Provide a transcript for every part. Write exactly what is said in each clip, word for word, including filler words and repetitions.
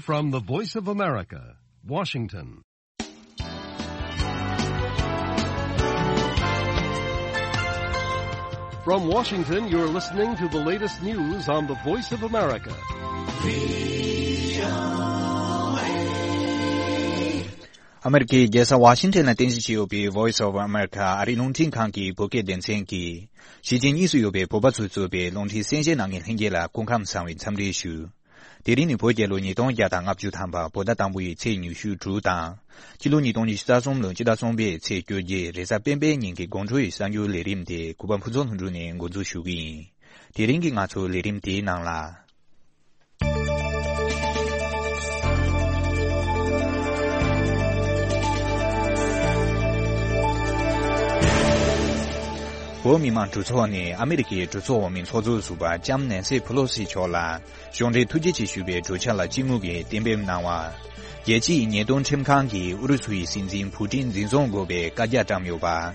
From the Voice of America, Washington. From Washington, you're listening to the latest news on the Voice of America. ཨ་མེ་རི་ཀའི་རྒྱལ་ས་ཝ་ཤིང་ཊོན་ལ་རྟེན་གཞི་བྱས་ཡོད་པའི་Voice of America ཨ་རིའི་རླུང་འཕྲིན་ཁང་གི་བོད་སྐད་སྡེ་ཚན་གྱིས། གཞིས་བྱེས་གཉིས་སུ་ཡོད་པའི་བོད་པ་ཚོས་གཙོས་པའི་རླུང་འཕྲིན་གསན་བཞེས་གནང་མཁན་ལྷན་རྒྱས་ལ་སྐུ་ཁམས་བཟང་བའི་འཚམས་འདྲི་ཞུ། དེ་རིང་ནི་བོད་རྒྱལ་ལོ་ཉིས་སྟོང་བརྒྱ་དང་ལྔ་བཅུ་ཐམ་པ་བོད་ཟླ་དང་པོ་ཡི་ཚེས་ཉི་ཤུ་དྲུག་དང་། སྤྱི་ལོ་ཉིས་སྟོང་ཉི་ཤུ་རྩ་གསུམ་ལོའི་སྤྱི་ཟླ་གསུམ་པའི་ཚེས་བཅོ་བརྒྱད་རེས་གཟའ་སྤེན་པའི་ཉིན་གྱི་དགོང་དྲོ་ཡི་གསར་འགྱུར་ལས་རིམ་དེ་གུས་པ་ཕུན་ཚོགས་ལྷུན་གྲུབ་ནས་འགོ་འཛུགས་ཞུ་གི་ཡིན། དེ་རིང་གི་ང་ཚོའི་ལས་རིམ་དེའི་ནང་ལ། བོད་མི་མང་གྲོས་ཚོགས་ནས་ཨ་མེ་རི་ཀའི་གྲོས་ཚོགས་འོག་མའི་ཚོགས་གཙོ་ཟུར་པ་ལྕམ་ནན་སི་ཕེ་ལོ་སི་མཆོག་ལ་གཞུང་འབྲེལ་ཐུགས་རྗེ་ཆེ་ཞུ་བའི་གྲོས་འཆར་ལ་སྤྱི་མོས་ཀྱིས་གཏན་འབེབས་གནང་བ། རྒྱལ་སྤྱིའི་ཉེས་དོན་ཁྲིམས་ཁང་གིས་ཨུ་རུ་སུའི་སྲིད་འཛིན་ཕུ་ཏིན་འཛིན་བཟུང་དགོས་པའི་བཀའ་རྒྱ་བཀྲམ་ཡོད་པ།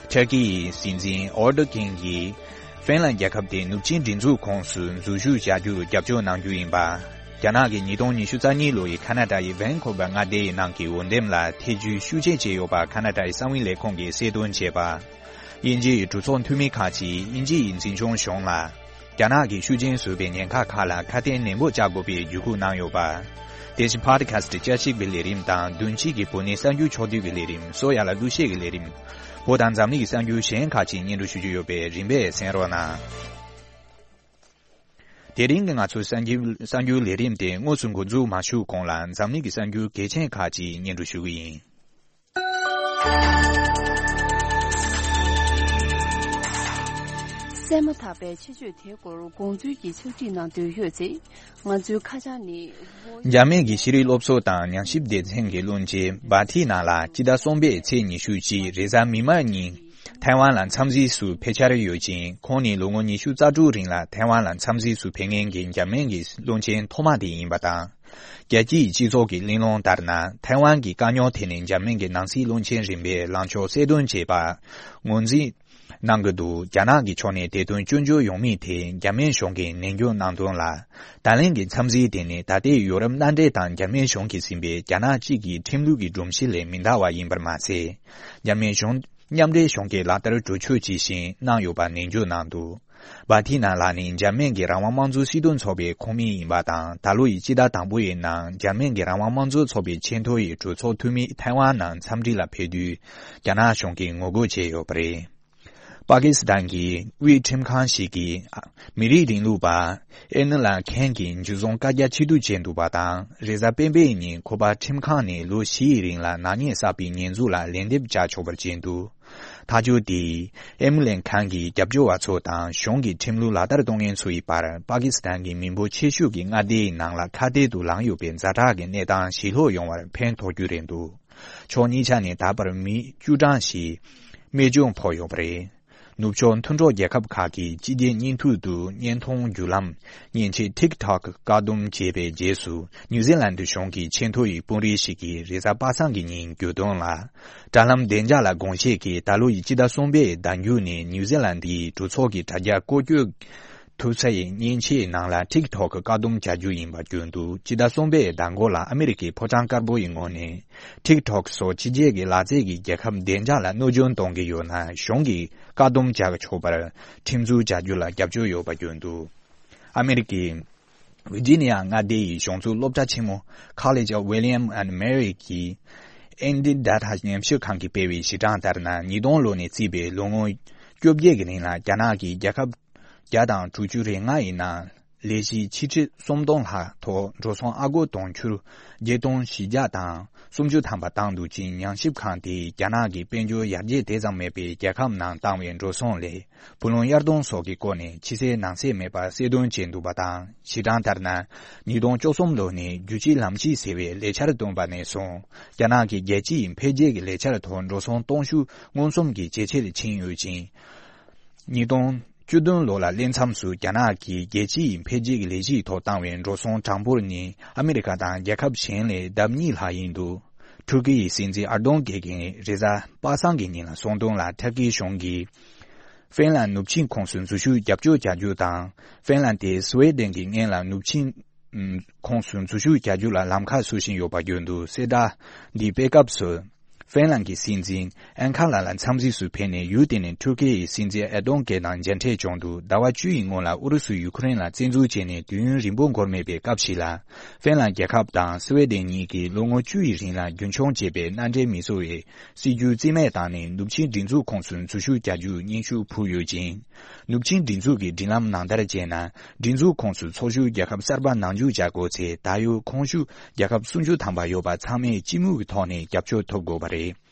ཐར་ཀི་ཡི་སྲིད་འཛིན་ཨོར་དོ་གྷན་གྱིས་ཧྥིན་ལན་རྒྱལ་ཁབ་དེ་ནུབ་ཆིངས་སྒྲིག་འཛུགས་ཁོངས་སུ་འཛུལ་ཞུགས་བྱ་རྒྱུར་རྒྱབ་སྐྱོར་གནང་རྒྱུ་ཡིན་པ། རྒྱ་ནག་གིས་ཉིས་སྟོང་ཉི་ཤུ་རྩ་གཉིས་ལོ་ཡི་ཁ་ན་ཏཱ་ཡི་ཝན་ཁོ་བར་མངའ་སྡེའི་ནང་གི་འོས་འདེམས་ལ་ཐེ་ཇུས་ཤུགས་ཆེ་བྱས་ཡོད་པ་ཁ་ན་ཏཱ་ཡི་གསང་བའི་ལས་ཁུངས་ཀྱིས་གསལ་སྟོན་བྱས་པ། དབྱིན་ཇི་ཡི་གྲོས་ཚོགས་འཐུས་མི་ཁག་ཅིག་དབྱིན་ཇི་ཡི་འཛིན་སྐྱོང་གཞུང་ལ། རྒྱ་ནག་གིས་ཤུགས་རྐྱེན་བཟོས་པའི་ཉེན་ཁ་ཁག་ལ་ཁ་གཏད་ནན་པོ་བཅག་དགོས་པའི་བརྒྱུད་སྐུལ་གནང་ཡོད་པ། དེ་བཞིན་ཕོ་ཌི་ཁ་སི་ཊི་བསྐྱར་ཞིབ་ཀྱི་ལས་རིམ་དང་བདུན་ཕྱེད་ཀྱི་བོད་གནས་གསར་འགྱུར་ཕྱོགས་བསྡུས་ཀྱི་ལས་རིམ་སོ་ཡ་ལ་གླུ་གཞས་ཀྱི་ལས་རིམ། བོད་དང་འཛམ་གླིང་གི་གསར་འགྱུར་གཞན་ཁག་ཅིག་སྙན་སྒྲོན་ཞུ་རྒྱུ་ཡོད་པས་རིམ་པས་གསན་རོགས་གནང་། དེ་རིང་གི་ང་ཚོའི་གསར་འགྱུར་གསར་འགྱུར་ལས་རིམ་དེ་དངོས་སུ་འགོ་འཛུགས་མ་ཞུས་གོང་ལ་འཛམ་གླིང་གི་གསར་འགྱུར་གལ་ཆེན་ཁག་ཅིག་སྙན་སྒྲོན་ཞུ་གི་ཡིན། གསན་མ་ཐག་པའི་ཆེད་བརྗོད་དེའི་སྐོར་དགོངས་ཚུལ་གྱི་ཕྱག་བྲིས་གནང་འདོད་ཡོད་ཚེ། ང་ཚོའི་ཁ་བྱང་ནི། འཇར་མན་གྱི་ཤེས་རིག་སློབ་གསོ་དང་ཉམས་ཞིབ་སྡེ་ཚན་གྱི་བློན་ཆེན་བྷ་ཐི་ན་ལགས་སྤྱི་ཟླ་གསུམ་པའི་ཚེས་ཉི་ཤུ་གཅིག་རེས་གཟའ་མིག་དམར་ཉིན་ཐའེ་ཝན་ལ་འཚམས་གཟིགས་སུ་ཕེབས་འཆར་ཡོད་ཅིང་། ཁོང་ནི་ལོ་ངོ་ཉི་ཤུ་རྩ་དྲུག་རིང་ལ་ཐའེ་ཝན་ལ་འཚམས་གཟིགས་སུ་ཕེབས་མཁན་གྱི་འཇར་མན་གྱི་བློན་ཆེན་ཐོག་མ་དེ་ཡིན་པ་དང་། རྒྱལ་སྤྱིའི་སྤྱི་ཚོགས་ཀྱི་གླེང་སློང་ལྟར་ན། ཐའེ་ཝན་གྱི་དཀའ་རྙོག་ཐད་ནས་འཇར་མན་གྱི་ནང་སྲིད་བློན་ཆེན་རིམ་པས་ལངས་ཕྱོགས་གསལ་སྟོན་བྱས་པ་ངོས་འཛིན་གནང་གི་འདུག་རྒྱ་ནག་གི་ཕྱོགས་ནས་དེ་དོན་སྐྱོན་བརྗོད་ཡོང་མིན་དེ་འཇར་མན་གཞུང་གིས་ནན་སྐྱོན་གནང་དོན་ལ། ད་ལན་གྱི་འཚམས་གཟིགས་དེ་ནི་ད་ལྟའི་ཡོ་རོབ་མནའ་འབྲེལ་དང་འཇར་མན་གཞུང་གིས་ཟིན་པའི་རྒྱ་ནག་གཅིག་གི་ཁྲིམས་ལུགས་ཀྱི་སྒྲོམ་གཞི་ལས་མི་འདའ་བ་ཡིན་པར་མ་ཟད། འཇར་མན་གཞུང་མཉམ་འབྲེལ་གཞུང་གིས་ལག་བསྟར་གྲོས་ཆོད་ཇི་བཞིན་གནང་ཡོད་པ་ནན་བརྗོད་གནང་འདུག་བྷ་ཐི་ན་ལགས་ནི་འཇར་མན་གྱི་རང་དབང་དམངས་གཙོའི་སྲིད་དོན་ཚོགས་པའི་ཁོངས་མི་ཡིན་པ་དང་། ད་ལོ་ཡི་སྤྱི་ཟླ་དང་པོ་ཡི་ནང་འཇར་མན་གྱི་རང་དབང་དམངས་གཙོ་ཚོགས་པའི་ཆེས་མཐོ་ཡི་གྲོས་ཚོགས་འཐུས་མི་ཐའེ་ཝན་ནང་འཚམས་འདྲི་ལ་ཕེབས་དུས། རྒྱ་ནག་གཞུང་གིས་ངོ་རྒོལ་བྱས་ཡོད་པ་རེད། པ་ཀི་སི་ཐན་གྱི་དབུས་ཁྲིམས་ཁང་ཞིག་གིས་མི་རིགས་རིང་ལུགས་པ་ཨེ་ནི་ལན་ཁན་གྱི་འཇུ་བཟུང་བཀའ་རྒྱ་ཕྱིར་བསྡུ་བྱས་འདུག་པ་དང་། རེས་གཟའ་སྤེན་པའི་ཉིན་ཁོ་པ་ཁྲིམས་ཁང་ནས་ལོ་བཞི་ཡི་རིང་ལ་ནག་ཉེས་བསགས་པའི་ཉེས་འཛུགས་ལ་ལན་འདེབས་བྱ་ཆོག་པར་བྱས་འདུག་ཐག་གཅོད་དེས་ཨེ་མི་ལན་ཁན་གྱི་རྒྱབ་སྐྱོར་བ་ཚོ་དང་གཞུང་གི་ཁྲིམས་ལུགས་ལག་བསྟར་གཏོང་མཁན་ཚོ་ཡི་བར་པ་ཀི་སི་ཐན་གྱི་མི་འབོར་ཆེ་ཤོས་ཀྱི་མངའ་སྡེའི་ནང་ལ་ཁ་གཏད་དུ་ལངས་ཡོད་པའི་ཛ་དྲག་གི་གནས་སྟངས་ཞི་ལྷོད་ཡོང་བར་ཕན་ཐོགས་རྒྱུ་རེད་འདུག་ཕྱོགས་གཉིས་ཆ་ནས་ད་བར་མི་བཅུ་གྲངས་ཤིག་རྨས་སྐྱོན་ཕོག་ཡོད་པ་རེད། ནུབ་ཕྱོགས་མཐུན་གྲོགས་རྒྱལ་ཁབ་ཁག་གིས་སྤྱི་རྒྱའི་བརྙན་ཐུང་དུ་བརྙན་མཐོང་བརྒྱུད་ལམ་མཉེན་ཆས་ཊིག་ཊོག་བཀག་སྡོམ་བྱས་པའི་རྗེས་སུ། ནིའུ་ཛི་ལན་གཞུང་གི་ཆེས་མཐོ་ཡི་དཔོན་རིགས་ཤིག་གིས་རེས་གཟའ་པ་སངས་ཀྱི་ཉིན་བརྗོད་དོན་ལ། དྲ་ལམ་བདེ་འཇགས་ལ་དགོངས་བཞེས་ཀྱིས་ད་ལོ་ཡི་སྤྱི་ཟླ་གསུམ་པའི་ཟླ་མཇུག་ནས་ནིའུ་ཛི་ལན་གྱི་གྲོས་ཚོགས་ཀྱི་དྲ་རྒྱ་བཀོལ་སྤྱོད་ཐུབ་ས་ཡི་མཉེན་ཆས་ནང་ལ་ཊིག་ཊོག་བཀག་སྡོམ་བྱ་རྒྱུ་ཡིན་པ་བརྗོད་འདུག་སྤྱི་ཟླ་གསུམ་པའི་ཟླ་མགོ་ལ་ཨ་མི་རི་ཀའི་ཕོ་བྲང་དཀར་པོ་ཡི་ངོས་ནས་ཊིག་ཊོག་སོགས་ཕྱི་རྒྱལ་གྱི་ལག་རྩལ་གྱི་རྒྱལ་ཁབ་བདེ་འཇགས་ལ་གནོད་སྐྱོན་གཏོང་གི་ཡོད་ན་གཞུང་གིས་བཀག་སྡོམ་བྱ་ཆོག་པར་ཁྲིམས་འཛུགས་བྱ་རྒྱུ་ལ་རྒྱབ་སྐྱོར་ཡོད་པ་བརྗོད་འདུག་ཨ་མི་རི་ཀའི་ཝི་ཇི་ནི་ཡ་མངའ་སྡེ་ཡི་གཞུང་ཚུགས་སློབ་གྲྭ་ཆེན་མོ་College of William and Mary གི་ཨེན་ཌི་ཌ་ཊ་ཉམས་ཞིབ་ཁང་གིས་སྤེལ་བའི་གཞི་གྲངས་ལྟར་ན། ཉིས་སྟོང་ལོ་ནས་བརྩིས་པའི་ལོ་ངོ་བཅོ་བརྒྱད་ཀྱི་རིང་ལ་རྒྱ་ནག་གིས་རྒྱལ་ཁབ་བརྒྱ་དང་དྲུག་ཅུ་རེ་ལྔ་ཡི་ནང་ལས་གཞི་ཆིག་ཁྲི་སུམ་སྟོང་ལྷག་ཐོག་འགྲོ་སོང་ཨ་སྒོར་དུང་ཕྱུར་བརྒྱད་སྟོང་བཞི་བརྒྱ་དང་སུམ་ཅུ་ཐམ་པ་བཏང་འདུག་ཅིང་། ཉམས་ཞིབ་ཁང་དེས་རྒྱ་ནག་གི་དཔལ་འབྱོར་ཡར་རྒྱས་དེ་ཙམ་མེད་པའི་རྒྱལ་ཁབ་ནང་བཏང་བའི་འགྲོ་སོང་ལས་བུ་ལོན་གཡར་གཏོང་སོགས་ཀྱི་སྐོར་ནས་ཕྱི་གསལ་ནང་གསལ་མེད་པར་གསལ་སྟོན་བྱས་འདུག་པ་དང་། གཞི་གྲངས་ལྟར་ན། ཉིས་སྟོང་བཅུ་གསུམ་ལོ་ནས་རྒྱུ་ཆའི་ལམ་གཤིས་ཟེར་བའི་ལས་འཆར་བཏོན་པ་ནས་བཟུང་། རྒྱ་ནག་གིས་རྒྱལ་སྤྱི་ཡི་འཕེལ་རྒྱས་ཀྱི་ལས་འཆར་ཐོག་འགྲོ་སོང་སྟོང་ཤུགས་མངོན་སུམ་གྱིས་ཇེ་ཆེར་ཕྱིན་ཡོད་ཅིང་། ཉིས་སྟོང་བཅུ་བདུན་ལོ་ལ་སླེབས་མཚམས་སུ་རྒྱ་ནག་གིས་རྒྱལ་སྤྱི་ཡི་འཕེལ་རྒྱས་ཀྱི་ལས་གཞིའི་ཐོག་བཏང་བའི་འགྲོ་སོང་གྲངས་འབོར་ནི་ཨ་མི་རི་ཀ་དང་རྒྱལ་ཁབ་གཞན་ལས་ལྡབ་གཉིས་ལྷག་ཡིན་འདུག་ཐུར་ཀི་ཡི་སྲིད་འཛིན་ཨར་དོང་གྷན་གྱིས་རེས་གཟའ་པ་སངས་ཀྱི་ཉིན་ལ་གསུངས་དོན་ལ། ཐུར་ཀི་གཞུང་གིས་ཧྥིན་ལན་ནུབ་ཆིངས་ཁོངས་སུ་འཛུལ་ཞུགས་རྒྱབ་སྐྱོར་བྱ་རྒྱུ་དང་། ཧྥིན་ལན་དེ་སུའེ་ཏེན་གྱི་སྔོན་ལ་ནུབ་ཆིངས་ ཁོངས་སུ་འཛུལ་ཞུགས་རྒྱག་རྒྱུ་ལ་ལམ་ཁ་བཟོ་བཞིན་ཡོད་པ་བརྗོད་འདུག་གསལ་བསྒྲགས་འདི་སྤེལ་སྐབས་སུ། ཧྥིན་ལན་གྱི་སྲིད་འཛིན་ཨན་ཁ་ལ་ལ་འཚམས་གཟིགས་སུ་ཕེབས་ནས་ཡུལ་དེ་ནས་ཐུར་ཀེ་ཡི་སྲིད་འཛིན་ཨེ་ཏོང་གེ་དང་མཇལ་འཕྲད་བྱུང་འདུག་ཟླ་བ་བཅུ་ཡི་སྔོན་ལ་ཨུ་རུ་སུས་ཡུ་ཁུ་རེན་ལ་བཙན་འཛུལ་བྱས་ནས་དུས་ཡུན་རིང་པོ་འགོར་མེད་པའི་སྐབས་ཤིག་ལ། ཧྥིན་ལན་རྒྱལ་ཁབ་དང་སི་ཝེ་ཏན་གཉིས་ཀྱིས་ལོ་ངོ་བཅུ་ཡི་རིང་ལ་རྒྱུན་འཁྱོངས་བྱས་པའི་མནའ་འབྲེལ་མི་བཟོ་བའི་སྲིད་ཇུས་རྩིས་མེད་བཏང་ནས་ནུབ་ཆིངས་སྒྲིག་འཛུགས་ཁོངས་སུ་འཛུལ་ཞུགས་རྒྱག་རྒྱུའི་སྙན་ཞུ་ཕུལ་ཡོད་ཅིང་། ནུབ་ཆིངས་སྒྲིག་འཛུགས་ཀྱི་སྒྲིག་ལམ་ནང་ལྟར་བྱས་ན། སྒྲིག་འཛུགས་ཁོངས་སུ་འཚོ་བཞུགས་རྒྱལ་ཁབ་གསར་པ་ནང་འཇུག་བྱ་དགོས་ཚེ། ད་ཡོད་ཁོངས་ཞུགས་རྒྱལ་ཁབ་སུམ་ཅུ་ཐམ་པ་ཡོད་པ་ཚང་མས་སྤྱི་མོས་ཀྱི་ཐོག་ནས་རྒྱབ་སྐྱོར་ཐོབ་དགོས་པ་རེད།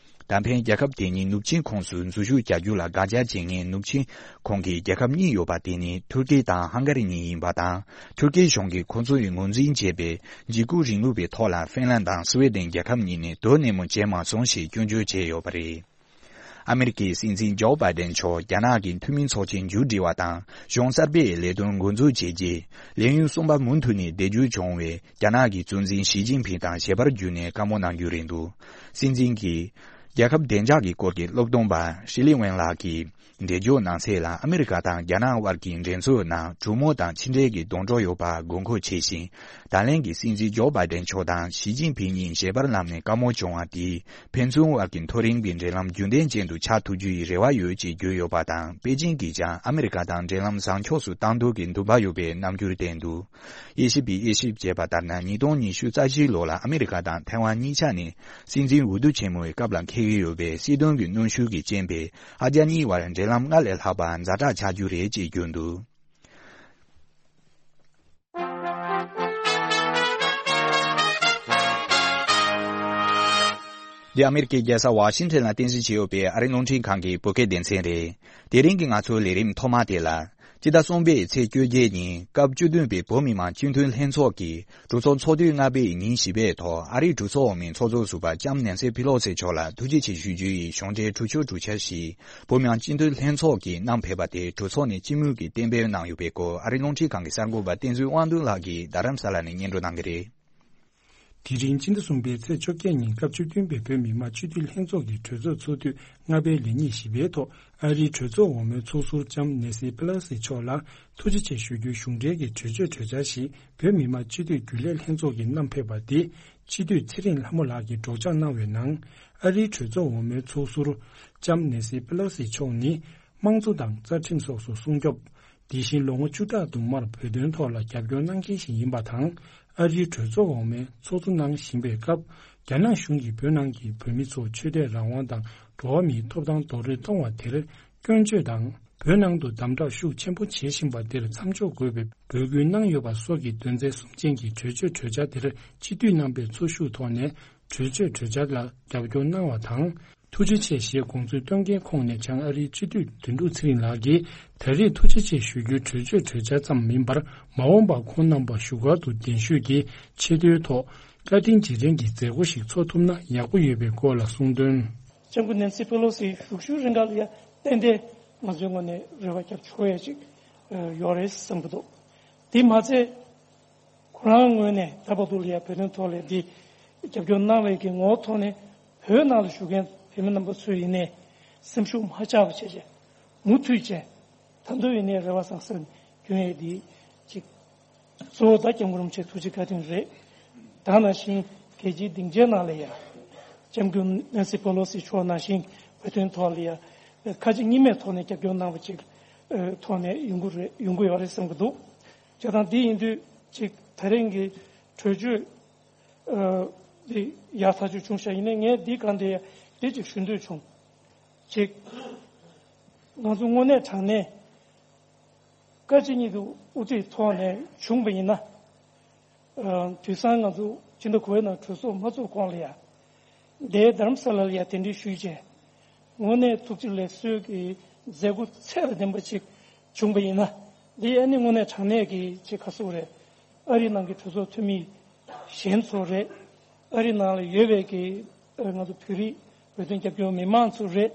ད་ཕན་རྒྱལ་ཁབ་དེ་གཉིས་ནུབ་ཆིངས་ཁོངས་སུ་འཛུལ་ཞུགས་བྱ་རྒྱུ་ལ་དགག་བྱ་བྱེད་མཁན་ནུབ་ཆིངས་ཁོངས་ཀྱི་རྒྱལ་ཁབ་གཉིས་ཡོད་པ་དེ་ནི་ཐུར་ཀེ་དང་ཧང་ག་རི་གཉིས་ཡིན་པ་དང་། ཐུར་ཀེ་གཞུང་གིས་ཁོ་ཚོ་ཡི་ངོས་འཛིན་བྱས་པའི་འཇིགས་སྐུལ་རིང་ལུགས་པའི་ཐོག་ལ་ཧྥིན་ལན་དང་སི་ཝེ་ཏན་རྒྱལ་ཁབ་གཉིས་ནས་དོ་ནན་མོ་བྱས་མ་སོང་ཞེས་སྐྱོན་བརྗོད་བྱས་ཡོད་པ་རེད། ཨ་མེ་རི་ཀའི་སྲིད་འཛིན་ཇོ་བྷའི་ཏན་མཆོག་རྒྱ་ནག་གི་འཐུས་མི་ཚོགས་ཆེན་མཇུག་སྒྲིལ་བ་དང་གཞུང་གསར་པའི་ལས་དོན་འགོ་འཛུགས་བྱས་རྗེས། ལས་ཡུན་གསུམ་པ་མུ་མཐུད་ནས་བསྡད་རྒྱུ་བྱུང་བའི་རྒྱ་ནག་གི་གཙོ་འཛིན་ཞི་ཅིན་ཕིང་དང་ཞལ་པར་བརྒྱུད་ནས་བཀའ་མོལ་གནང་རྒྱུ་རེད་འདུག་སྲིད་འཛིན་གྱིས་རྒྱལ་ཁབ་བདེ་འཇགས་ཀྱི་སྐོར་གྱི་སློབ་སྟོན་པ་ཧྲི་ལི་ཝེན་ལགས་ཀྱི་འགྲེལ་བརྗོད་གནང་གསལ་ལ། ཨ་མེ་རི་ཀ་དང་རྒྱ་ནག་དབར་གྱི་འགྲན་རྩོད་ནང་གྲོས་མོལ་དང་ཕྱི་འབྲེལ་གྱི་སྡོང་གྲོགས་ཡོད་པ་དགོས་མཁོ་ཆེ་ཞིང་། ད་ལན་གྱི་སྲིད་འཛིན་ཇོ་བྷའི་ཏན་མཆོག་དང་ཞི་ཅིན་ཕིང་གཉིས་ཞལ་པར་བསླབས་ནས་བཀའ་མོལ་བྱུང་བ་དེས་ཕན་ཚུན་དབར་གྱི་མཐོ་རིམ་གྱི་འབྲེལ་ལམ་རྒྱུན་ལྡན་ཅན་དུ་ཆགས་ཐུབ་རྒྱུ་ཡི་རེ་བ་ཡོད་ཅེས་བརྗོད་ཡོད་པ་དང་། པེ་ཅིང་གིས་ཀྱང་ཨ་མེ་རི་ཀ་དང་འབྲེལ་ལམ་བཟང་ཕྱོགས་སུ་གཏང་ཐུབ་ཀྱི་འདུན་པ་ཡོད་པའི་རྣམ་འགྱུར་བསྟན་འདུག་དབྱེ་ཞིབ་པས་དབྱེ་ཞིབ་བྱས་པ་ལྟར་ན། ཉིས་སྟོང་ཉི་ཤུ་རྩ་བཞིའི་ལོ་ལ་ཨ་མེ་རི་ཀ་དང་ཐའེ་ཝན་གཉིས་ཆ་ནས་སྲིད་འཛིན་འོས་བསྡུ་ཆེན་མོའི་སྐབས་ལ་འཁེལ་གྱི་ཡོད་པའི་སྲིད་དོན་གྱི་གནོན་ཤུགས་ཀྱི་རྐྱེན་པས། ཨ་རྒྱ་གཉིས་དབར་འབྲེལ་ལམ་སྔར་ལས་ལྷག་པ་ཛ་དྲག་ཆགས་རྒྱུ་རེད་ཅེས་བརྗོད་འདུག་འདི་ཨ་མེ་རི་ཀའི་རྒྱལ་ས་ཝ་ཤིང་ཊོན་ལ་རྟེན་གཞི་བྱས་ཡོད་པའི་ཨ་རིའི་རླུང་འཕྲིན་ཁང་གི་བོད་སྐད་སྡེ་ཚན་རེད། དེ་རིང་གི་ང་ཚོའི་ལས་རིམ་ཐོག་མ་དེ་ལ། སྤྱི་ཟླ་གསུམ་པའི་ཚེས་བཅོ་བརྒྱད་ཉིན་སྐབས་བཅུ་བདུན་པའི་བོད་མི་མང་སྤྱི་འཐུས་ལྷན་ཚོགས་ཀྱི་གྲོས་ཚོགས་ཚོགས་དུས་ལྔ་པའི་ཉིན་བཞི་པའི་ཐོག་ཨ་རིའི་གྲོས་ཚོགས་འོག་མའི་ཚོགས་གཙོ་ཟུར་པ་ལྕམ་ནན་སི་ཕི་ལོ་སི་མཆོག་ལ་ཐུགས་རྗེ་ཆེ་ཞུ་རྒྱུ་ཡི་གཞུང་འབྲེལ་གྲོས་ཆོད་གྲོས་འཆར་ཞིག་བོད་མི་མང་སྤྱི་འཐུས་ལྷན་ཚོགས་ཀྱིས་གནང་ཕེབས་པ་དེ་གྲོས་ཚོགས་ནས་སྤྱི་མོས་ཀྱིས་གཏན་འབེབས་གནང་ཡོད་པའི་སྐོར་ཨ་རིའི་རླུང་འཕྲིན་ཁང་གི་གསར་འགོད་པ་བསྟན་འཛིན་དབང་འདུས་ལགས་ཀྱིས་རྡ་རམ་ས་ལ་ནས་སྙན་སྒྲོན་གནང་གི་རེད། དེ་རིང་སྤྱི་ཟླ་གསུམ་པའི་ཚེས་བཅོ་བརྒྱད་ཉིན་སྐབས་བཅུ་བདུན་པའི་བོད་མི་མང་སྤྱི་འཐུས་ལྷན་ཚོགས་ཀྱི་གྲོས་ཚོགས་ཚོགས་དུས་ལྔ་པའི་ལས་ཉིན་བཞི་པའི་ཐོག་ཨ་རིའི་གྲོས་ཚོགས་འོག་མའི་ཚོགས་ཟུར་ལྕམ་ནེ་སི་པེ་ལོ་སི་མཆོག་ལ་ཐུགས་རྗེ་ཆེ་ཞུ་རྒྱུའི་གཞུང་འབྲེལ་གྱི་གྲོས་ཆོད་གྲོས་འཆར་ཞིག་བོད་མི་མང་སྤྱི་འཐུས་རྒྱུན་ལས་ལྷན་ཚོགས་ཀྱིས་གནང་ཕེབས་པ་དེ། སྤྱི་འཐུས་ཚེ་རིང་ལྷ་མོ་ལགས་ཀྱིས་སྒྲོག་སྦྱང་གནང་བའི་ནང་། ཨ་རིའི་གྲོས་ཚོགས་འོག་མའི་ཚོགས་ཟུར་ལྕམ་ནེ་སི་པེ་ལོ་སི་མཆོག་ནི། དམངས་གཙོ་དང་རྩ་ཁྲིམས་སོགས་སུ་སྲུང་སྐྱོབ། དེ་བཞིན་ལོ་ངོ་བཅུ་ཕྲག་དུ་མར་བོད་དོན་ཐོག་ལ་རྒྱབ་སྐྱོར་གནང་མཁན་ཞིག་ཡིན་པ་དང་། ཨ་རིའི་གྲོས་ཚོགས་འོག་མའི་ཚོགས་གཙོ་གནང་བཞིན་པའི་སྐབས། རྒྱ་ནག་གཞུང་གིས་བོད་ནང་གི་བོད་མི་ཚོར་ཆོས་དད་རང་དབང་དང་འགྲོ་བ་མིའི་ཐོབ་ཐང་རྡོག་རོལ་གཏོང་བ་དེར་སྐྱོན་བརྗོད་དང་། བོད་ནང་དུ་དམ་དྲག་ཤུགས་ཆེན་པོ་བྱེད་བཞིན་པ་དེར་མཚམས་འཇོག་དགོས་པའི་འབོད་སྐུལ་གནང་ཡོད་པ་སོགས་ཀྱི་དོན་ཚན་གསུམ་ཅན་གྱི་གྲོས་ཆོད་གྲོས་འཆར་དེར་སྤྱི་འཐུས་རྣམ་པས་ཚོགས་ཞུགས་ཐོག་ནས་གྲོས་ཆོད་གྲོས་འཆར་ལ་རྒྱབ་སྐྱོར་གནང་བ་དང་། ཐུགས་རྗེ་ཆེ་ཞེས་དགོངས་ཚུལ་བཏོན་མཁན་ཁོངས་ནས་བྱང་ཨ་རིའི་སྤྱི་འཐུས་དོན་གྲུབ་ཚེ་རིང་ལགས་ཀྱིས། ད་རེས་ཐུགས་རྗེ་ཆེ་ཞུ་རྒྱུའི་གྲོས་ཆོད་གྲོས་འཆར་ཙམ་མིན་པར། མ་འོངས་པར་ཁོང་རྣམ་པ་བཞུགས་སྒར་དུ་གདན་ཞུས་ཀྱིས་ཆེ་མཐོའི་ཐོག་བཀའ་དྲིན་རྗེས་དྲན་གྱི་མཛད་སྒོ་ཞིག་འཚོགས་ཐུབ་ན་ཡག་པོ་ཡོད་པའི་སྐོར་ལ་གསུངས་དོན། ལྕམ་སྐུ་ནན་སི་པེ་ལོ་སི་བཞུགས་ཤུལ་རིང་ག་ལ་ཡ་ཏན་ཏན་ང་ཚོའི་ངོས་ནས་རེ་བ་རྒྱབ་ཆོག་ཡ་ཅིག་ཡོད་རེད་བསམ་གྱི་འདུག་དེ་མ་ཚད། ཁོ་རང་ངོས་ནས་ད་བར་དུ་ལ་ཡ་བོད་དོན་ཐོག་ལ་འདི་རྒྱབ་སྐྱོར་གནང་བའི་གི་ངོ་བོ་ཐོག་ནས་བོད་ནང་ལ་བཞུགས་མཁན་བོད་མི་རྣམ་པ་ཚོས་ཡིན་ནའི་སེམས་ཤུགས་མ་ཆག་པ་བྱས་བྱས་མུ་མཐུད་བྱས་ད་དུང་ཡིན་ནའི་རེ་བ་བཟང་ས་སྐྱོན་ཡས་འདི་ཅིག་གཙོ་བོ་ད་སྐྱབས་མགོན་རིན་པོ་ཆེ་ཐུགས་རྗེ་བཀའ་དྲིན་རེད། ད་ནང་བཞིན་རྒྱལ་སྤྱིའི་སྡིངས་ཆའི་ནང་ལ་ཡ་སྐྱབས་མགོན་ནན་སི་པེ་ལོ་སི་མཆོག་ནང་བཞིན་བོད་དོན་ཐོག་ལ་ཡ་ཁ་ལྕེ་གཉིས་མེད་ཐོག་ནས་རྒྱབ་སྐྱོར་གནང་བ་ཅིག་ཐོག་ནས་ཡོང་གི་རེད་ཡོང་གི་ཡོད་རེད་བསམ་གྱི་འདུག་བྱས་ཙང་འདི་ཡིན་དུས་ཅིག་ད་རིང་གི་གྲོས་ཆོད་འདི་ཡག་ཐག་ཆོད་བྱུང་ཤག་ཡིན་ནའི་ངས་འདི་གང་དེ་འདི་ཅིག་ཞུ་འདོད་བྱུང་། ཅིག་ང་ཚོ་དངོས་གནས་དྲང་གནས་བཀའ་སྤྱི་གཉིས་ཀྱི་དབུ་ཁྲིད་ཐོག་ནས་བྱུང་བ་ཡིན་ན། དུས་སང་ང་ཚོ་སྤྱི་ཟླ་དགུ་པའི་ནང་གྲོས་ཚོགས་མ་ཚོགས་གོང་ལ་ཡ། འདིའི་རྡ་རམ་ས་ལ་ལ་ཡ་གདན་འདྲེན་ཞུས་རྗེས། དངོས་གནས་ཐུགས་རྗེ་ལེགས་གསོལ་གྱི་མཛད་སྒོ་ཚད་ལ་ལྡན་པ་ཅིག་བྱུང་པ་ཡིན་ན། འདི་ཨ་ནི་དངོས་གནས་དྲང་གནས་ཀྱི་ཅིག་ག་ཟེར་དགོས་རེད། ཨ་རིའི་ནང་གི་གྲོས་ཚོགས་འཐུས་མི་གཞན་ཚོ་རེད། ཨ་རིའི་ནང་ལ་ཡོད་པའི་གི་ང་ཚོ་བོད་རིགས་བོད་དོན་རྒྱབ་སྐྱོར་མི་མང་ཚོ་རེད།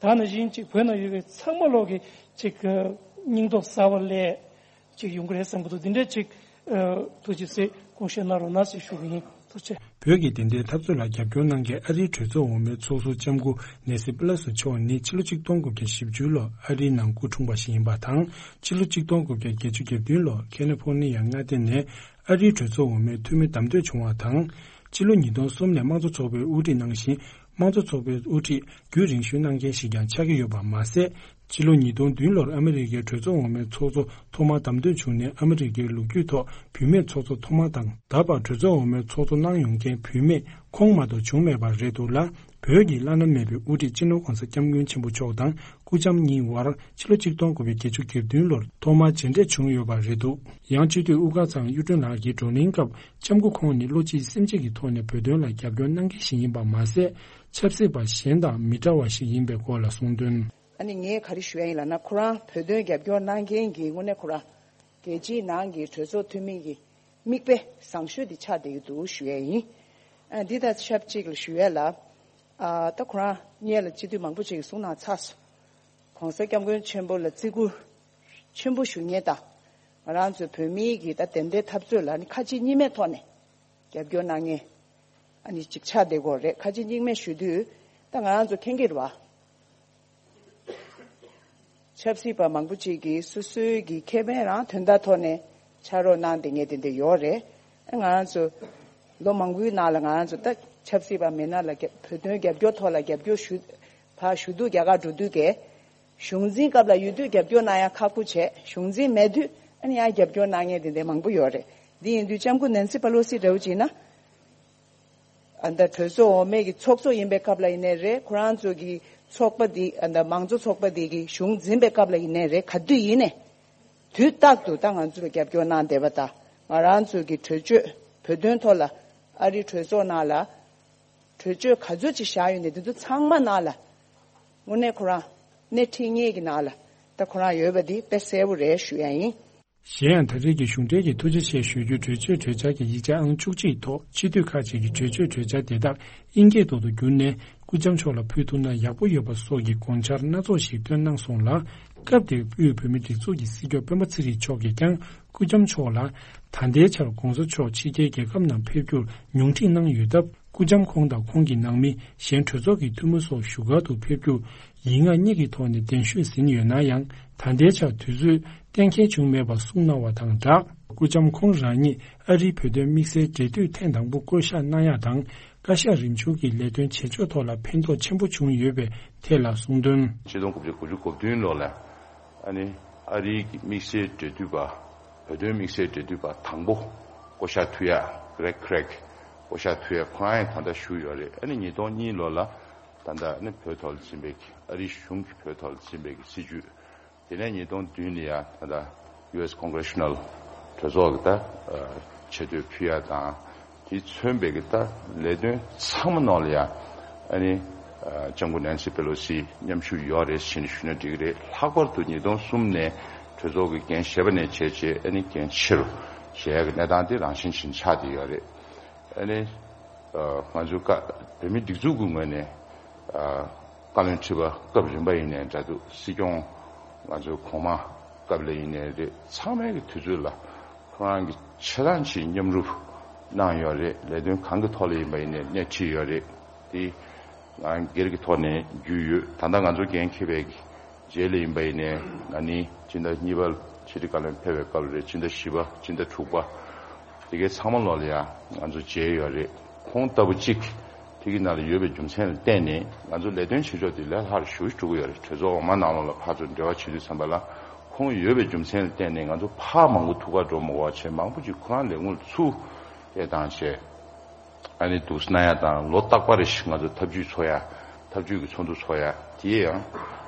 ད་ནང་བཞིན་ཅིག་བོད་ནང་ཡོད་པའི་ཚང་མ་ལོག་གི་ཅིག་སྙིང་སྟོབས་གསར་པ་སླེབས་ཅིག་ཡོང་གི་རེད་བསམ་གྱི་འདུག་འདི་འདྲའི་ཅིག་ཐུགས་རྗེ་ཆེ་དགོངས་བཞེས་གནང་རོགས་གནང་ཞེས་ཞུ་གི་ཡིན། བོད་ཀྱི་བདེན་མཐའི་འཐབ་རྩོད་ལ་རྒྱབ་སྐྱོར་གནང་མཁན་ཨ་རིའི་གྲོས་ཚོགས་འོག་མའི་ཚོགས་ཟུར་ལྕམ་སྐུ་ནེན་སི་པེ་ལོ་སི་མཆོག་ནི་ཕྱི་ལོ་ཆིག་སྟོང་དགུ་བརྒྱ་བཞི་བཅུ་ལོར་ཨ་རིའི་ནང་སྐུ་འཁྲུངས་པ་ཞིག་ཡིན་པ་དང་། ཕྱི་ལོ་ཆིག་སྟོང་དགུ་བརྒྱ་བརྒྱད་ཅུ་གྱ་བདུན་ལོར་ཁ་ལི་ཕོར་ནི་ཡ་མངའ་སྡེ་ནས་ཨ་རིའི་གྲོས་ཚོགས་འོག་མའི་འཐུས་མི་བདམས་ཐོན་བྱུང་བ་དང་། ཕྱི་ལོ་ཉིས་སྟོང་གསུམ་ནས་དམངས་གཙོ་ཚོགས་པའི་དབུ་ཁྲིད་གནང་ཞིང་། དམངས་གཙོ་ཚོགས་པའི་དབུ་ཁྲིད་རྒྱུན་རིང་ཤོས་གནང་མཁན་ཞིག་ཀྱང་ཆགས་ཀྱི་ཡོད་པ་མ་ཟད། ཕྱི་ལོ་ཉིས་སྟོང་བདུན་ལོར་ཨ་མི་རི་ཀའི་གྲོས་ཚོགས་འོག་མའི་ཚོགས་གཙོ་ཐོག་མར་བདམས་ཐོན་བྱུང་ནས། ཨ་མི་རི་ཀའི་ལོ་རྒྱུས་ཐོག་བུད་མེད་ཚོགས་གཙོ་ཐོག་མ་དང་། ད་བར་གྲོས་ཚོགས་འོག་མའི་ཚོགས་གཙོ་གནང་ཡོང་མཁན་བུད་མེད་ཁོང་མ་གཏོགས་བྱུང་མེད་པ་རེད་འདུག་ལ། བོད་ཀྱི་བླ་ན་མེད་པའི་དབུ་ཁྲིད་སྤྱི་ནོར་༸གོང་ས་༸སྐྱབས་མགོན་ཆེན་པོ་མཆོག་དང་སྐུ་ལྕམ་གཉིས་དབར་ཕྱི་ལོ་ཆིག་སྟོང་དགུ་བརྒྱ་བརྒྱད་ཅུ་གྱ་བདུན་ལོར་ཐོག་མར་མཇལ་འཕྲད་བྱུང་ཡོད་པ་རེད་འདུག། ཡང་སྤྱི་འཐུས་དབུ་དཀར་ཚང་གཡུ་སྒྲོན་ལགས་ཀྱི་བགྲོ་གླེང་སྐབས། ལྕམ་སྐུ་ཁོང་ནི་བློ་གཅིག་སེམས་གཅིག་གི་ཐོག་ནས་བོད་དོན་ལ་རྒྱབ་སྐྱོར་གནང་མཁན་ཞིག་ཡིན་པ་མ་ཟད། ཆབ་སྲིད་པ་གཞན་དང་མི་འདྲ་བ་ཞིག་ཡིན་པའི་སྐོར་ལ་གསུངས་དོན། ཨ་ནི་ངས་ག་རེ་ཞུ་ཡ་ཡིན་ལབ་ན། ཁོ་རང་བོད་དོན་རྒྱབ་སྐྱོར་གནང་མཁན་གྱི་དངོས་གནས་ཁོ་རང་རྒྱལ་སྤྱིའི་ནང་གི་གྲོས་ཚོགས་འཐུས་མི་གི་མིག་དཔེ་བཟང་ཤོས་དེ་ཆགས་བསྡད་ཀྱི་འདུག་ཞུ་ཡ་ཡིན། ཨ། འདི་དང་ཆབས་ཅིག་ལ་ཞུ་ཡ་ལ། ཨ། ད་ཁོ་རང་སྔོན་ལ་སྤྱི་འཐུས་མང་པོ་ཅིག་གིས་གསུངས་གནང་ཚར་སོང་། ༸གོང་ས་༸སྐྱབས་མགོན་ཆེན་པོ་ལ་བརྩི་བཀུར་ཆེན་པོ་ཞུ་མཁན་དང་། ང་རང་ཚོའི་བོད་མིའི་གི་ད་བདེན་མཐའི་འཐབ་རྩོད་ལ་ནི་ཁ་ལྕེ་གཉིས་མའི་ཐོག་ནས་རྒྱབ་སྐྱོར་གནང་མཁན། ཨ་ནི་ཅིག་ཆགས་བསྡད་ཀྱི་ཡོད་རེད། ཁ་ལྕེ་གཉིས་མ་ཞུ་དུས་ད་ང་རང་ཚོ་མཁྱེན་གྱི་རེད་བ། ཆབ་སྲིད་པ་མང་པོ་ཅིག་གིས་སོ་སོའི་གི་ཁེ་ཕན་རང་དོན་དག་ཐོག་ནས་ཕྱག་རོགས་གནང་བསྡད་མཁན་དེ་འདྲ་ཡོད་རེད། ཨ། ང་རང་ཚོ་ལོ་མང་པོའི་ནང་ལ་ང་རང་ཚོ་ད་ཆབ་སྲིད་པ་མི་སྣ་ལ་རྒྱ་བོད་དོན་རྒྱབ་སྐྱོར་ཐོག་ལ་རྒྱབ་སྐྱོར་ཞུ། ཕར་ཞུ་དུས་རྒྱ་གར་འགྲོ་དུས་ཀྱི་གཞུང་འཛིན་སྐབས་ལ་ཡོད་དུས་རྒྱབ་སྐྱོར་གནང་ཡ་ཁག་པོ་བྱས། གཞུང་འཛིན་མེད་དུས་ཨ་ནི་ཡང་རྒྱབ་སྐྱོར་གནང་མཁན་དེ་འདྲ་མང་པོ་ཡོད་རེད། འདི་ཡིན་དུས་ལྕམ་སྐུ་ནན་སི་པ་ལོ་སི་འདྲ་བོ་བྱས་ན། ཨ། ད་གྲོས་ཚོགས་འོག་མའི་གི་ཚོགས་གཙོ་ཡིན་པའི་སྐབས་ལ་ཡིན་ནའི་རེད། ཁོ་རང་ཚོ་གི་ཚོགས་པ་འདི། ཨ། ད་མང་གཙོ་ཚོགས་པ་འདི་གི་གཞུང་འཛིན་པའི་སྐབས་ལ་ཡིན་ནའི་རེད། ག་དུས་ཡིན་ནའི་དུས་རྟག་ཏུ་ད་ང་ཚོ་ལ་རྒྱབ་སྐྱོར་གནང་བསྡད་པ་དང་། ང་རང་ཚོ་གི་གྲོས་ཆོད་བོད་དོན་ཐོག་ལ་ཨ་རིའི་གྲོས་ཚོགས་ནང་ལ་གྲོས་ཆོད་ག་ཚོད་ཅིག་བཞག་ཡོད་ནའི་དེ་ཚོ་ཚང་མ་ནང་ལ་དངོས་གནས་ཁོ་རང་སྣེ་ཁྲིད་མཁན་གྱི་ནང་ལ་ད་ཁོ་རང་ཡོད་པ་འདི་དཔེ་གསལ་པོ་རེད་ཞུ་ཡ་ཡིན། གཞན་ཡང་། ད་རེས་ཀྱི་གཞུང་འབྲེལ་གྱི་ཐུགས་རྗེ་ཆེ་ཞུ་རྒྱུའི་གྲོས་ཆོད་གྲོས་འཆར་གྱི་ཡིག་ཆ་ཨང་བཅུ་གཅིག་ཐོག་སྤྱི་འཐུས་ཁག་ཅིག་གིས་གྲོས་ཆོད་གྲོས་འཆར་དེ་དག་དབྱིན་སྐད་ཐོག་ཏུ་བསྒྱུར་ནས་སྐུ་ལྕམ་མཆོག་ལ་ཕུལ་ཐུབ་ན་ཡག་པོ་ཡོད་པ་སོགས་ཀྱི་དགོངས་འཆར་སྣ་ཚོགས་ཤིག་བཏོན་གནང་སོང་ལ། སྐབས་དེར་དབུས་བོད་མིའི་སྒྲིག་འཛུགས་ཀྱི་སྲིད་སྐྱོང་སྤེན་པ་ཚེ་རིང་མཆོག་གིས་ཀྱང་སྐུ་ལྕམ་མཆོག་ལ། ད་ལྟའི་ཆར་༸གོང་ས་མཆོག་ཕྱི་རྒྱལ་རྒྱལ་ཁབ་ནང་ཕེབས་རྒྱུར་ཉུང་འཕྲི་གནང་ཡོད་སྟབས། སྐུ་ལྕམ་ཁོང་དང་ཁོང་གི་ནང་མི་གཞན་གྲོས་ཚོགས་ཀྱི་འཐུས་མི་སོགས་བཞུགས་སྒར་དུ་ཕེབས་རྒྱུར་ཡིག་ངག་གཉིས་ཀྱི་ཐོག་ནས་གདན་ཞུས་ཟིན་ཡོད་ན་ཡང་། ད་ལྟའི་ཆར་དུས་ཚོད་གཏན་འཁེལ་བྱུང་མེད་པ་གསུངས་གནང་བ་དང་སྦྲགས། སྐུ་ལྕམ་ཁོང་རང་ཉིད་ཨ་རིའི་བོད་དོན་དམིགས་བསལ་འབྲེལ་མཐུད་ཐེངས་དང་པོ་བསྐོ་གཞག་གནང་ཡག་དང་། བཀའ་ཤག་རིམ་བྱུང་གི་ལས་དོན་བྱེད་ཕྱོགས་ཐོག་ལ་ཕན་ཐོགས་ཆེན་པོ་བྱུང་ཡོད་པའི་ཐད་ལ་གསུངས་དོན། ཆིག་སྟོང་དགུ་བརྒྱ་དགུ་བཅུ་གོ་བདུན་ལོ་ལ། ཨ་ནི་ཨ་རིའི་དམིགས་བསལ་འབྲེལ་མཐུད་པ། བོད་དོན་དམིགས་བསལ་འབྲེལ་མཐུད་པ་དང་པོ་བསྐོ་གཞག་ཐུབ་ཡ། གྷི་རེག་ཁི་རེག་བསྐོ་གཞག་ཐུབ་ཡ་ཁོ་རང་ཡང་ད་ལྟ་བཞུགས་ཡོད་རེད། ཨ་ནི་ཉིས་སྟོང་གཉིས་ལོ་ལ་ད་ལྟ་ཨ་ནི་བོད་ཐོག་ལ་འཛིན་པའི་ཨ་རིའི་གཞུང་གིས་བོད་ཐོག་ལ་འཛིན་པའི་སྲིད་བྱུས། དེ་ནས་ཉིས་སྟོང་བདུན་ལ་ཡ་ད་ལྟ་ཡུ་ཨེས་ཀོང་གྷི་རེ་ཤི་ནལ་གྲོས་ཚོགས་ཀྱི་ད་ཆེ་བསྟོད་ཕུལ་ཡ་དང་། དེས་མཚོན་པའི་གི་ད་ལས་དོན་ཚང་མ་ནང་ལ་ཡ་ཨ་ནི་ལྕམ་སྐུ་ནན་སི་པེ་ལོ་སི་མཉམ་ཞུགས་ཡོད་རེད་ཟེར་ནས་ཞུས་ན་འགྲིག་གི་རེད། ལྷག་པར་དུ་ཉིས་སྟོང་གསུམ་ནས་གྲོས་ཚོགས་ཀྱི་འགན་བཞེས་པ་ནས་བྱས་རྗེས་ཨ་ནི་འགན་ཆེ་རུ་བཞེས་ཡ་གི་གནས་སྟངས་དེ་རང་བཞིན་བཞིན་ཆགས་བསྡད་ཡོད་རེད། ཨ་ནི་ང་ཚོའི་བཀའ་བོད་མིའི་སྒྲིག་འཛུགས་ཀྱི་ངོས་ནས་བཀའ་བློན་ཁྲི་པ་སྐབས་རིམ་པ་ཡིན་ནའི་འདྲ་འདུག། སྲིད་སྐྱོང་ང་ཚོའི་གོང་མ་སྐབས་ལ་ཡིན་ནའི་རེད། ཚང་མའི་གི་དུས་ཚོད་ལ་ཁོ་རང་གི་ཆེ་ཐག་ཆེའི་མཉམ་རུབ་གནང་ཡོད་རེད། ལས་དོན་གང་གི་ཐོག་ལ་ཡིན་པ་ཡིན་ནའི་སྣེ་ཁྲིད་ཡོད་རེད། དེ་ང་སྒེར་གྱི་ཐོག་ནས་རྒྱུས་ཡོད། ད་ལྟ་ང་ཚོ་འགན་འཁྱེར་བའི་གི་རྗེས་ལ་ཡིན་པ་ཡིན་ནའི་ང་ནི་སྤྱི་ཟླ་གཉིས་པ་ཕྱི་དྲིལ་བཀའ་བློན་ཕེབས་པའི་སྐབས་རེད། སྤྱི་ཟླ་བཞི་པ། སྤྱི་ཟླ་དྲུག་པ། དེ་གའི་ཚང་མ་ལོག་ལ་ཡང་ང་ཚོ་མཇལ་ཡོད་རེད། ཁོང་ལྟ་བུ་གཅིག་དེ་གི་ནང་ལ་ཡོད་པའི་རྒྱུ་མཚན་ལ་བརྟེན་ནས་ང་ཚོ་ལས་དོན་བྱེད་ཕྱོགས་དེ་ལས་སླ་རུ་ཞེ་པོ་ཅིག་འགྲོ་གི་ཡོད་རེད། གྲོས་ཚོགས་འོག་མ་ནང་ལོགས་ལ་ཕར་ཚུར་འབྲེལ་བ་བྱེད་དུས་ཙམ་པ་ལ་ཁོང་ཡོད་པའི་རྒྱུ་མཚན་ལ་བརྟེན་ནས་ང་ཚོ་ཕར་མང་པོ་ཐུག་གར་འགྲོ་མི་དགོས་པ་བྱས། མང་པོ་ཅིག་ཁོ་རང་ལས་ཁུངས་ལ་ཚུར་སྐད་བཏང་བྱས། ཨ་ནི་འདུག་སེ་གནང་ཡ་དང་། ལོ་རྟག་པ་རེ་བཞིན་ང་ཚོ་ཐབས་ཇུས་འཚོགས་ཡ། ཐབས་ཇུས་ཀྱི་ཚོགས་འདུ་འཚོགས་ཡ་དེ་ཡང་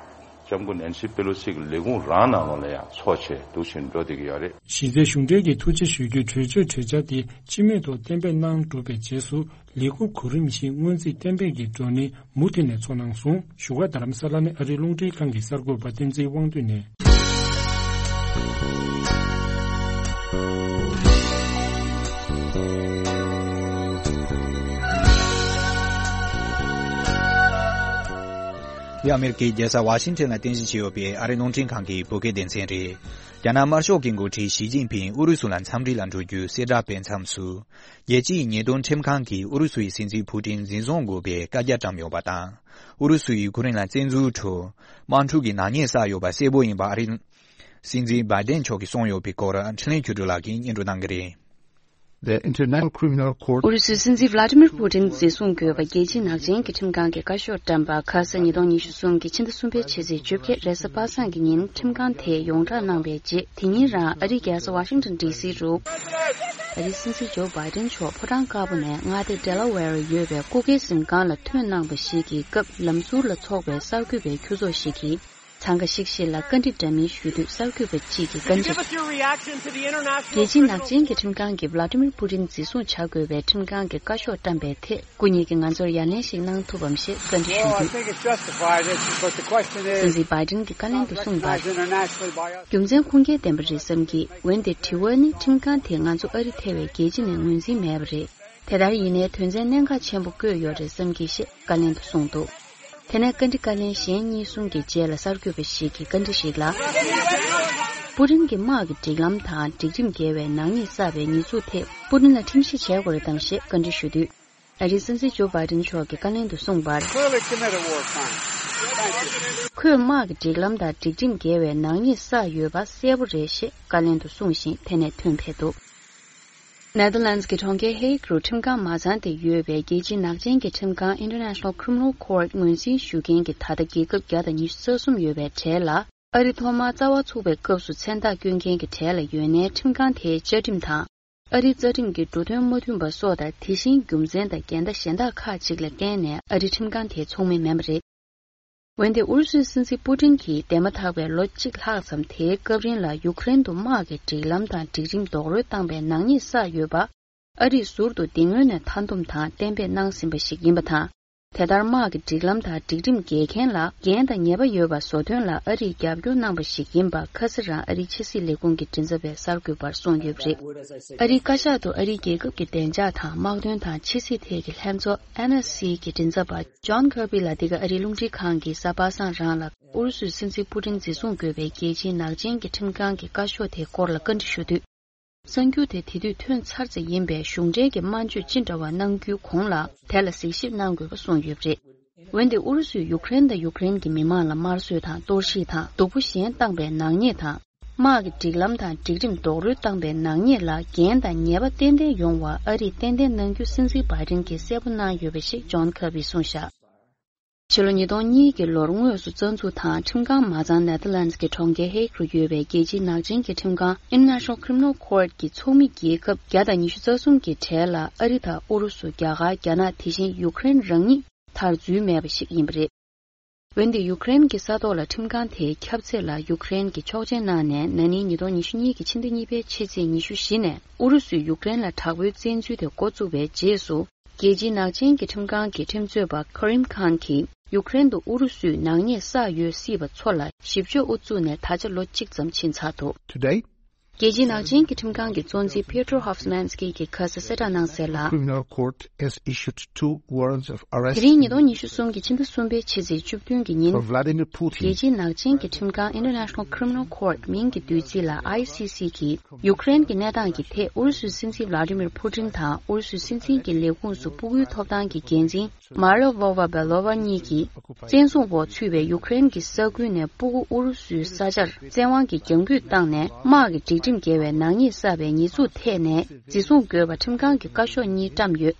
ལྕམ་སྐུ་ནན་སི་པེ་ལོ་སི་གི་ལས་ཁུངས་རང་ནང་ལོགས་ལ་ཡང་འཚོགས་བྱས་འདུག་སེ་འགྲོ་བསྡད་ཀྱི་ཡོད་རེད། གཞི་རྩའི་གཞུང་འབྲེལ་གྱི་ཐུགས་རྗེ་ཞུ་རྒྱུའི་གྲོས་ཆོད་གྲོས་འཆར་དེ་སྤྱི་མོས་ཐོག་གཏན་འབེབས་གནང་གྲུབ་པའི་རྗེས་སུ། ལས་ཁུངས་གོ་རིམ་བཞིན་སྔོན་རྩིས་གཏན་འབེབས་ཀྱི་བགྲོ་གླེང་མུ་མཐུད་ནས་འཚོགས་གནང་སོང་། བཞུགས་སྒར་རྡ་རམ་ས་ལ་ནས་ཨ་རིའི་རླུང་འཕྲིན་ཁང་གི་གསར་འགོད་པ་བསྟན་འཛིན་དབང་འདུས་ནས། འདི་ཨ་མེ་རི་ཀའི་རྒྱལ་ས་ཝ་ཤིང་ཊོན་ལ་རྟེན་གཞི་བྱས་ཡོད་པའི་ཨ་རིའི་རླུང་འཕྲིན་ཁང་གི་བོད་སྐད་སྡེ་ཚན་རེད། རྒྱ་ནག་དམར་ཤོག་གི་འགོ་ཁྲིད་ཞི་ཅིན་ཕིང་ཨུ་རུ་སུ་ལ་འཚམས་འདྲི་ལ་འགྲོ་རྒྱུའི་གསལ་བསྒྲགས་སྤེལ་མཚམས་སུ། རྒྱལ་སྤྱིའི་ཉེས་དོན་ཁྲིམས་ཁང་གིས་ཨུ་རུ་སུའི་སྲིད་འཛིན་ཕུ་ཏིན་འཛིན་བཟུང་དགོས་པའི་བཀའ་རྒྱ་བཀྲམ་ཡོད་པ་དང་། ཨུ་རུ་སུས་ཡུ་ཁུ་རེན་ལ་བཙན་འཛུལ་ཁྲོད་དམག་འཁྲུག་གི་ནག་ཉེས་བསགས་ཡོད་པ་གསལ་པོ་ཡིན་པ་ཨ་རིའི་སྲིད་འཛིན་བྷའི་ཏན་མཆོག་གིས་གསུངས་ཡོད་པའི་སྐོར་འཕྲིན་ལས་ཆོས་སྒྲོན་ལགས་ཀྱིས་སྙན་སྒྲོན་གནང་གི་རེད། The International Criminal Court. ཨུ་རུ་སུའི་སྲིད་འཛིན་ཝླ་ཏི་མིར་པུ་ཏིན་འཛིན་བཟུང་དགོས་པ་རྒྱལ་སྤྱིའི་ནག་ཅན་གྱི་ཁྲིམས་ཁང་གིས་བཀའ་ཤོག་བཀྲམ་པ། ཁ་ས་ཉིས་སྟོང་ཉི་ཤུ་གསུམ་གྱི་ཕྱི་ཟླ་གསུམ་པའི་ཕྱི་ཚེས་བཅོ་བརྒྱད་རེས་གཟའ་པ་སངས་ཀྱི་ཉིན་ཁྲིམས་ཁང་དེས་ཡོངས་བསྒྲགས་གནང་བའི་རྗེས། དེ་ཉིན་རང་ཨ་རིའི་རྒྱལ་ས་ཝ་ཤིང་ཏོན་ཌི་སི་རུ། ཨ་རིའི་སྲིད་འཛིན་ཇོ་བྷའི་ཏིན་མཆོག་ཕོ་བྲང་དཀར་པོ་ནས་མངའ་སྡེ་ཌེ་ལ་ཝེ་རུ་ཡོད་པའི་སྐུ་སྒེར་གཟིམ་ཁང་ལ་ཐོན་གནང་བ་ཞིག་གི་སྐབས། ལམ་ཟུར་ལ་ཚོགས་པའི་གསར་འགོད་པའི་ཁྱུ་ཚོགས་ཤིག་གིས། འཚང་ཁ་ཤིག་ཤིག་ལ་བཀའ་འདྲི་འདྲ་མིན་ཞུ་དུས། གསར་འགོད་པ་གཅིག་གིས་བཀའ་འདྲི་ཞུ། རྒྱལ་སྤྱིའི་ནག་ཅན་གྱི་ཁྲིམས་ཁང་གིས་ཝླ་ཏི་མིར་པུ་ཏིན་འཛིན་བཟུང་བྱ་དགོས་པའི་ཁྲིམས་ཁང་གི་བཀའ་ཤོག་བཀྲམ་པའི་ཐད། སྐུ་ཉིད་ཀྱིས་ང་ཚོར་ཡ་ལན་ཞིག་གནང་ཐུབ་བམ་ཞེས་བཀའ་འདྲི་ཞུས་དུས། སྲིད་འཛིན་བྷའི་ཏིན་གྱིས་བཀའ་ལན་དུ་གསུངས་པར། རྒྱུ་མཚན་ཁུངས་སྐྱེལ་ལྡན་པ་རེད་བསམ་གྱི། འོན་ཏེ་དྲི་བ་ནི། ཁྲིམས་ཁང་དེས་ང་ཚོ་ཨ་རི་ཐེ་བའི་རྒྱལ་སྤྱི་ནས་ངོས་འཛིན་མེད་པ་རེད། དེ་ལྟར་ཡིན་ནའི་དོན་ཚན་གནད་འགག་ཆེན་པོ་བཀོད་ཡོད་རེད་བསམ་གྱི་ཞེས་བཀའ་ལན་དུ་གསུངས་འདུག་དེ་ནས་བཀའ་འདྲི་བཀའ་ལན་གཞན་གཉིས་གསུམ་གྱི་རྗེས་ལ་གསར་འགོད་པ་ཞིག་གིས་བཀའ་འདྲི་ཞིག་ལ། པུ་ཏིན་གྱི་དམག་གི་སྒྲིག་ལམ་དང་སྒྲིག་ཁྲིམས་འགལ་བའི་ནག་ཉེས་བསགས་པའི་ཉེས་འཛུགས་ཐད་པུ་ཏིན་ལ་ཁྲིམས་ཞིབ་བྱེད་དགོས་རེད་དམ་ཞེས་བཀའ་འདྲི་ཞུ་དུས། ཨ་རིའི་སྲིད་འཛིན་ཇོ་བྷའི་ཏིན་མཆོག་གིས་བཀའ་ལན་དུ་གསུངས་པར། Clearly commit a war crime. Thank you. ཁོས་དམག་གི་སྒྲིག་ལམ་དང་སྒྲིག་ཁྲིམས་འགལ་བའི་ནག་ཉེས་བསགས་ཡོད་པ་གསལ་པོ་རེད་ཞེས་བཀའ་ལན་དུ་གསུངས་ཤིང་། དེ་ནས་ཐོན་ཕེབས་འདུག་ནེ་དར་ལན་ཌི་གི་གྲོང་ཁྱེར་ཧེག་རུ་ཁྲིམས་ཁང་མ་ཚང་སྟེ་ཡོད་པའི་རྒྱལ་སྤྱིའི་ནག་ཅན་གྱི་ཁྲིམས་ཁང་International Criminal Court ངོས་འཛིན་ཞུ་མཁན་གྱི་ད་ལྟ་རྒྱལ་ཁབ་བརྒྱ་དང་ཉི་ཤུ་རྩ་གསུམ་ཡོད་པའི་གྲས་ལ། ཨ་རི་ཐོག་མར་རྩ་བ་ཚུགས་པའི་སྐབས་སུ་མཚན་རྟགས་བསྐྱོན་མཁན་གྱི་གྲས་ལ་ཡོད་ནའི། ཁྲིམས་ཁང་དེའི་བཅའ་ཁྲིམས་དང་། ཨ་རིའི་རྩ་ཁྲིམས་ཀྱི་འབྲུ་དོན་མ་མཐུན་པ་སོགས་དང་། དེ་བཞིན་རྒྱུ་མཚན་དང་འགལ་ཟླ་གཞན་དག་ཁག་ཅིག་ལ་བརྟེན་ནས། ཨ་རིའི་ཁྲིམས་ཁང་དེའི་ཚོགས་མི་མིན་པ་རེད། འོན་ཏེ་ཨུ་རུ་སུའི་སྲིད་འཛིན་པུ་ཏིན་གྱིས་འདས་མ་ཐག་པའི་ལོ་གཅིག་ལྷག་ཙམ་དེའི་སྐབས་རིང་ལ་ཡུཀ་རེན་དུ་དམག་གི་སྒྲིག་ལམ་དང་སྒྲིག་ཁྲིམས་རྡོག་རོལ་བཏང་པའི་ནག་ཉེས་བསགས་ཡོད་པ། ཨ་རིས་ཟུར་དུ་དེ་སྔོན་ནས་མཐའ་འདོམས་དང་གཏན་འབེབས་གནང་ཟིན་པ་ཞིག་ཡིན་པ་དང་། དེ་ལྟར་དམག་གི་སྒྲིག་ལམ་དང་སྒྲིག་ཁྲིམས་འགལ་མཁན་ལ་འགན་དང་ཉེས་པ་ཡོད་པ་བཟོ་དོན་ལ་ཨ་རིས་རྒྱབ་སྐྱོར་གནང་པ་ཞིག་ཡིན་པ། ཁ་སང་རང་ཨ་རིའི་ཕྱི་སྲིད་ལས་ཁུངས་ཀྱི་མགྲིན་ཚབ་པས་གསར་འགོད་པར་གསུངས་ཡོད་པ་རེད། ཨ་རིའི་བཀའ་ཤག་ཏུ་ཨ་རིའི་རྒྱལ་ཁབ་ཀྱི་བདེ་འཇགས་དང་། དམག་དོན་དང་ཕྱི་སྲིད་ཐད་ཀྱི་ལྷན་ཚོགས་N S C གི་མགྲིན་ཚབ་པ་John Kirby ལ་འདི་ག་ཨ་རིའི་རླུང་འཕྲིན་ཁང་གིས་གཟའ་པ་སངས་རང་ལ། ཨུ་རུ་སུའི་སྲིད་འཛིན་པུ་ཏིན་འཛིན་བཟུང་དགོས་པའི་རྒྱལ་སྤྱིའི་ནག་ཅན་གྱི་ཁྲིམས་ཁང་གི་བཀའ་ཤོག་དེའི་སྐོར་ལ་བཀའ་འདྲི་ཞུ་དུས། གསར་འགྱུར་དེ་དེ་དུས་ཐོན་ཚར་ཙམ་ཡིན་པས། གཞུང་འབྲེལ་གྱི་སྨྲ་བརྗོད་ཅི་འདྲ་བ་གནང་རྒྱུའི་གོང་ལ། དེ་ལ་གཟིགས་ཞིབ་གནང་དགོས་པ་གསུངས་ཡོད་པ་རེད། འོན་ཏེ་ཨུ་རུ་སུས་ཡུཀ་རེན་དང་ཡུཀ་རེན་གྱི་མི་མང་ལ་དམར་གསོད་དང་། གཏོར་བཤིག་དང་། སྡུག་པོ་གཞན་བཏང་པའི་ནག་ཉེས་དང་། དམག་གི་སྒྲིག་ལམ་དང་སྒྲིག་ཁྲིམས་རྡོག་རོལ་བཏང་པའི་ནག་ཉེས་ལ་འགན་དང་ཉེས་པ་ཏན་ཏན་ཡོང་བ་ཨ་རིས་གཏན་གཏན་གནང་རྒྱུ་སྲིད་འཛིན་བྷའི་ཏིན་གྱིས་གསལ་པོ་གནང་ཡོད་པ་ཞིག་ཇོན་ཁར་བྷིས་གསུངས་བཞག་ཕྱི་ལོ་ཉིས་སྟོང་གཉིས་ཀྱི་ལོར་དངོས་སུ་རྩ་འཛུགས་དང་ཁྲིམས་ཁང་མ་ཚང་ནེ་ཐར་ལན་ཌི་གི་གྲོང་ཁྱེར་ཧེག་རུ་ཡོད་པའི་རྒྱལ་སྤྱིའི་ནག་ཅན་གྱི་ཁྲིམས་ཁང་International Criminal Court གྱི་ཚོགས་མི་རྒྱལ་ཁབ་བརྒྱ་དང་ཉི་ཤུ་རྩ་གསུམ་གྱི་གྲས་ལ་ཨ་རི་དང་ཨུ་རུ་སུ། རྒྱ་གར། རྒྱ་ནག་དེ་བཞིན་ཡུཀ་རེན་རང་ཉིད་མཐར་འཛུལ་མེད་པ་ཞིག་ཡིན་པ་རེད། འོན་ཏེ་ཡུཀ་རེན་གྱི་ས་ཐོག་ལ་ཁྲིམས་ཁང་དེའི་ཁྱབ་ཚད་ལ་ཡུཀ་རེན་གྱིས་ཆོག་མཆན་གནང་ནས། ན་ནིང་ཉིས་སྟོང་ཉི་ཤུ་གཉིས་ཀྱི་ཕྱི་ཟླ་གཉིས་པའི་ཕྱི་ཚེས་ཉི་ཤུ་བཞི་ནས་ཨུ་རུ་སུས་ཡུཀ་རེན་ལ་དྲག་པོའི་བཙན་འཛུལ་དེ་འགོ་བཙུགས་པའི་རྗེས་སུ། རྒྱལ་སྤྱིའི་ནག་ཅན་གྱི་ཁྲིམས་ཁང་གི་ཁྲིམས་རྩོད་པ་ཁ་རིམ་ཁཱན་གྱིས། ཡུཀ་རེན་དུ་ཨུ་རུ་སུས་ནག་ཉེས་བསགས་ཡོད་སྲིད་པ་ཚོ་ལ་ཞིབ་དཔྱོད་དབུ་བཙུགས་ནས་ད་ཆ་ལོ་གཅིག་ཙམ་ཕྱིན་ཚར་འདུག Today, རྒྱལ་སྤྱིའི་ནག་ཅན་གྱི་ཁྲིམས་ཁང་གི་གཙོ་འཛིན་Peter Hofsmanski གྱིས་ཁ་ས་གསལ་བསྒྲགས་གནང་གསལ་ལ། Criminal Court has issued two warrants of arrest. དེ་རིང་ཉིས་སྟོང་ཉི་ཤུ་གསུམ་གྱི་ཕྱི་ཟླ་གསུམ་པའི་ཕྱི་ཚེས་བཅུ་བདུན་གྱི་ཉིན། For Vladimir Putin. རྒྱལ་སྤྱིའི་ནག་ཅན་གྱི་ཁྲིམས་ཁང་International Criminal Court མིང་གི་བསྡུས་ཚིག་ལ་I C C གིས། ཡུཀ་རེན་གྱི་གནས་སྟངས་ཀྱི་ཐད་ཨུ་རུ་སུའི་སྲིད་འཛིན་Vladimir Putin དང་ཨུ་རུ་སུའི་སྲིད་འཛིན་གྱི་ལས་ཁུངས་སུ་སྤུ་གུའི་ཐོབ་ཐང་གི་འགན་འཛིན་Maria Lvova-Belova གཉིས་ཀྱིས། བཙན་བཟུང་འོག་ཚུད་པའི་ཡུཀ་རེན་གྱི་ས་ཁུལ་ནས་སྤུ་གུ་ཨུ་རུ་སུའི་ས་ཆར་བཙན་དབང་གིས་རྒྱང་འབུད་བཏང་ནས། དམག་གི་སྒྲིག་ཁྲིམས་འགལ་བའི་ནག་ཉེས་བསགས་པའི་ཉེས་འཛུགས་ཐད་ནས། འཛིན་བཟུང་དགོས་པ་ཁྲིམས་ཁང་གི་བཀའ་ཤོག་གཉིས་བཀྲམ་ཡོད།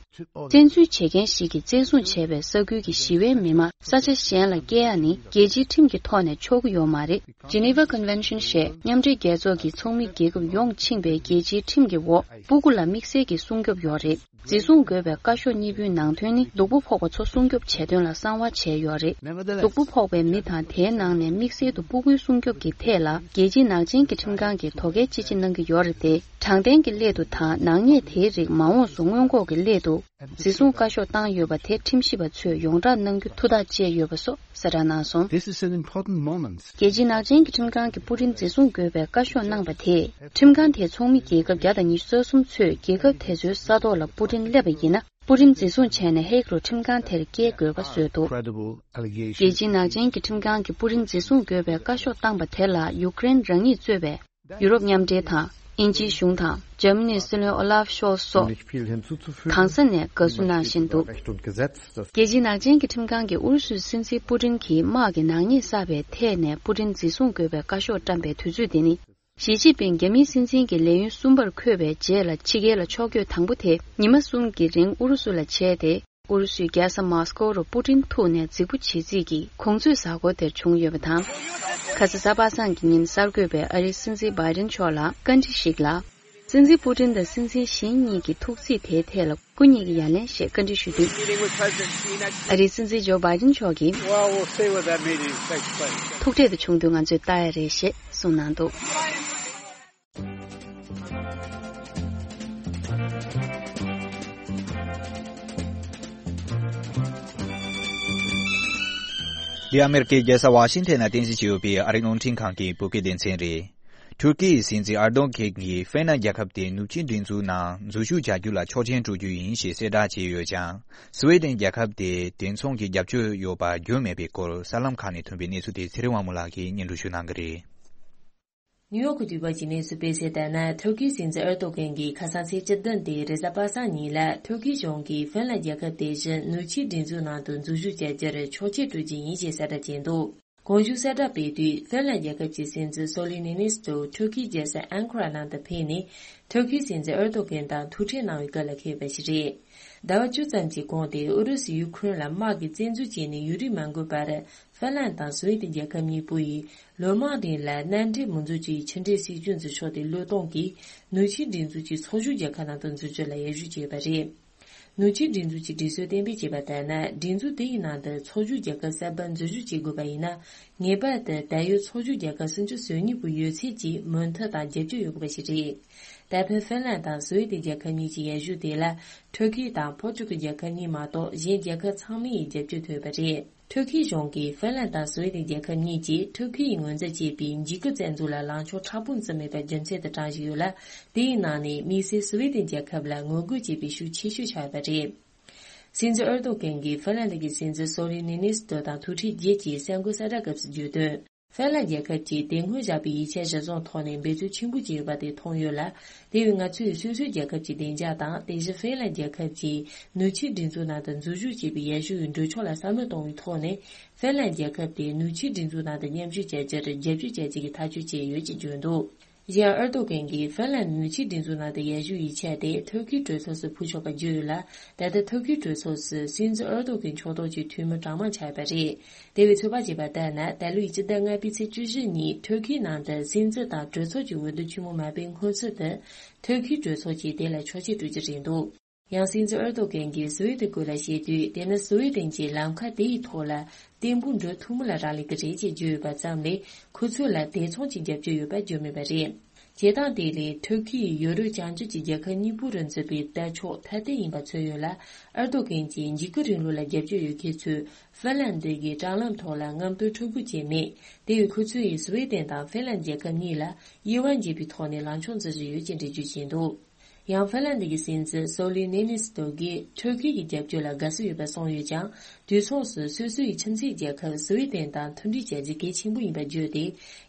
བཙན་འཛུལ་བྱེད་མཁན་ཞིག་གིས་བཙན་བཟུང་བྱས་པའི་ས་ཁུལ་གྱི་ཞི་བའི་མི་མང་ས་ཆ་གཞན་ལ་སྐྱེལ་ཡ་ནི་རྒྱལ་སྤྱིའི་ཁྲིམས་ཀྱི་ཐོག་ནས་ཆོག་གི་ཡོད་མ་རེད། Geneva Convention ཞེས་མཉམ་འབྲེལ་རྒྱལ་ཚོགས་ཀྱི་ཚོགས་མི་རྒྱལ་ཁབ་ཡོངས་ཕྱིན་པའི་རྒྱལ་སྤྱིའི་ཁྲིམས་ཀྱི་འོག་སྤུ་གུ་ལ་དམིགས་བསལ་གྱི་སྲུང་སྐྱོབ་ཡོད་རེད། འཛིན་བཟུང་དགོས་པའི་བཀའ་ཤོག་གཉིས་པོའི་ནང་དོན་ནི། སྡུག་པོ་ཕོག་པ་ཚོ་སྲུང་སྐྱོབ་བྱེད་དོན་ལ་གསང་བ་བྱས་ཡོད་རེད། Nevertheless, སྡུག་པོ་ཕོག་པའི་མི་དང་། དེའི་ནང་ནས་དམིགས་བསལ་དུ་སྤུ་གུའི་སྲུང་སྐྱོབ་ཀྱི་ཐད་ལ། རྒྱལ་སྤྱིའི་ནག་ཅན་གྱི་ཁྲིམས་ཁང་གིས་དོ་གལ་ཅི་ཆེ་གནང་གི་ཡོད་རེད་དེ། དྲང་བདེན་གྱི་སླད་དུ་དང་། ནག་ཉེས་དེའི་རིགས་མ་འོངས་སུ་སྔོན་འགོག་གི་སླད་དུ། འཛིན་བཟུང་བཀའ་ཤོག་བཏང་ཡོད་པ་དེ་ཁྲིམས་ཞིབ་པ་ཚོས་ཡོངས་བསྒྲགས་གནང་རྒྱུ་ཐུགས་ཐག་བཅད་ཡོད་པ་སོགས་གསལ་བསྒྲགས་གནང་སོང་། This is an important moment. རྒྱལ་སྤྱིའི་ནག་ཅན་གྱི་ཁྲིམས་ཁང་གིས་པུ་ཏིན་འཛིན་བཟུང་དགོས་པའི་བཀའ་ཤོག་གནང་པ་དེས། ཁྲིམས་ཁང་དེའི་ཚོགས་མི་རྒྱལ་ཁབ་བརྒྱ་དང་ཉི་ཤུ་རྩ་གསུམ་ཚོས་རྒྱལ་ཁབ་དེ་ཚོའི་ས་ཐོག་ལ་པུ་ཏིན་སླེབས་པ་ཡིན་ན། པུ་ཏིན་འཛིན་བཟུང་བྱས་ནས་ཧེག་རུ་ཁྲིམས་ཁང་དེར་སྐྱེལ་དགོས་པ་བཟོས་འདུག Credible allegation. རྒྱལ་སྤྱིའི་ནག་ཅན་གྱི་ཁྲིམས་ཁང་གིས་པུ་ཏིན་འཛིན་བཟུང་དགོས་པའི་བཀའ་ཤོག་བཏང་པ་དེ་ལ་ཡུཀ་རེན་རང་ཉིད་གཙོས་པའི་ ཡུ་རོབ་མཉམ་འབྲེལ་དང་། དབྱིན་ཇིའི་གཞུང་དང་། འཇར་མ་ནིའི་སྲིད་བློན་ཨོ་ལཱབ་ཤོལ་ཚ་སོགས་གང་ས་ནས་དགའ་བསུ་གནང་བཞིན་འདུག་རྒྱལ་སྤྱིའི་ནག་ཅན་གྱི་ཁྲིམས་ཁང་གིས་ཨུ་རུ་སུའི་སྲིད་འཛིན་པུ་ཏིན་གྱིས་དམག་གི་ནག་ཉེས་བསགས་པའི་ཐད་ནས་པུ་ཏིན་འཛིན་བཟུང་དགོས་པའི་བཀའ་ཤོག་བཀྲམ་པའི་དུས་ཚོད་འདི་ནི། ཞི་ཅིན་ཕིང་རྒྱ་མིའི་སྲིད་འཛིན་གྱི་ལས་ཡུན་གསུམ་པར་འཁོད་པའི་རྗེས་ལ་ཕྱི་རྒྱལ་ལ་ཕྱོགས་བསྐྱོད་དང་པོ་དེ་ཉི་མ་གསུམ་གྱི་རིང་ཨུ་རུ་སུ་ལ་བྱས་ཏེ། ཨུ་རུ་སུའི་རྒྱལ་ས་མོ་སི་ཀོ་རུ་པུ་ཏིན་ཐུག་ནས་རྫིག་པོ་བྱེད་རྩིས་ཀྱིས་གུང་ཚིགས་གཟའ་འཁོར་དེར་བྱུང་ཡོད་པ་དང་། ཁ་ས་གཟའ་པ་སངས་ཀྱི་ཉིན་གསར་འགོད་པས་ཨ་རིའི་སྲིད་འཛིན་བྷའི་ཌེན་མཆོག་ལ་བཀའ་འདྲི་ཞིག་ལ། སྲིད་འཛིན་པུ་ཏིན་དང་སྲིད་འཛིན་གཞན་གཉིས་ཀྱི་ཐུག་རྩིས་དེའི་ཐད་ལ་སྐུ་ཉིད་ཀྱིས་ཡ་ལན་ཞེས་བཀའ་འདྲི་ཞུས་དུས། ཨ་རིའི་སྲིད་འཛིན་ཇོ་བྷའི་ཌེན་མཆོག་གིས། Well, we'll see what that meeting takes place. ཐུག་འཕྲད་དུ་བྱུང་དུས་ང་ཚོས་ལྟ་ཡ་རེད་ཞེས་གསུངས་གནང་འདུག་འདི་ཨ་མེ་རི་ཀའི་རྒྱལ་ས་ཝ་ཤིང་ཐན་ན་རྟེན་གཞི་བྱས་ཡོད་པའི་ཨ་རིའི་རླུང་འཕྲིན་ཁང་གི་བོད་སྐད་སྡེ་ཚན་རེད། ཐུར་ཀི་ཡི་སྲིད་འཛིན་ཨར་དོ་གྷན་གྱིས་ཧྥིན་ལན་རྒྱལ་ཁབ་དེ་ནུབ་ཕྱོགས་སྒྲིག་འཛུགས་ནང་འཛུལ་ཞུགས་བྱ་རྒྱུ་ལ་ཆོག་མཆན་སྤྲོད་རྒྱུ་ཡིན་ཞེས་གསལ་བསྒྲགས་བྱས་ཡོད་ཀྱང་། སི་ཝེ་ཏན་རྒྱལ་ཁབ་དེས་དེ་མཚུངས་ཀྱི་རྒྱབ་སྐྱོར་ཡོད་པ་བརྗོད་མེད་པའི་སྐོར་གསར་ལམ་ཁག་ནས་ཐོན་པའི་གནས་ཚུལ་དེ་ཚེ་རིང་དབང་མོ་ལགས་ཀྱིས་སྙན་སྒྲོན་ཞུ་གནང་གི་རེད། ནིའུ་ཡོག་གི་དུས་བབ་ཀྱི་གནས་ཚུལ་སྤེལ་གསལ་ལྟར་ན། ཐུར་ཁིའི་སྲིད་འཛིན་ཨེར་ཏོ་གྷན་གྱིས་ཁ་སང་ཚེས་བཅུ་བདུན་སྟེ་རེས་གཟའ་པ་སངས་ཉིན་ལ་ཐུར་ཁིའི་གཞུང་གིས་ཧྥིན་ལན་རྒྱལ་ཁབ་དེ་བཞིན་ནུབ་ཕྱོགས་སྒྲིག་འཛུགས་ནང་དུ་འཛུལ་ཞུགས་བྱ་རྒྱུར་ཆོག་མཆན་སྤྲོད་རྒྱུ་ཡིན་ཞེས་གསལ་བསྒྲགས་བྱས་འདུག་གོང་ཞུས་གསལ་བསྒྲགས་སྤེལ་དུས་ཧྥིན་ལན་རྒྱལ་ཁབ་ཀྱི་སྲིད་འཛིན་སོ་ལི་ནི་ནི་སི་ཏོ་ཐུར་ཁིའི་རྒྱལ་ས་ཨན་ཁ་ར་ནང་དུ་ཕེབས་ནས་ཐུར་ཁིའི་སྲིད་འཛིན་ཨེར་ཏོ་གྷན་དང་ཐུག་འཕྲད་གནང་བའི་སྐབས་ལ་ཕེབས་པ་ཞིག་རེད། ཟླ་བ་བཅུ་ཙམ་གྱི་གོང་དེ་ཨུ་རུ་སུས་ཡུ་ཁུ་རེན་ལ་དམག་གིས་བཙན་འཛུལ་བྱས་ནས་ཡུན་རིང་མ་འགོར་བར། ཧྥིན་ལན་དང་སུ་ཝེ་ཏན་རྒྱལ་ཁབ་གཉིས་པོ་ཡིས་ལོ་མང་རིང་ལ་མནའ་འབྲེལ་མི་འཛུགས་རྒྱུའི་ཕྱི་འབྲེལ་སྲིད་ཇུས་འཛིན་ཕྱོགས་དེ་བློས་གཏོང་གིས་ནུབ་ཕྱོགས་སྒྲིག་འཛུགས་ཀྱི་ཚོགས་ཞུགས་རྒྱལ་ཁབ་ནང་དུ་འཛུལ་རྒྱུ་ལ་ཡར་ཞུ་བྱས་པ་རེད། ནུབ་ཕྱོགས་སྒྲིག་འཛུགས་ཀྱི་སྒྲིག་སྲོལ་གཏན་འབེབས་བྱས་པ་ལྟར་ན། སྒྲིག་འཛུགས་དེ་ཡི་ནང་དུ་ཚོགས་ཞུགས་རྒྱལ་ཁབ་གསར་པ་འཛུལ་ཞུགས་བྱེད་དགོས་པ་ཡིན་ན། ངེས་པར་དུ་ད་ཡོད་ཚོགས་ཞུགས་རྒྱལ་ཁབ་སུམ་ཅུ་སོ་གཉིས་པོའི་ཡོད་ཚད་ཀྱི་མོས་མཐུན་དང་རྒྱབ་སྐྱོར་ཡོད་དགོས་པ་ཞིག་རེད། ད་ཕན་ཧྥིན་ལན་དང་སུ་ཝེ་ཏན་རྒྱལ་ཁབ་གཉིས་ཀྱི་ཡར་ཞུ་དེ་ལ་ཐུར་ཁེ་དང་ཕོར་ཅུ་གི་རྒྱལ་ཁབ་གཉིས་མ་གཏོགས་གཞན་རྒྱལ་ཁབ་ཚང་མའི་རྒྱབ་སྐྱོར་ཐོབ་པ་རེད། ཐུར་ཁེ་གཞུང་གིས་ཧྥིན་ལན་དང་སུ་ཝེ་ཏན་རྒྱལ་ཁབ་གཉིས་ཀྱིས་ཐུར་ཁེ་ཡིས་ངོས་འཛིན་བྱས་པའི་འཇིགས་སྐུལ་བཙན་འཛུལ་ལ་ལངས་ཕྱོགས་མཁྲེགས་པོ་འཛིན་མེད་པ་རྒྱུ་མཚན་དུ་བགྲངས་བཞིན་ཡོད་ལ། དེའི་ནང་ནས་དམིགས་བསལ་སུ་ཝེ་ཏན་རྒྱལ་ཁབ་ལ་ངོ་རྒོལ་བྱེད་པའི་ཤུགས་ཆེ་ཤོས་ཆགས་ཡོད་པ་རེད། སྲིད་འཛིན་ཨེར་ཏོ་གྷན་གྱིས་ཧྥིན་ལན་ཌི་གི་སྲིད་འཛིན་སོ་ལི་ནི་ནི་སི་ཏོ་དང་ཐུག་འཕྲད་རྗེས་ཀྱི་གསར་འགོད་གསལ་བསྒྲགས་སྐབས་སུ་བརྗོད་དོན། ཧྥིན་ལན་རྒྱལ་ཁབ་ཀྱིས་དེ་སྔོན་བཞག་པའི་ཡིག་ཆ་གཞིར་བཟུང་ཐོག་ནས་འབད་བརྩོན་ཆེན་པོ་བྱས་ཡོད་པ་དེ་མཐོང་ཡོད་ལ། དེ་བས་ང་ཚོས་སོ་སོའི་རྒྱལ་ཁབ་ཀྱི་བདེ་འཇགས་དང་དེ་བཞིན་ཧྥིན་ལན་རྒྱལ་ཁབ་ཀྱིས་ནུབ་ཕྱོགས་སྒྲིག་འཛུགས་ནང་དུ་འཛུལ་ཞུགས་བྱེད་པའི་ཡར་ཞུ་ཡི་གྲོས་ཆོད་ལ་བསམ་བློ་གཏོང་བའི་ཐོག་ནས་ཧྥིན་ལན་རྒྱལ་ཁབ་དེ་ནུབ་ཕྱོགས་སྒྲིག་འཛུགས་ནང་དུ་མཉམ་ཞུགས་བྱ་རྒྱུར་རྒྱབ་སྐྱོར་བྱ་རྒྱུ་གི་ཐག་གཅོད་བྱས་ཡོད་ཅེས་བརྗོད་འདུག་གཞན་ཨེར་ཏོ་གྷན་གྱིས་ཧྥིན་ལན་ནུབ་ཕྱོགས་སྒྲིག་འཛུགས་ནང་དུ་ཡར་ཞུ་ཡིག་ཆ་དེ་ཐུར་ཁེའི་གྲོས་ཚོགས་སུ་ཕུལ་ཆོག་པ་བརྗོད་ཡོད་ལ། ད་ལྟ་ཐུར་ཁེའི་གྲོས་ཚོགས་སུ་སྲིད་འཛིན་ཨེར་ཏོ་གྷན་ཕྱོགས་གཏོགས་ཀྱི་འཐུས་མི་གྲངས་མང་ཆགས་ཡོད་པ་རེད། དེ་བས་ཚོད་དཔག་བྱས་པ་ལྟར་ན། ད་ལོའི་སྤྱི་ཟླ་ལྔ་པའི་ཚེས་བཅུ་བཞི་ཉིན་ཐུར་ཁེའི་ནང་དུ་སྲིད་འཛིན་དང་གྲོས་ཚོགས་ཀྱི་འོས་བསྡུ་ཆེན་མོ་མ་སྤེལ་སྔོན་ཚུད་དུ། ཐུར་ཁེའི་གྲོས་ཚོགས་ཀྱིས་དེ་ལ་ཆོག་མཆན་སྤྲོད་རྒྱུ་རེད་འདུག་ཡང་སྲིད་འཛིན་ཨེར་ཏོ་གྷན་གྱིས་སུ་ཝེ་ཏན་སྐོར་ལ་བཤད་དུས། དེ་ནི་སུ་ཝེ་ཏན་གྱིས་ལམ་ཁ་དེ་ཡི་ཐོག་ལ་བརྟན་པོ་འགྲོ་ཐུབ་མིན་ལ་རག་ལས་ཀྱི་རེད་ཅེས་བརྗོད་ཡོད་པ་ཙམ་ལས། ཁོ་ཚོ་ལ་དེ་མཚུངས་ཀྱི་རྒྱབ་སྐྱོར་ཡོད་པ་བརྗོད་མེད་པ་རེད། བྱེད་སྟངས་དེ་ལས་ཐུར་ཁེ་ཡིས་ཡོ་རོབ་བྱང་ཕྱོགས་ཀྱི་རྒྱལ་ཁབ་གཉིས་པོ་རུ་འཛུལ་བའི་ལྟ་ཕྱོགས་ཐ་དད་ཡིན་པ་མཚོན་ཡོད་ལ། ཨེར་ཏོ་གྷན་གྱིས་འཇིགས་སྐུལ་རིང་ལུགས་ལ་རྒྱབ་སྐྱོར་ཡོད་མཁན་ཚོས་ཧྥིན་ལན་ཌི་གི་དྲ་ལམ་ཐོག་ལ་རྔམ་སྟོན་འཁྲབ་སྦུག་བྱས་མེད། དེ་བས་ཁོ་ཚོ་ཡིས་སུ་ཝེ་ཏན་དང་ཧྥིན་ལན་རྒྱལ་ཁབ་གཉིས་ལ་དབྱེ་བ་འབྱེད་པའི་ཐོག་ནས་ལངས་ཕྱོགས་འཛིན་བཞིན་ཡོད་ཅེས་འགྲེལ་བརྗོད་བྱས་འདུག་ཡང་ཧྥིན་ལན་ཌི་གི་སྲིད་འཛིན་སོ་ལི་ནི་ནི་སི་ཏོ་གིས་ཐུར་ཁེ་ཡི་རྒྱབ་སྐྱོར་ལ་དགའ་བསུ་ཡོད་པ་གསུངས་ཡོད་ཀྱང་། དུས་མཚུངས་སུ་སོ་སོ་ཡི་ཁྱིམ་མཚེས་རྒྱལ་ཁབ་སུ་ཝེ་ཏན་དང་མཐུན་སྒྲིལ་བྱ་རྒྱུ་གལ་ཆེན་པོ་ཡིན་པ་བརྗོད་དེ།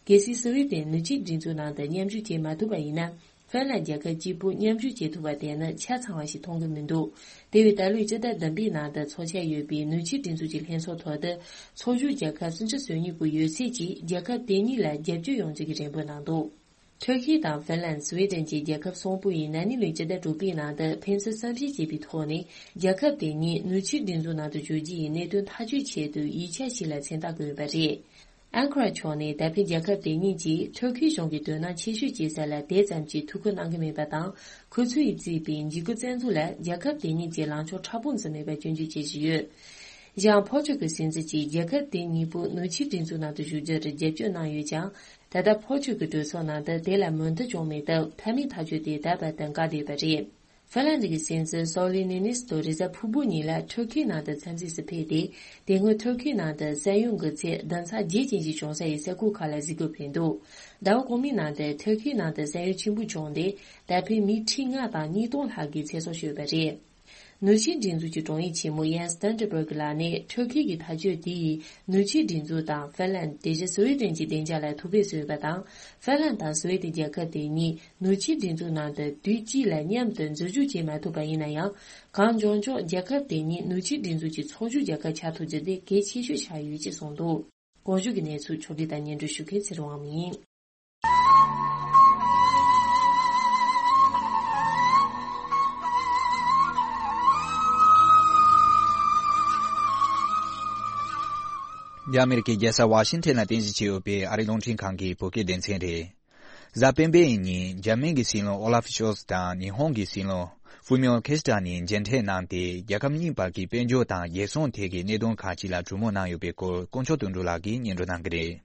གལ་སྲིད་སུ་ཝེ་ཏན་ནུབ་ཕྱོགས་སྒྲིག་འཛུགས་ནང་དུ་མཉམ་ཞུགས་བྱེད་མ་ཐུབ་པ་ཡིན་ན། ཧྥིན་ལན་རྒྱལ་ཁབ་གཅིག་པུ་མཉམ་ཞུགས་བྱེད་ཐུབ་པ་དེ་ནི་ཆ་ཚང་བ་ཞིག་མཐོང་གི་མི་འདུག་དེ་བས་ད་ལོའི་སྤྱི་ཟླ་བདུན་པའི་ནང་དུ་འཚོགས་འཆར་ཡོད་པའི་ནུབ་ཕྱོགས་སྒྲིག་འཛུགས་ཀྱི་ལྷན་ཚོགས་ཐོག་ཏུ། ཚོགས་ཞུགས་རྒྱལ་ཁབ་སུམ་ཅུ་སོ་གཉིས་པོའི་ཡོད་ཚད་ཀྱིས་རྒྱལ་ཁབ་དེ་གཉིས་ལ་རྒྱབ་སྐྱོར་ཡོང་རྒྱུ་གི་རེ་འབོད་གནང་འདུག་ཐུར་ཁེ་དང་ཧྥིན་ལན། སུ་ཝེ་ཏན་བཅས་རྒྱལ་ཁབ་གསུམ་པོ་ཡིས་ན་ནིང་ལོའི་སྤྱི་ཟླ་དྲུག་པའི་ནང་དུ་ཕན་ཚུན་བསམ་ཤེས་བྱས་པའི་ཐོག་ནས། རྒྱལ་ཁབ་དེ་གཉིས་ནུབ་ཕྱོགས་སྒྲིག་འཛུགས་ནང་དུ་འཇུག་རྒྱུ་ཡི་གནད་དོན་ཐག་གཅོད་ཆེད་དུ་ཡིག་ཆ་ཞིག་ལ་མཚན་རྟགས་བཀོད་ཡོད་པ་རེད། ཨན་ཁ་ར་ཕྱོགས་ནས་ད་ཕན་རྒྱལ་ཁབ་དེ་གཉིས་ཀྱིས་ཐུར་ཁེ་གཞུང་གི་དོ་སྣང་ཆེ་ཤོས་བྱེད་ས་ལ་དེ་ཙམ་གྱིས་ཐུགས་ཁུར་གནང་གི་མེད་པ་དང་། ཁོ་ཚོས་བརྩིས་པའི་འཇིགས་སྐུལ་བཙན་འཛུལ་ལ་རྒྱལ་ཁབ་དེ་གཉིས་ཀྱིས་ལངས་ཕྱོགས་མཁྲེགས་པོ་འཛིན་མེད་པ་སྐྱོན་བརྗོད་བྱེད་བཞིན་ཡོད། ཡང་ཕོ་ཆོས་ཀྱི་སྲིད་འཛིན་གྱིས་རྒྱལ་ཁབ་དེ་གཉིས་པོ་ནུབ་ཕྱོགས་སྒྲིག་འཛུགས་ནང་དུ་ཞུགས་རྒྱུར་རྒྱབ་སྐྱོར་གནང་ཡོད་ཀྱང་། ད་ལྟ་ཕོ་ཆོས་ཀྱི་གྲོས་ཚོགས་ནང་དུ་དེ་ལ་མོས་མཐུན་བྱུང་མེད་སྟབས། མཐའ་མའི་ཐག་གཅོད་དེ་ད་བར་དུ་འགག་བསྡད་ཡོད་པ་རེད། ཧྥིན་ལན་ཌི་གི་སྲིད་འཛིན་སོ་ལི་ནི་ནི་སི་ཏོ་རེས་གཟའ་ཕུར་བུ་ཉིན་ལ་ཐུར་ཁེ་ནང་དུ་འཚམས་གཟིགས་སུ་ཕེབས་ཏེ། དེ་སྔོན་ཐུར་ཁེ་ནང་དུ་ས་ཡོམ་གྱི་ཚད་བདུན་ཚེག་བརྒྱད་ཅན་ཞིག་བྱུང་ས་ཡི་ས་ཁུལ་ཁག་ལ་གཟིགས་སྐོར་ཕེབས་འདུག་ཟླ་བ་གོང་མའི་ནང་དུ་ཐུར་ཁེ་ནང་དུ་ས་ཡོམ་ཆེན་པོ་བྱུང་སྟེ། ད་ཕན་མི་ཁྲི་ལྔ་དང་ཉིས་སྟོང་ལྷག་གི་ཚེ་སྲོག་ཤོར་བ་རེད། ནུབ་ཕྱོགས་སྒྲིག་འཛུགས་ཀྱི་དྲུང་ཡིག་ཆེན་མོ་ཡན་སི་སྟན་ཊེན་སྦུག་ལགས་ནས་ཁྲིམས་འགལ་གྱི་ཐག་གཅོད་དེ་ཡིས་ནུབ་ཕྱོགས་སྒྲིག་འཛུགས་དང་ཧྥིན་ལན། དེ་བཞིན་སུའེ་ཏེན་གྱི་བདེ་འཇགས་ལ་ཐུགས་ཕན་གསོས་ཡོད་པ་དང་། ཧྥིན་ལན་དང་སུའེ་ཏེན་རྒྱལ་ཁབ་དེ་གཉིས་ནུབ་ཕྱོགས་སྒྲིག་འཛུགས་ནང་དུ་དུས་གཅིག་ལ་མཉམ་དུ་འཛུལ་ཞུགས་བྱེད་མ་ཐུབ་པ་ཡིན་ན་ཡང་། གངས་ལྗོངས་ཕྱོགས་རྒྱལ་ཁབ་དེ་གཉིས་ནུབ་ཕྱོགས་སྒྲིག་འཛུགས་ཀྱི་ཚོགས་ཞུགས་རྒྱལ་ཁབ་ཆགས་ཐུབ་རྒྱུ་དེ་གལ་ཆེ་ཤོས་ཆགས་ཡོད་ཅེས་གསུངས་འདུག། གོང་ཞུས་ཀྱི་གནས་ཚུལ་ཕྱོགས་སྒྲིག་དང་སྙན་སྒྲོན་ཞུ་མཁན་ཚེ་རིང་དབང་མོ་ཡིན། འདི་ཨ་མེ་རི་ཁའི་རྒྱལ་ས་ཝ་ཤིང་ཊོན་ལ་རྟེན་གཞི་བྱས་ཡོད་པའི་ཨ་རིའི་རླུང་འཕྲིན་ཁང་གི་བོད་སྐད་སྡེ་ཚན་རེད། གཟའ་སྤེན་པའི་ཉིན་འཇར་མན་གྱི་སྲིད་བློན་ཨོ་ལ་ཧྥ་ཤོལ་ཚ་དང་ཉི་ཧོང་གི་སྲིད་བློན་ཧྥུ་མིའོ་ཁི་ཤི་ད་ནི་མཇལ་འཕྲད་གནང་སྟེ། རྒྱལ་ཁབ་གཉིས་བར་གྱི་དཔལ་འབྱོར་དང་རྒྱལ་སྲུང་ཐད་ཀྱི་གནད་དོན་ཁག་ཅིག་ལ་གྲོས་མོལ་གནང་ཡོད་པའི་སྐོར་དཀོན་མཆོག་དོན་གྲུབ་ལགས་ཀྱིས་སྙན་སྒྲོན་གནང་གི་རེད།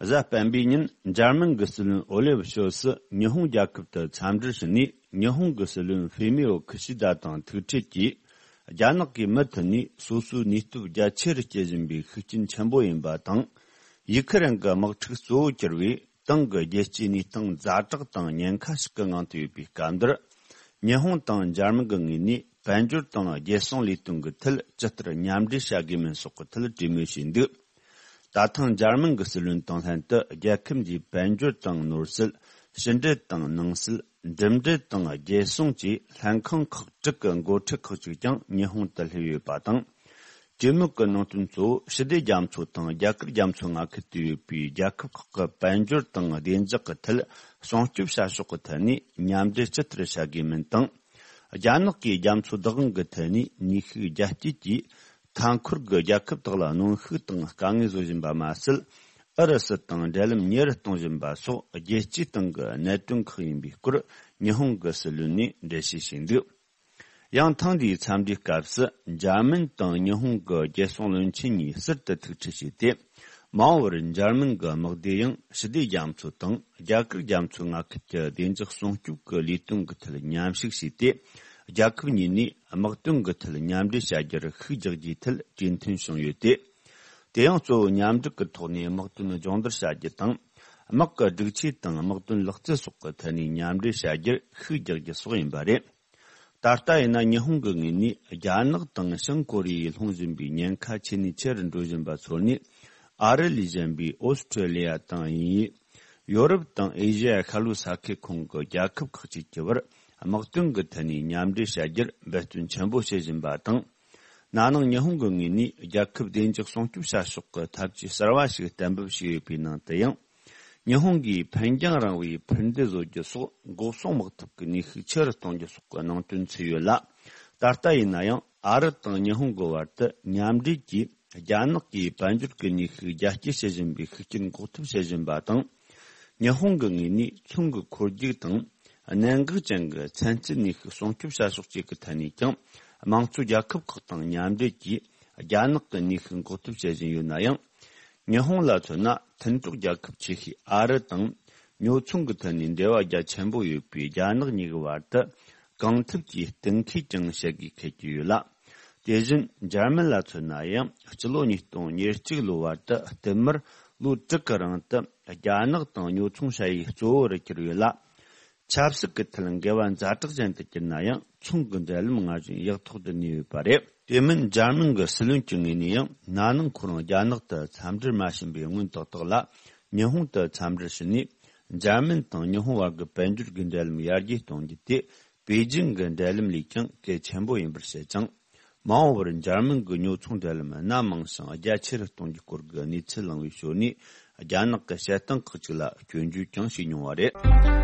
གཟའ་སྤེན་པའི་ཉིན་འཇར་མན་གྱི་སྲིད་བློན་ཨོ་ལེ་ཧྥ་ཤོལ་ཚ་ཉི་ཧོང་རྒྱལ་ཁབ་ཏུ་འཚམས་འདྲིར་ཕྱིན་ནས། ཉི་ཧོང་གི་སྲིད་བློན་ཧྥུ་མིའོ་ཁི་ཤི་ད་དང་ཐུག་འཕྲད་ཀྱིས། རྒྱ་ནག་གིས་མུ་མཐུད་ནས་སོ་སོའི་ནུས་སྟོབས་རྒྱ་ཆེ་རུ་སྐྱེད་བཞིན་པའི་ཤུགས་རྐྱེན་ཆེན་པོ་ཡིན་པ་དང་། ཡུ་ཁི་རན་གྱི་དམག་འཁྲུག་གཙོ་བོར་གྱུར་བའི་ཏང་གི་རྒྱལ་སྤྱིའི་གནས་སྟངས་ཛ་དྲག་དང་ཉེན་ཁ་ཞིག་གི་ངང་དུ་ཡོད་པའི་སྐབས་འདིར། ཉི་ཧོང་དང་འཇར་མན་གྱི་ངོས་ནས་དཔལ་འབྱོར་དང་རྒྱལ་སྲུང་ལས་དོན་གྱི་ཐད་ཇི་ལྟར་མཉམ་འབྲེལ་བྱ་དགོས་མིན་སོགས་ཀྱི་ཐད་གྲོས་མོལ་བྱས་འདུག། ད་ཐེངས་འཇར་མན་གྱི་སྲིད་བློན་དང་ལྷན་དུ། རྒྱལ་ཁབ་འདིའི་དཔལ་འབྱོར་དང་ནོར་སྲིད། ཕྱི་འབྲེལ་དང་ནང་སྲིད། འགྲིམ་འགྲུལ་དང་རྒྱལ་སྲུང་བཅས་ལྷན་ཁང་ཁག་དྲུག་གི་འགོ་ཁྲིད་ཁག་ཅིག་ཀྱང་ཉི་ཧོང་དུ་སླེབས་ཡོད་པ་དང་། གྲོས་མོལ་གྱི་ནང་དོན་གཙོ་བོ་ཞི་བདེ་རྒྱ་མཚོ་དང་རྒྱ་གར་རྒྱ་མཚོ་མངའ་ཁུལ་དུ་ཡོད་པའི་རྒྱལ་ཁབ་ཁག་གི་དཔལ་འབྱོར་དང་བདེ་འཇགས་ཀྱི་ཐད་སྲུང་སྐྱོབ་བྱ་ཕྱོགས་ཀྱི་ཐད་ནས་མཉམ་འབྲེལ་ཇི་ལྟར་བྱ་དགོས་མིན་དང་། རྒྱ་ནག་གིས་རྒྱ་མཚོ་བདག་དབང་གི་ཐད་ནས་ནུས་ཤུགས་རྒྱ་སྐྱེད་ཀྱིས། མཐའ་འཁོར་གྱི་རྒྱལ་ཁབ་དག་ལ་གནོན་ཤུགས་དང་དཀའ་ངལ་བཟོ་བཞིན་པ་མ་ཟད། ཨུ་རུ་སུ་དང་འབྲེལ་ལམ་ཉེ་རུ་གཏོང་བཞིན་པ་སོགས་རྒྱལ་སྤྱིའི་སྟེང་གི་གནད་དོན་ཁག་ཡིན་པའི་སྐོར་ཉི་ཧོང་གི་སྲིད་བློན་ནས་འགྲེལ་བཤད་བྱས་འདུག། ཡང་ཐེངས་འདིའི་འཚམས་འདྲིའི་སྐབས་སུ་འཇར་མན་དང་ཉི་ཧོང་གི་རྒྱལ་སྲུང་བློན་ཆེན་གཉིས་ཟུར་དུ་ཐུག་འཕྲད་བྱས་ཏེ། མ་འོངས་པར་འཇར་མན་གྱི་དམག་སྡེ་ཡང་ཞི་བདེ་རྒྱ་མཚོ་དང་རྒྱ་གར་རྒྱ་མཚོའི་མངའ་ཁུལ་གྱི་བདེ་འཇགས་སྲུང་སྐྱོབ་ཀྱི་ལས་དོན་གྱི་ཐད་མཉམ་ཞུགས་བྱས་ཏེ། རྒྱལ་ཁབ་གཉིས་ནས་དམག་དོན་གྱི་ཐད་མཉམ་འབྲེལ་བྱ་རྒྱུར་ཤུགས་རྒྱག་རྒྱུའི་ཐད་གྲོས་མཐུན་བྱུང་ཡོད་དེ། དེ་ཡང་གཙོ་བོ་མཉམ་འབྲེལ་གྱི་ཐོག་ནས་དམག་དོན་སྦྱོང་བརྡར་བྱ་རྒྱུ་དང་། དམག་གི་སྒྲིག་ཆས་དང་དམག་དོན་ལག་རྩལ་སོགས་ཀྱི་ཐད་ནས་མཉམ་འབྲེལ་བྱ་རྒྱུར་ཤུགས་རྒྱག་རྒྱུ་སོགས་ཡིན་པ་རེད། ད་ལྟ་ཡིན་ན་ཉི་ཧོང་གི་ངོས་ནས་རྒྱ་ནག་དང་བྱང་ཀོ་རི་ཡས་སློང་བཞིན་པའི་ཉེན་ཁ་ཆེ་ནས་ཆེ་རུ་འགྲོ་བཞིན་པ་ཚོར་ནས། ཨ་རི་ལས་གཞན་པའི་ཨོ་སི་ཁྲོ་ལི་ཡ་དང་དབྱིན་ཡུལ། ཡོ་རོབ་དང་ཨེ་ཤེ་ཡ་ཤར་ལྷོའི་ས་ཁུལ་ཁོངས་ཀྱི་རྒྱལ་ཁབ་ཁག་ཅིག་གི་བར་དམག་དོན་གྱི་ཐད་ནས་མཉམ་འབྲེལ་བྱ་རྒྱུར་འབད་བརྩོན་ཆེན་པོ་བྱེད་བཞིན་པ་དང་། ན་ནིང་ཉི་ཧོང་གི་ངོས་ནས་རྒྱལ་ཁབ་བདེ་འཇགས་སྲུང་སྐྱོབ་བྱ་ཕྱོགས་ཀྱི་ཐབས་ཇུས་གསར་བ་ཞིག་གཏན་འབེབས་བྱས་ཡོད་པའི་ནང་དུ་ཡང་། ཉི་ཧོང་གིས་འཕེན་རྒྱང་རིང་བའི་འཕུར་མདེལ་བཟོ་རྒྱུ་སོགས་འགོག་སྲུང་དམག་འཐབ་ཀྱི་ནུས་ཤུགས་ཆེ་རུ་གཏོང་རྒྱུ་སོགས་ཀྱི་ནང་དོན་ཚུད་ཡོད་ལ། ད་ལྟ་ཡིན་ན་ཡང་ཨ་རི་དང་ཉི་ཧོང་གི་བར་དུ་མཉམ་འབྲེལ་གྱིས་རྒྱ་ནག་གིས་དཔལ་འབྱོར་གྱི་ནུས་ཤུགས་རྒྱ་སྐྱེད་བྱེད་བཞིན་པའི་ཤུགས་རྐྱེན་འགོག་ཐབས་བྱེད་བཞིན་པ་དང་། ཉི་ཧོང་གི་ངོས་ནས་ཚོང་གི་འཁོར་རྒྱུག་དང་། གནད་འགག་ཅན་གྱི་ཚན་རྩལ་ནུས་ཤུགས་སྲུང་སྐྱོབ་བྱ་ཕྱོགས་བཅས་ཀྱི་ཐད་ནས་ཀྱང་། དམངས་གཙོ་རྒྱལ་ཁབ་ཁག་དང་མཉམ་འབྲེལ་གྱིས་རྒྱ་ནག་གི་ནུས་ཤུགས་འགོག་ཐབས་བྱེད་བཞིན་ཡོད་ན་ཡང་། ཉི་ཧོང་ལ་མཚོན་ན་མཐུན་གྲོགས་རྒྱལ་ཁབ་ཆེ་ཤོས་ཨ་རི་དང་། ཉོ་ཚོང་གི་ཐད་ནས་འབྲེལ་བ་རྒྱ་ཆེན་པོ་ཡོད་པའི་རྒྱ་ནག་གཉིས་ཀྱི་བར་དུ། གང་ཐུབ་ཀྱིས་གཏན་འཁེལ་ཀྱང་བྱེད་དགོས་འཁེལ་གྱི་ཡོད་ལ། དེ་བཞིན་འཇར་མན་ལ་མཚོན་ན་ཡང་། སྤྱི་ལོ་ཉིས་སྟོང་ཉེར་གཅིག་ལོའི་བར་དུ་བསྟུད་མར་ལོ་དྲུག་གི་རིང་དུ་རྒྱ་ནག་དང་ཉོ་ཚོང་བྱ་ཡུལ་གཙོ་བོ་རུ་གྱུར་ཡོད་ལ། ཆབ་སྲིད་ཀྱི་ཐད་འགལ་བ་ཛ་དྲག་ཅན་དུ་གྱུར་ན་ཡང་། ཚོང་གི་འབྲེལ་ལམ་སྔར་བཞིན་ཡག་ཐོག་ཏུ་གནས་ཡོད་པ་རེད། དེ་མིན་འཇར་མན་གྱི་སྲིད་བློན་གྱི་ངོས་ནས་ཡང་། ན་ནིང་ཁོ་རང་རྒྱ་ནག་ཏུ་འཚམས་འདྲིར་མ་ཕྱིན་པའི་སྔོན་ཏག་ཏག་ལ། ཉི་ཧོང་དུ་འཚམས་འདྲིར་ཕྱིན་ནས། འཇར་མན་དང་ཉི་ཧོང་བར་གྱི་དཔལ་འབྱོར་གྱི་འབྲེལ་ལམ་ཡར་རྒྱས་གཏོང་རྒྱུ་དེ། པེ་ཅིང་གི་འབྲེལ་ལམ་ལས་ཀྱང་གལ་ཆེན་པོ་ཡིན་པར་བཤད་ཅིང་། མ་འོངས་པར་འཇར་མན་གྱི་ཉོ་ཚོང་འབྲེལ་ལམ་སྣ་མང་ཞིང་རྒྱ་ཆེ་རུ་གཏོང་རྒྱུའི་སྐོར་གྱི་གནས་ཚུལ་གླེང་བའི་ཞོར་ནས། རྒྱ་ནག་གི་བཤད་སྟངས་ཁག་ཅིག་ལ་སྐྱོན་བརྗོད་ཀྱང་བྱས་མྱོང་བ་རེད།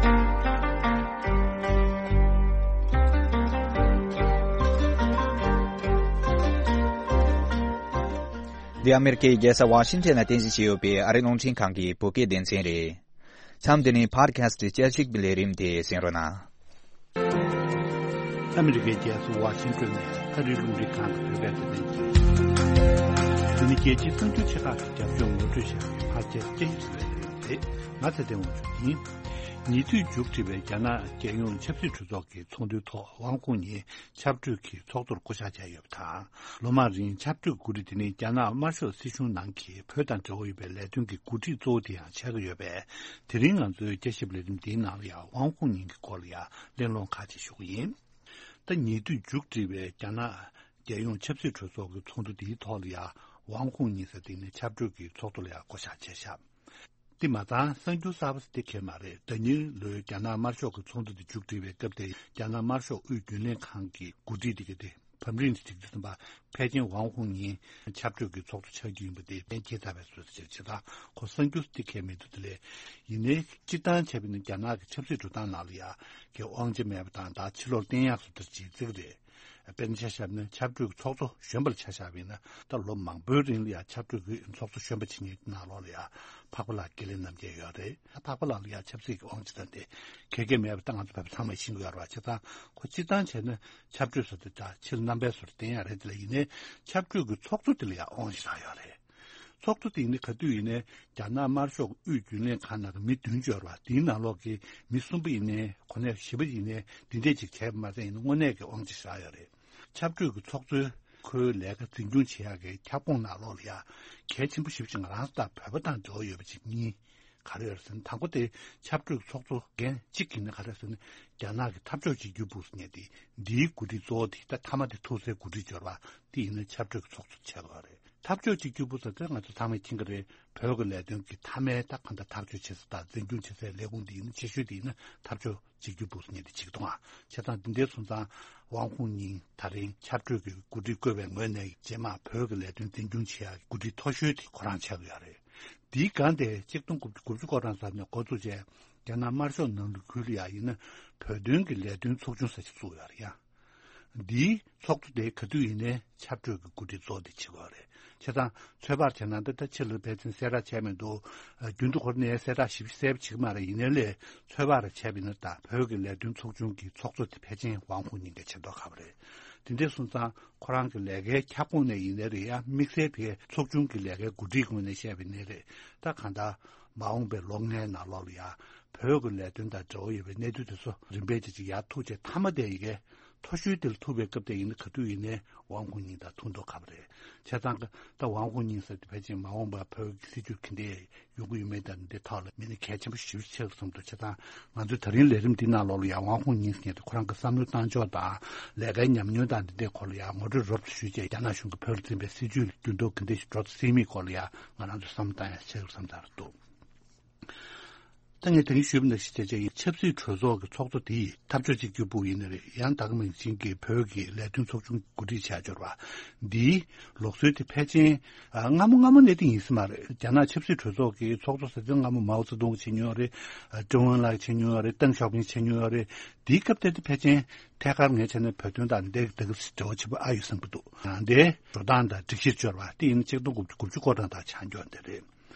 འདི་ཨ་མེ་རི་ཁའི་རྒྱལ་ས་ཝ་ཤིང་ཊོན་ལ་རྟེན་གཞི་བྱས་ཡོད་པའི་ཨ་རིའི་རླུང་འཕྲིན་ཁང་གི་བོད་སྐད་སྡེ་ཚན་རེད། མཚམས་འདི་ནས་ཕོད་ཁ་སི་ཊི་བཅད་ཁྲིད་ཀྱི་ལས་རིམ་དེ་གསན་རོགས་གནང་། ཨ་མི་རི་ཀའི་རྒྱལ་ས་ཝ་ཤིང་ཏོན་ནས་ཨ་རིའི་རླུང་འཕྲིན་ཁང་གི་བོད་སྐད་སྡེ་ཚན་གྱིས། འདི་ནི་རྒྱལ་སྤྱིའི་གསར་འགྱུར་ཆེ་ཁག་གི་རྒྱབ་ལྗོངས་ངོ་སྤྲོད་བྱ་བའི་ཕར་ཆེར་སྐད་ཡིག་ལས་རིམ་རེད། ང་ཚེ་བརྟན་དབང་ཕྱུག་ཡིན། ཉེ་དུས་མཇུག་སྒྲིལ་བའི་རྒྱ་ནག་རྒྱལ་ཡོངས་ཆབ་སྲིད་གྲོས་ཚོགས་ཀྱི་ཚོགས་འདུའི་ཐོག་དབང་ཁོངས་ཉིན་ཆབ་གྲོས་ཀྱི་ཚོགས་གཙོར་བསྐོ་བཞག་བྱས་ཡོད་པ་དང་། ལོ་མང་རིང་ཆབ་གྲོས་འགོ་ཁྲིད་དེ་ནི་རྒྱ་ནག་དམར་ཤོག་སྲིད་གཞུང་ནང་གི་བོད་དང་འབྲེལ་བ་ཡོད་པའི་ལས་དོན་གྱི་འགོ་ཁྲིད་གཙོ་བོ་དེ་ཡང་ཆགས་ཀྱི་ཡོད་པས། དེ་རིང་ང་ཚོའི་བསྐྱར་ཞིབ་ལས་རིམ་འདིའི་ནང་ལ་ཡང་དབང་ཁོངས་ཉིན་གྱི་སྐོར་ལ་ཡང་གླེང་སློང་ཁག་ཅིག་ཞུ་གི་ཡིན། ད་ཉེ་དུས་མཇུག་སྒྲིལ་བའི་རྒྱ་ནག་རྒྱལ་ཡོངས་ཆབ་སྲིད་གྲོས་ཚོགས་ཀྱི་ཚོགས་འདུ་དེའི་ཐོག་ལ་ཡང་ཝང་ཧུང་ཉིང་ཟེར་དེ་ནི་ཆབ་གྲོས་ཀྱི་ཚོགས་གཙོ་ལ་ཡང་བསྐོ་བཞག་བྱས་ཤག་དེ་མ་ཚང་གསར་འགྱུར་གསར་པ་ཟེར་དེ་གལ་མ་རེད། ཟླ་ཉེར་ལོའི་རྒྱ་ནག་དམར་ཤོག་གི་ཚོགས་འདུ་དེ་མཇུག་སྒྲིལ་བའི་སྐབས་དེ་རྒྱ་ནག་དམར་ཤོག་དབུས་རྒྱུན་ལས་ཁང་གི་འགོ་ཁྲིད་དེ་ག་དེ་བམ་རིན་དེ་གྲིག་དུ་སོང་བ་ཕལ་ཆེར་ཝང་ཧུང་ཉིང་ཆབ་གྲོས་ཀྱི་ཚོགས་གཙོ་ཆགས་རྒྱུ་ཡིན་པ་དེ་གཏན་འཁེལ་ཚར་བའི་བཟོ་ཟེར་བྱེད་སྟངས་ཁོ་གསར་འགྱུར་དེ་གལ་མི་འདུག་དེ་ལས་ཡིན་ནའི་སྤྱིར་བཏང་བྱས་པ་ཡིན་ན་རྒྱ་ནག་གི་ཆབ་སྲིད་འགྲོ་སྟངས་ནང་ལ་ཡ་གི་དབང་ཆ་མེད་པ་དང་ད་ཕྱི་ལོགས་བསྟན་ཡག་སུ་དར་གྱི་རྩིག་རེད། དཔེར་ན་ཆ་བཞག་ན་ཆབ་གྲོས་ཚོགས་གཙོ་གཞོན་པ་ལ་ཆ་བཞག་པ་ཡིན་ན་ད་ལོ་མང་པོའི་རིང་ལ་ཡང་ཆབ་གྲོས་ཀྱི་ཚོགས་གཙོ་གཞོན་པ་བྱེད་མཁན་ནང་ལོགས་ལ་ཡང་འཕགས་པ་ལགས་དགེ་ལེགས་རྣམ་རྒྱལ་ཡོད་རེད། འཕགས་པ་ལགས་ལ་ཡང་ཆབ་སྲིད་ཀྱི་དབང་ཆ་དང་དེ་ག་གེ་མེད་པ་ད་ང་ཚོ་བོད་པ་ཚང་མས་ཤེས་ཀྱི་ཡོད་རེད་བ། བྱས་ཙང་ཁོ་སྤྱིར་བཏང་བྱས་ན་ཆབ་གྲོས་ཟེར་དུས་ད་ཕྱིར་རྣམ་པའི་བཟོ་འདྲ་བསྟན་ཡག་རེད། དེ་ལ་ཡིན་ནའི་ཆབ་གྲོས་ཀྱི་ཚོགས་གཙོ་དེ་ལ་ཡང་དབང་ཆ་རག་ཡོད་རེད། ཚོགས་གཙོ་དེ་ཡིན་ནའི་ག་དུས་ཡིན་ནའི་རྒྱ་ནག་དམར་ཤོག་དབུས་རྒྱུན་ལས་ཁང་ནང་གི་མི་བདུན་འབྱོར་བ་དེའི་ནང་ལོགས་ཀྱི་མི་གསུམ་པ་ཡིན་ནའི་གོ་གནས་བཞི་པ་ཡིན་ནའི་འདི་འདྲས་ཅིག་བྱས་པ་མ་ཟད་ཡིན་ན་དངོས་གནས་ཀྱི་དབང་ཆ་བཞག་ཡོད་རེད། ཆབ་གྲོས་ཀྱི་ཚོགས་གཙོའི་ཁོའི་ལས་ཀ་འཛིན་སྐྱོང་བྱེད་ཡག་གི་ཁྱབ་ཁོངས་ནང་ལོགས་ལ་ཡང་གལ་ཆེན་པོ་ཞེ་པོ་ཅིག་ང་རང་ཚོ་དང་བོད་པ་དང་འབྲེལ་བ་ཡོད་པ་ཅིག་གཉིས་ག་རེ་ཡོད་རེད་ཟེར་ན། དང་པོ་དེ་ཆབ་གྲོས་ཀྱི་ཚོགས་གཙོ་འགན་གཅིག་ཡིན་ན་ག་རེ་ཟེར་ན་རྒྱ་ནག་གི་འཐབ་ཕྱོགས་གཅིག་གྱུར་པུའུ་ཟེར་མཁན་དེ་འདིའི་འགོ་ཁྲིད་གཙོ་བོ་དེ་ད་མཐའ་མ་དེ་ཐུག་སའི་འགོ་ཁྲིད་འབྱོར་བ་དེ་ཡིན་ན་ཆབ་གྲོས་ཀྱི་ཚོགས་གཙོ་ཆགས་ཡོད་རེད། འཐབ་ཕྱོགས་གཅིག་གྱུར་པུའུ་ཟེར་དེ་ང་ཚོ་ཚང་མས་མཁྱེན་གྱི་རེད། བོད་ཀྱི་ལས་དོན་གྱི་མཐའ་མའི་ད་གང་ལྟར་ཐག་གཅོད་བྱེད་ས་དང་འཛིན་སྐྱོང་བྱེད་སའི་ལས་ཁུངས་འདི་ཡིན་ན་ཆེ་ཤོས་དེ་ཡིན་ན་འཐབ་ཕྱོགས་གཅིག་གྱུར་པུའུ་ཟེར་མཁན་དེ་ཆགས་འདུག་ཨ། བྱས་ཙང་འདི་འདྲའི་སོང་ཙང་ཝང་ཧུང་ཉིང་ད་རིང་ཆབ་གྲོས་ཀྱི་འགོ་ཁྲིད་བསྐོས་པའི་ངོས་ནས་རྗེས་མ་བོད་ཀྱི་ལས་དོན་འཛིན་སྐྱོང་བྱེད་ཡག་གི་འགོ་ཁྲིད་མཐོ་ཤོས་དེ་ཁོ་རང་ཆགས་ཀྱི་ཡོད་རེད། འདིའི་སྒང་དེ་གཅིག་སྟོང་དགུ་བརྒྱ་དགུ་བཅུ་གོ་གྲངས་ཙམ་ནས་འགོ་བཙུགས་བྱས་རྒྱ་ནག་དམར་ཤོག་ནང་ལུགས་ཁུལ་ལ་ཡང་ཡིན་ན་བོད་དོན་གྱི་ལས་དོན་ཚོགས་ཆུང་ཟེར་ཞིག་བཙུགས་ཡོད་རེད་ཡ། འདིའི་ཚོགས་གཙོ་དེ་ག་དུས་ཡིན་ནའི་ཆབ་གྲོས་ཀྱི་འགོ་ཁྲིད་གཙོ་བོ་དེ་བྱེད་དགོས་རེད། བྱས་ཙང་ཚོད་དཔག་བྱས་ན་འདི་ལྟ་ཕྱི་ལ་ཕལ་ཆེར་གསལ་བསྒྲགས་བྱས་མི་འདུག་རྒྱུན་དུ་ཁོ་ནས་གསལ་བསྒྲགས་ཞིབ་གསལ་པོ་བྱེད་ཀྱི་མ་རེད། ཡིན་ནའི་ལས་ཚོད་དཔག་རེ་བྱས་པ་ཡིན་ན་ད་བོད་ཀྱི་ལས་དོན་ཚོགས་ཆུང་གི་ཚོགས་གཙོ་དེ་ཕལ་ཆེར་ཝང་ཧུ་ཉིང་གིས་བྱེད་མདོག་ཁ་པོ་རེད། དེ་འདྲས་སོང་ཙང་ཁོ་རང་གི་ལས་ཀའི་ཁྱབ་ཁོངས་ནས་ཡིན་ནའི་རེད་ཡ། དམིགས་བསལ་བའི་ཚོགས་ཆུང་གི་ལས་ཀའི་འགོ་ཁྲིད་ངོས་ནས་བཤད་པ་ཡིན་ནའི་རེད། ད་གང་ལྟར་མ་འོངས་པའི་ལོ་ལྔའི་ནང་ལོགས་ལ་ཡ་བོད་ཀྱི་ལས་དོན་དང་འབྲེལ་བ་ཡོད་པའི་གནས་ཚུལ་དེ་ཚོ་རིམ་པས་ཅིག་ཅིག་ཡར་ཐུག་བྱས་མཐའ་མ་དེ་ཡི་གེ་མཐོ་ཤོས་དེ་ལ་ཐུག་པའི་སྐབས་དེ་ཡིན་ན་ག་དུས་ཡིན་ནའི་ཝང་ཧུ་ཉིང་དང་ཐུག་མདོག་ཁ་པོ་རེད། བྱས་ཙང་ད་ཝང་ཧུ་ཉིང་ཟེར་དེ་ཕལ་ཆེར་མ་འོངས་པར་བོད་ཀྱི་སྲིད་བྱུས་ག་འདྲས་ཡོང་གི་ཡོད་མེད་དང་འདི་ཐོག་ལ་མི་སྣ་གལ་ཆེན་པོ་ཞེ་པོ་ཆགས་བསམ་འདུག་བྱས་ཙང་ང་ཚོའི་ད་རིང་ལས་རིམ་འདི་ནང་ལོགས་ལ་ཡང་ཝང་ཧུ་ཉིང་ཟེར་མཁན་དེ་ཁོ་རང་གི་བསམ་བློའི་བཏང་ཕྱོགས་དང་ལས་ཀའི་ཉམས་མྱོང་དང་འདི་འདྲའི་སྐོར་ལ་ཡང་ངོ་སྤྲོད་རོབ་ཙམ་ཞུས་བྱས་རྒྱ་ནག་གཞུང་གིས་བོད་ལ་འཛིན་པའི་སྲིད་བྱུས་ལ་འགྱུར་ལྡོག་ག་འདྲ་ཞིག་འགྲོ་སྲིད་མིན་སྐོར་ལ་ཡང་ང་རང་ཚོས་བསམ་བློ་བཏང་ཡ་ཆེ་བསམ་ཚར་འདུག་ད་ངས་དེ་རིང་ཞུས་པ་ནང་བཞིན་བྱས་བྱས་ཆབ་སྲིད་གྲོས་ཚོགས་ཀྱི་ཚོགས་གཙོ་དེ་ཡིས་འཐབ་ཕྱོགས་གཅིག་གྱུར་པུའུ་ཡིན་ན་རེད། ཡང་ད་ག་ནང་བཞིན་གྱི་བོད་ཀྱི་ལས་དོན་ཚོགས་ཆུང་འགོ་ཁྲིད་བྱ་འབྱོར་བ་འདིའི་ལུགས་སྲོལ་དེ་ཕལ་ཆེར་ཨ་སྔ་མོ་སྔ་མོ་ནས་དེ་ཡིན་ས་མ་རེད། རྒྱ་ནག་ཆབ་སྲིད་གྲོས་ཚོགས་ཀྱི་ཚོགས་གཙོ་ཟེར་དུས་སྔ་མོ་མའོ་ཙེ་ཏུང་གིས་བྱེད་མྱོང་ཡོད་རེད། ཨ་ཀྲུང་ཝུན་ལགས་ཀྱིས་བྱེད་མྱོང་ཡོད་རེད། ཏེང་ཞའོ་ཕིང་བྱེད་མྱོང་ཡོད་རེད། དེའི་སྐབས་དེ་དེ་ཕལ་ཆེར་ཐད་ཀར་ངས་བྱས་ན་བོད་དོན་དང་འདི་འདི་ག་འབྲེལ་བ་ཆེན་པོ་ཨ་ཡོད་བསམ་གྱི་འདུག་ཨ་འདི་འགྲོ་སྟངས་དང་སྒྲིག་གཞིར་འབྱོར་བ་དེ་ཡིན་ན་གཅིག་སྟོང་དགུ་བརྒྱ་དགུ་བཅུ་གོ་གྲངས་དང་ཆ་འཇོག་འདི་རེད།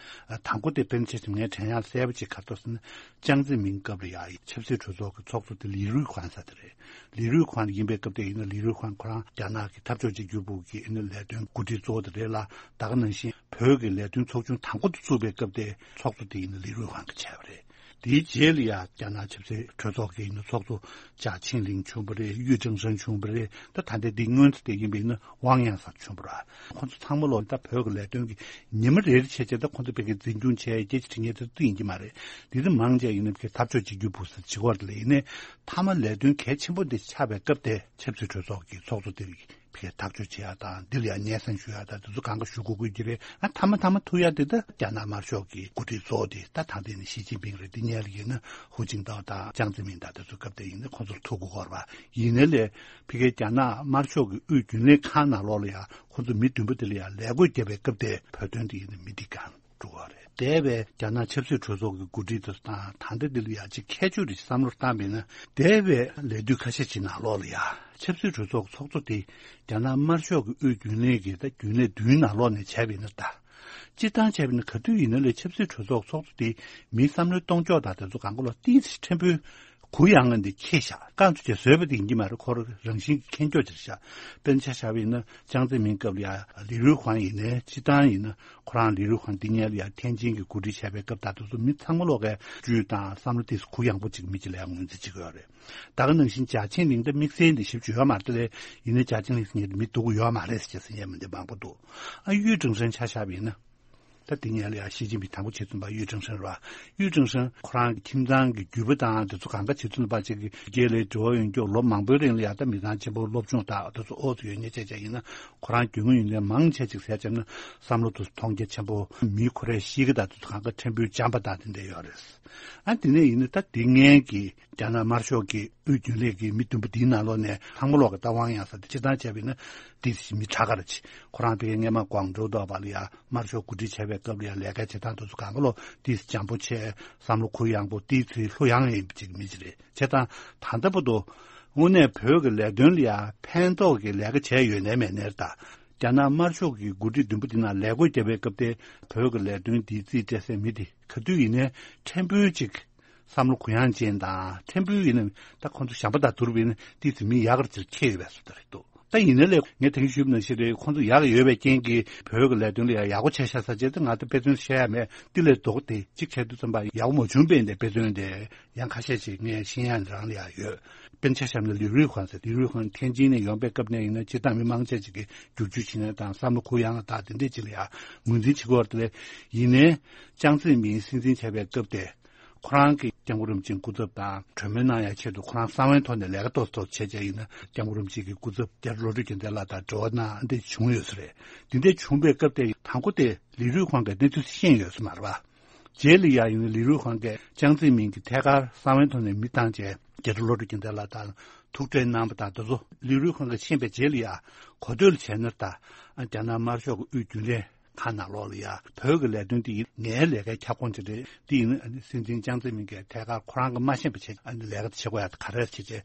ཨ་དང་པོ་དེ་དཔེར་ན་ཆ་བཞག་ངས་དྲན་ཡག་གསལ་པོ་ཅིག་ག་རེ་འདུག་ཟེར་ན། ཅང་ཙེ་མིན་སྐབས་ལ་ཡ་ཆབ་སྲིད་གྲོས་ཚོགས་ཀྱི་ཚོགས་གཙོ་དེ་ལི་རུས་ཁོང་ཟེར་དེ་རེད། ལི་རུས་ཁོང་ཡིན་པའི་སྐབས་དེ་ཡིན་ན་ལི་རུས་ཁོང་ཁོ་རང་རྒྱ་ནག་གི་འཐབ་ཕྱོགས་གཅིག་གྱུར་པུའུ་གི་ཨ་ནི་ལས་དོན་འགོ་ཁྲིད་གཙོ་བོ་དེ་རེད་ལ། ད་ག་ནང་བཞིན་བོད་ཀྱི་ལས་དོན་ཚོགས་ཆུང་དང་པོ་དེ་བཙུགས་པའི་སྐབས་དེ་ཚོགས་གཙོ་དེ་ཡིན་ན་ལི་རུས་ཁོང་གིས་བྱས་པ་རེད། དེའི་རྗེས་ལ་ཡ་རྒྱ་ནག་ཆབ་སྲིད་གྲོས་ཚོགས་ཀྱི་ཨ་ནི་ཚོགས་གཙོ་ཇཱ་ཆིང་ལིང་བྱུང་བ་རེད། ཡུས་ཀྲེང་ཧྲེང་བྱུང་བ་རེད། ད་ད་ལྟའི་འདི་སྔོན་དུ་དེ་ཡིན་པ་ཡིན་ན་ཝང་ཡང་ཟེར་བྱུང་བ་རེད། ཁོང་ཚོ་ཚང་མ་ལོ་ད་བོད་ཀྱི་ལས་དོན་གྱི་ཉི་མ་རེ་རེ་བྱས་བྱས་ད་ཁོང་ཚོ་བོད་ཀྱི་འཛིན་སྐྱོང་བྱས་རྒྱལ་སྤྱི་འབྲེལ་མཁན་དེ་ཚོ་ཡིན་གྱི་མ་རེད། དེ་ཚོ་མང་ཆེ་ཡིན་ན་བོད་ཀྱི་འཐབ་ཕྱོགས་གཅིག་གྱུར་པུའུ་ཟེར་བྱེད་ཀྱི་ཡོད་རེད། ལ་ཡིན་ནའི་མཐའ་མ་ལས་དོན་གལ་ཆེན་པོ་འདི་ཆགས་པའི་སྐབས་དེ་ཆབ་སྲིད་གྲོས་ཚོགས་ཀྱི་ཚོགས་གཙོ་དེ་བོད་ཀྱི་ཐག་གཅོད་བྱེད་ཡ་དང་འདི་ལ་ཡང་སྙན་སེང་ཞུ་ཡ་དང་དེ་ཚོ་གང་ག་ཞུ་དགོས་དགོས་ཀྱི་རེད། ཨ་མཐའ་མ་མཐའ་མ་ཐུག་ཡ་དེ་ད་རྒྱ་ནག་དམར་ཤོག་གི་འགོ་ཁྲིད་གཙོ་བོ་དེ་ད་ད་ལྟ་ནི་ཞི་ཅིན་ཕིང་རེད། འདི་སྔོན་ལ་ཡིན་ན་ཧུའུ་ཅིན་ཏའོ་དང་ཅང་ཙེ་མིན་དང་དེ་ཚོ་སྐབས་དེ་ཡིན་ན་ཁོང་ཚོར་ཐུག་དགོས་ཀྱི་ཡོད་རེད་པ། ཡིན་ནའི་ལས་ཕ་གིའི་རྒྱ་ནག་དམར་ཤོག་གི་དབུས་རྒྱུན་ལས་ཁང་ནང་ལོགས་ལ་ཡང་ཁོ་ཚོ་མི་བདུན་པོ་དེ་ལ་ཡང་ལས་བགོས་བརྒྱབ་པའི་སྐབས་དེ་བོད་དོན་དེ་ཡིན་ན་མི་འདི་གང་འགྲོ་བ་རེད། འདས་པའི་རྒྱ་ནག་ཆབ་སྲིད་གྲོས་ཚོགས་ཀྱི་འགོ་ཁྲིད་དེ་དང་ད་ལྟ་འདི་ལ་ཡང་ཅིག་ཁྱད་ཆོས་རེ་བསམ་བློ་བཏང་བས་ན། འདས་པའི་ལས་དུས་ཁ་ཤས་ཅིག་ནང་ལོགས་ལ་ཡང་ཆབ་སྲིད་གྲོས་ཚོགས་ཀྱི་ཚོགས་གཙོ་དེ་རྒྱ་ནག་དམར་ཤོག་གི་དབུས་རྒྱུན་ལས་ཀྱི་ད་རྒྱུན་ལས་བདུན་ནང་ལོགས་ནས་བྱས་པས་ན་ད། སྤྱིར་བཏང་བྱས་པ་ཡིན་ན་ག་དུས་ཡིན་ན་ལས་ཆབ་སྲིད་གྲོས་ཚོགས་ཚོགས་གཙོ་དེ་མིའི་བསམ་བློའི་གཏོང་ཕྱོགས་དང་དེ་ཚོ་གང་ག་ལ་ཏིས་ཕྲན་བུ་གུ་ཡངས་ངང་དེ་ཁྱེད་བཞག་རྐང་ཚོ་བྱས་བཟོས་པ་དེ་ཡིན་གྱི་མ་རེད། ཁོར་རང་བཞིན་གྱི་ཁྱེད་ཕྱོགས་ཅིག་བཞག་དཔེར་ན་ཆ་བཞག་པ་ཡིན་ན་ཅང་ཙེ་མིན་སྐབས་ལ་ཡ་ལི་རུས་ཁང་ཡིན་ནའི་སྤྱིར་བཏང་ཡིན་ན་ཁོ་རང་ལི་རུས་ཁང་འདི་ཉལ་ཡ་ཐེན་ཅིན་གྱི་འགོ་ཁྲིད་བྱས་པའི་སྐབས་དང་དེ་ཚོ་མི་ཚང་མ་ལོག་གའི་བཅུད་དང་བསམ་བློ་དེ་གུ་ཡངས་པོ་ཅིག་མི་གཅིག་ལ་ཡང་ངོས་འཛིན་བྱེད་ཀྱི་ཡོད་རེད། ད་ག་ནང་བཞིན་ཇཱ་ཆིང་ལིང་ད་དམིགས་བསལ་འདི་ཞིབ་ཅིག་ཡོད་མ་རེད་དེ་ལས་ཡིན་ནའི་ཇཱ་ཆིང་ལིང་ཟེར་མཁན་དེ་མི་སྡུག་གི་ཡོད་མ་རེད་ཟེར་བྱས་ཟེར་མཁན་མི་འདི་མང་པོ་འདུག་ཨ་ཡུས་ཀྲེང་ཧྲེང་ཆ་བཞག་པ་ཡིན་ན། ད་དེ་ཉལ་ལ་ཡ་ཞི་ཅིན་ཕིང་དང་པོ་བྱེད་ཚུན་པ་ཡུས་ཀྲེང་ཧྲེང་ར། ཡུས་ཀྲེང་ཧྲེང་ཁོ་རང་གི་ཁྱིམ་ཚང་གི་རྒྱུད་པ་དང་དེ་ཚོ་གང་ག་བྱེད་ཚུན་པ་ཅིག་གི་རྒྱལ་ལས་འབྲེལ་བ་ཡོད་མཁན་ལོ་མང་པོའི་རིང་ལ་ཡ་ད་མི་ཚང་ཆེན་པོ་སློབ་སྦྱོང་དང་དེ་ཚོ་ཨོ་ཚོ་ཡོད་ཉེ་ཆེ་ཆ་ཡིན་ན་ཁོ་རང་རྒྱུས་མངའ་ཡོད་མཁན་མང་ཆེ་ཅིག་ཟེར་བྱས་ན་བསམ་བློ་དེ་ཚོ་མཐོང་རྒྱ་ཆེན་པོ། མི་ཁོ་རའི་གཤིས་ཀ་དང་དེ་ཚོ་གང་ག་ཕྲན་བུ་འཇམ་པ་དང་དེ་འདྲ་ཡོད་རེད། ཨ་དེ་ནས་ཡིན་ན་ད་དེ་སྔོན་གྱི་རྒྱ་ནག་དམར་ཤོག་གི་དབུས་རྒྱུན་ལས་ཀྱི་མི་བདུན་པོ་འདིའི་ནང་ལོགས་ནས་ཚང་མ་ལོག་གི་ད་དབང་ཡང་ས་དེ་སྤྱིར་བཏང་བྱས་པ་ཡིན་ན་དེ་མི་དྲག་ག་རེད། ཁོ་རང་དེ་སྔས་མ་ཀོང་ཀྲོའུ་ཐོག་བ་ལ་ཡ་དམར་ཤོག་གོ་སྒྲིག་བྱས་པའི་སྐབས་ལ་ཡ་ལས་ཀ་བྱེད་སྟངས་དེ་ཚོ་གང་ག་ལོག་དེ་འཇམ་པོ་བྱས། བསམ་བློ་གུ་ཡངས་པོ། དེ་ཚོའི་ལྷུ་ཡངས་ཡིན་པ་ཅིག་མི་ཅིག་རེད། བྱས་ཙང་ད་ལྟ་བར་དུ་དངོས་གནས་བོད་ཀྱི་ལས་དོན་ལ་ཡ་ཕན་ཐོགས་ཀྱི་ལས་ཀ་བྱས་ཡོད་ནའི་མེད་ནའི་རེད། ད་རྒྱ་ནག་དམར་ཤོག་གི་འགོ་ཁྲིད་བདུན་པོ་འདི་ནང་ལས་བགོས་བརྒྱབ་པའི་སྐབས་དེ་བོད་ཀྱི་ལས་དོན་འདིའི་རྩིས་སྤྲད་སའི་མི་དེ་ག་དུས་ཡིན་ནའི་ཕྲན་བུ་ཅིག་བསམ་བློ་གུ་ཡངས་ཅན་དང་། ཕྲན་བུ་ཡིན་ན་ད་ཁོང་ཚོ་བྱམས་པ་དང་བསྡུར་བ་ཡིན་ན་ཏོག་ཙམ་མི་ཡག་ག་ཅིག་ཁེལ་ཡོད་པའི་བཟོ་འདྲ་རེད་འདུག་ད་ཡིན་ནའི་ལས་ངས་དེང་ཞུས་པ་ནང་བཞིན་རེད། ཁོང་ཚོ་ཡག་ཡོད་པའི་རྐྱེན་གྱིས་བོད་ཀྱི་ལས་དོན་ལ་ཡང་ཡག་པོ་བྱས་ཤག་ཟེར་བྱས་ཏེ་ང་ད་དཔེ་མཚོན་བཤད་ཡ་མེད། དེ་ལས་ལྡོག་སྟེ་གཅིག་བྱས་དུས་ཙམ་པ་ཡག་པོ་མ་བྱུང་པས་འདི་དཔེ་མཚོན་དེ་ཡང་ཁ་ཤས་ཤིག་ངས་ཤེས་ཡ་རང་ལ་ཡང་ཡོད། དཔེར་ན་ཆ་བཞག་ན་ལི་རུས་ཧོང་ཟེར། ལི་རུས་ཧོང་ཐེན་ཅིན་ནས་ཡོང་པའི་སྐབས་ནས་ཡིན་ན་སྤྱིར་བཏང་མི་མང་ཆེ་ཅིག་གིས་བསྒྱུར་བཅོས་བྱེད་ནས་དང་བསམ་བློ་གུ་ཡངས་དང་དེ་འདྲས་ཅིག་ལ་ཡང་ངོས་འཛིན་བྱེད་ཀྱི་ཡོད་རེད། དེ་ལས་ཡིན་ནའི་ཅང་ཙེ་མིན་སྲིད་འཛིན་བྱས་པའི་སྐབས་དེ། ཁོ་རང་གིས་སྐྱབས་མགོན་རིན་པོ་ཆེའི་སྐུ་ཚབ་དང་གྲོས་མོལ་གནང་ཡ་ཆེད་དུ་ཁོ་རང་གསང་བའི་ཐོག་ནས་ལས་ཀ་ཏོག་ཙམ་བྱས་བྱས་ཡིན་ན་སྐྱབས་མགོན་རིན་པོ་ཆེ་གི་སྐུ་ཚབ་རྒྱ་རི་བློ་གྲོས་རྒྱལ་མཚན་ལགས་དང་འབྲེལ་བ་གནང་འདི་བྱུང་ཡོད་ས་རེད། འདི་འདྲ་བྱུང་བའི་སྐབས་དེ་དང་པོ་དེ་ལི་རུས་ཧོང་གིས་གནས་ཚུལ་ཤེས་ཡོད་ས་མ་རེད་པ། རྗེས་ལ་ཡ་ཡིན་ན་ལི་རུས་ཧོང་གིས་ཅང་ཙེ་མིན་གྱི་ཐད་ཀར་གསང་བའི་ཐོག་ནས་མི་བཏང་བྱས་རྒྱ་རི་བློ་གྲོས་རྒྱལ་མཚན་ལགས་དང་ཐུག་འཕྲད་གནང་བ་དང་དེ་ཚོ་ལི་རུས་ཧོང་གིས་ཤེས་པའི་རྗེས་ལ་ཡ་གོ་ཐོས་ལ་བྱས་ན་ད་རྒྱ་ནག་དམར་ཤོག་གི་དབུས་རྒྱུན་ལས་ཁང་ནང་ལོགས་ལ་ཡ་བོད་ཀྱི་ལས་དོན་འདི་ཡིན་ངའི་ལས་ཀའི་ཁྱབ་ཁོངས་ཅིག་རེད། འདི་ཡིན་ན་སྲིད་འཛིན་ཅང་ཙེ་མིན་གྱིས་ཐད་ཀར་ཁོ་རང་གིས་མ་ཤེས་པ་བྱས་ལས་ཀ་དེ་བྱེད་དགོས་ཡ་དེ་ག་རེ་བྱས་བྱས་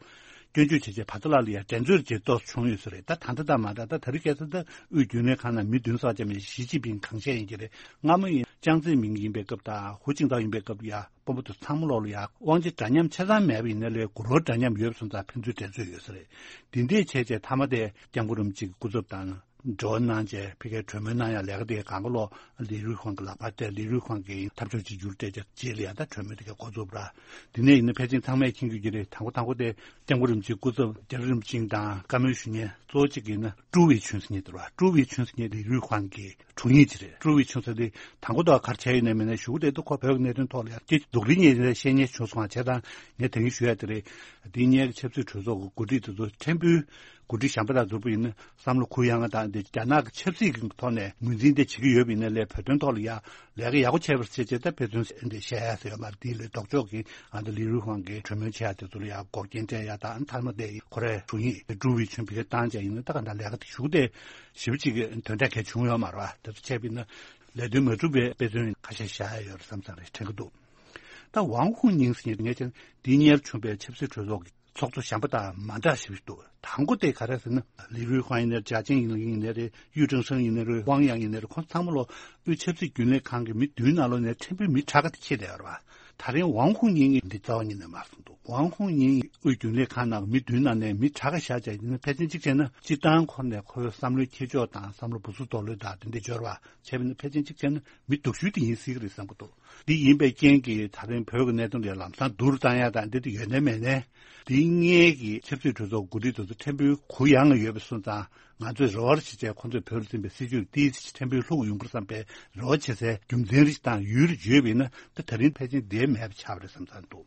སྐྱོན་བརྗོད་བྱས་བྱས་བར་ཐག་ལ་ལ་ཡ་འགྲན་རྩོད་ཅིག་ཏོག་ཙམ་བྱུང་ཡོད་ས་རེད། ད་ད་ལྟ་ད་མ་ད་ད་ད་རེས་ཁ་སང་ད་དབུས་རྒྱུན་ལས་ཁང་ནང་མི་བདུན་ཙམ་ཅིག་མེད། ཞི་ཅིན་ཕིང་གང་བཤད་ཡིན་གྱི་རེད། སྔ་མོ་ཡིན་ཅང་ཙེ་མིན་ཡིན་པའི་སྐབས་དང་ཧུའུ་ཅིན་ཐའོ་ཡིན་པའི་སྐབས་ལ་ཡ་དཔོན་པོ་དེ་ཚང་མ་ལོག་ལ་ཡ་དབང་ཆ་འདྲ་མཉམ་ཆ་ཚང་མེད་པ་ཡིན་ན་ལས་གུ་རོ་འདྲ་མཉམ་ཡོད་པ་སོང་ཙང་ཕན་ཚུན་འགྲན་རྩོད་ཡོད་ས་རེད། འདི་འདྲས་བྱས་བྱས་མཐའ་མ་དེ་སྐྱབས་མགོན་རིན་པོ་ཆེ་གི་སྐུ་ཚབ་དང་འབྲེལ་བ་གནང་བྱས་ཕ་གིར་གྲོས་མོལ་གནང་ཡ་ལས་ཀ་དེ་གང་ག་ལོག་ལི་རུས་ཧོང་གི་ལག་པར་སྤྲད། ལི་རུས་ཧོང་གིས་འཐབ་ཕྱོགས་གཅིག་གྱུར་སྤྲད་བྱས་རྗེས་ལ་ཡ་ད་གྲོས་མོལ་དེ་ག་འགོ་བཙུགས་པ་ར། དེ་ནས་ཡིན་ན་ཕལ་ཆེར་ཚང་མས་མཁྱེན་གྱི་རེད། དང་པོ་དང་པོ་དེ་སྐྱབས་མགོན་རིན་པོ་ཆེའི་སྐུ་ཚབ་རྒྱ་རི་རིན་པོ་ཆེ་དང་བཀའ་མོལ་ཞུ་མཁན་གཙོ་བོ་གཅིག་ཡིན་ན་ཀྲུའུ་ཝེ་ཆུན་ཟེར་མཁན་དེ་རེད་པ། ཀྲུའུ་ཝེ་ཆུན་ཟེར་མཁན་དེ་ལི་རུས་ཧོང་གི་དྲུང་ཡིག་ཅིག་རེད། ཀྲུའུ་ཝེ་ཆུན་ཟེར་དེ་དང་པོ་དང་ག་རེ་བྱས་ཡོད་ནའི་མེད་ནའི་གཞུག་གུ་དེ་ད་ཁོ་བོད་ཀྱི་གནད་དོན་ཐོག་ལ་ཡང་སྐད་ཆ་སྡུག་རིགས་ཉེས་ནས་བཤད་མཁན་བྱུང་སོང་བ་བྱས་ཙང་ངས་དེ་རིང་ཞུ་ཡ་དེ་རེད། དེ་སྔའི་ཆབ་སྲིད་གྲོས་ཚོགས་ཀྱི་འགོ་ཁྲིད་དེ་ཚོ་ཕྲན་བུ་འགོ་ཁྲིད་གཞན་པ་དང་ཟུར་པ་ཡིན་ན་བསམ་བློ་གུ་ཡངས་དང་དེ་རྒྱ་ནག་གི་ཆབ་སྲིད་ཀྱི་ཐོག་ནས་ངོས་འཛིན་དེ་བྱེད་ཀྱི་ཡོད་པ་ཡིན་ན་ལས་བོད་དོན་ཐོག་ལ་ཡ་ལས་ཀ་ཡག་པོ་བྱས་པར་བྱས་བྱས་ད་དཔེ་མཚོན་འདི་བཤད་ཡ་ཟེར་ཡོད་མ་རེད། དེ་ལས་ལྡོག་ཕྱོགས་ཀྱི་ཨ་ནི་ལི་རུས་ཧོང་གིས་གྲོས་མོལ་བྱེད་ཡ་དེ་ཚོ་ལ་ཡ་འགོག་རྐྱེན་སྤྲད་ཡ་དང་མཐའ་མ་དེ་ཁོ་རའི་དྲུང་ཡིག་ཀྲུའུ་ཝེ་ཆུན་བེད་སྤྱོད་བཏང་བྱས་ཡིན་ན་ད་ག་འདྲ་ལས་ཀ་དེ་གཞུག་དེ་ཞེ་པོ་ཅིག་གི་དོན་དག་གལ་བྱུང་ཡོད་མ་རེད་པ། དེ་ཚོ་བྱས་པ་ཡིན་ན་ལས་དོན་མ་གྲུབ་པའི་དཔེ་མཚོན་ཁ་ཤས་བཞག་ཡ་ཡོད་རེད་བསམ་བསམ་རེད་དྲན་གྱི་འདུག་ད་ཝང་ཧུང་ཉིང་ཟེར་མཁན་དེ་ངས་བྱས་ན་འདི་སྔོན་བྱུང་བའི་ཆབ་སྲིད་གྲོས་ཚོགས་ཀྱི་ཚོགས་གཙོ་གཞན་པ་དང་མ་འདྲ་ཞིག་འདུག་དང་པོ་དེ་ག་རེ་ཟེར་ན་ལི་རུས་ཧོང་ཡིན་ནའི་ཅཱ་ཅན་ཡིན་ནའི་རེད། ཡུས་ཀྲེང་ཧྲེང་ཡིན་ནའི་རེད། ཝང་ཡང་ཡིན་ནའི་རེད། ཁོང་ཚང་མ་ལོ་དབུས་ཆབ་སྲིད་རྒྱུན་ལས་ཁང་གི་མི་བདུན་ནང་ལོགས་ནས་ཕྲན་བུ་མི་དྲག་ག་དེ་ཁྱེར་བསྡད་ཡོད་རེད་པ། ད་རིང་ཝང་ཧུང་ཉིང་གིས་འདི་རྩ་བ་ཉིད་ནས་མ་གསུངས་འདུག་ཝང་ཧུང་ཉིང་དབུས་རྒྱུན་ལས་ཁང་ནང་གི་མི་བདུན་ནང་ནས་མི་དྲག་ག་བཞག་བྱས་ཡིན་ན་ཕལ་ཆེར་གཅིག་བྱས་ན་སྤྱིར་བཏང་ཁོ་ནས་ཁོའི་བསམ་བློའི་འཁྱེར་ཕྱོགས་དང་བསམ་བློ་སྦུག་སུབ་རྡོག་ལོས་དང་དེ་འདྲ་འབྱོར་བ་བྱས་པ་ཡིན་ན་ཕལ་ཆེར་གཅིག་བྱས་ན་མི་སྡུག་ཤོས་དེ་ཡིན་སྲིད་ཀྱི་རེད་བསམ་གྱི་འདུག་འདི་ཡིན་པའི་རྐྱེན་གྱིས་ད་རིང་བོད་ཀྱི་གནད་དོན་ལ་ལམ་སང་བསྡུར་བཏང་ཡ་དང་འདི་དེ་ཡོད་ནའི་མེད་ནའི། འདི་སྔའི་གི་ཆབ་སྲིད་གྲོས་ཚོགས་འགོ་ཁྲིད་དེ་ཚོ་ཕྲན་བུ་གུ་ཡངས་ཡོད་པ་སོང་ཙང་ང་ཚོས་རེ་བ་བྱེད་བྱས་ཁོང་ཚོས་བོད་ལ་འཛིན་པའི་སྲིད་ཇུས་ཏོག་ཙམ་ཕྲན་བུ་ལྷུག་ཡོང་གི་རེད་བསམ་པའི་རེ་བ་བྱེད་སའི་རྒྱུ་མཚན་རེ་ཞིག་དང་ཡུལ་རེ་བརྗོད་པ་ཡིན་ན་ད་ད་རིང་ཕལ་ཆེར་འདིའི་མེད་པ་ཆགས་པ་རེད་བསམ་བསམ་འདུག་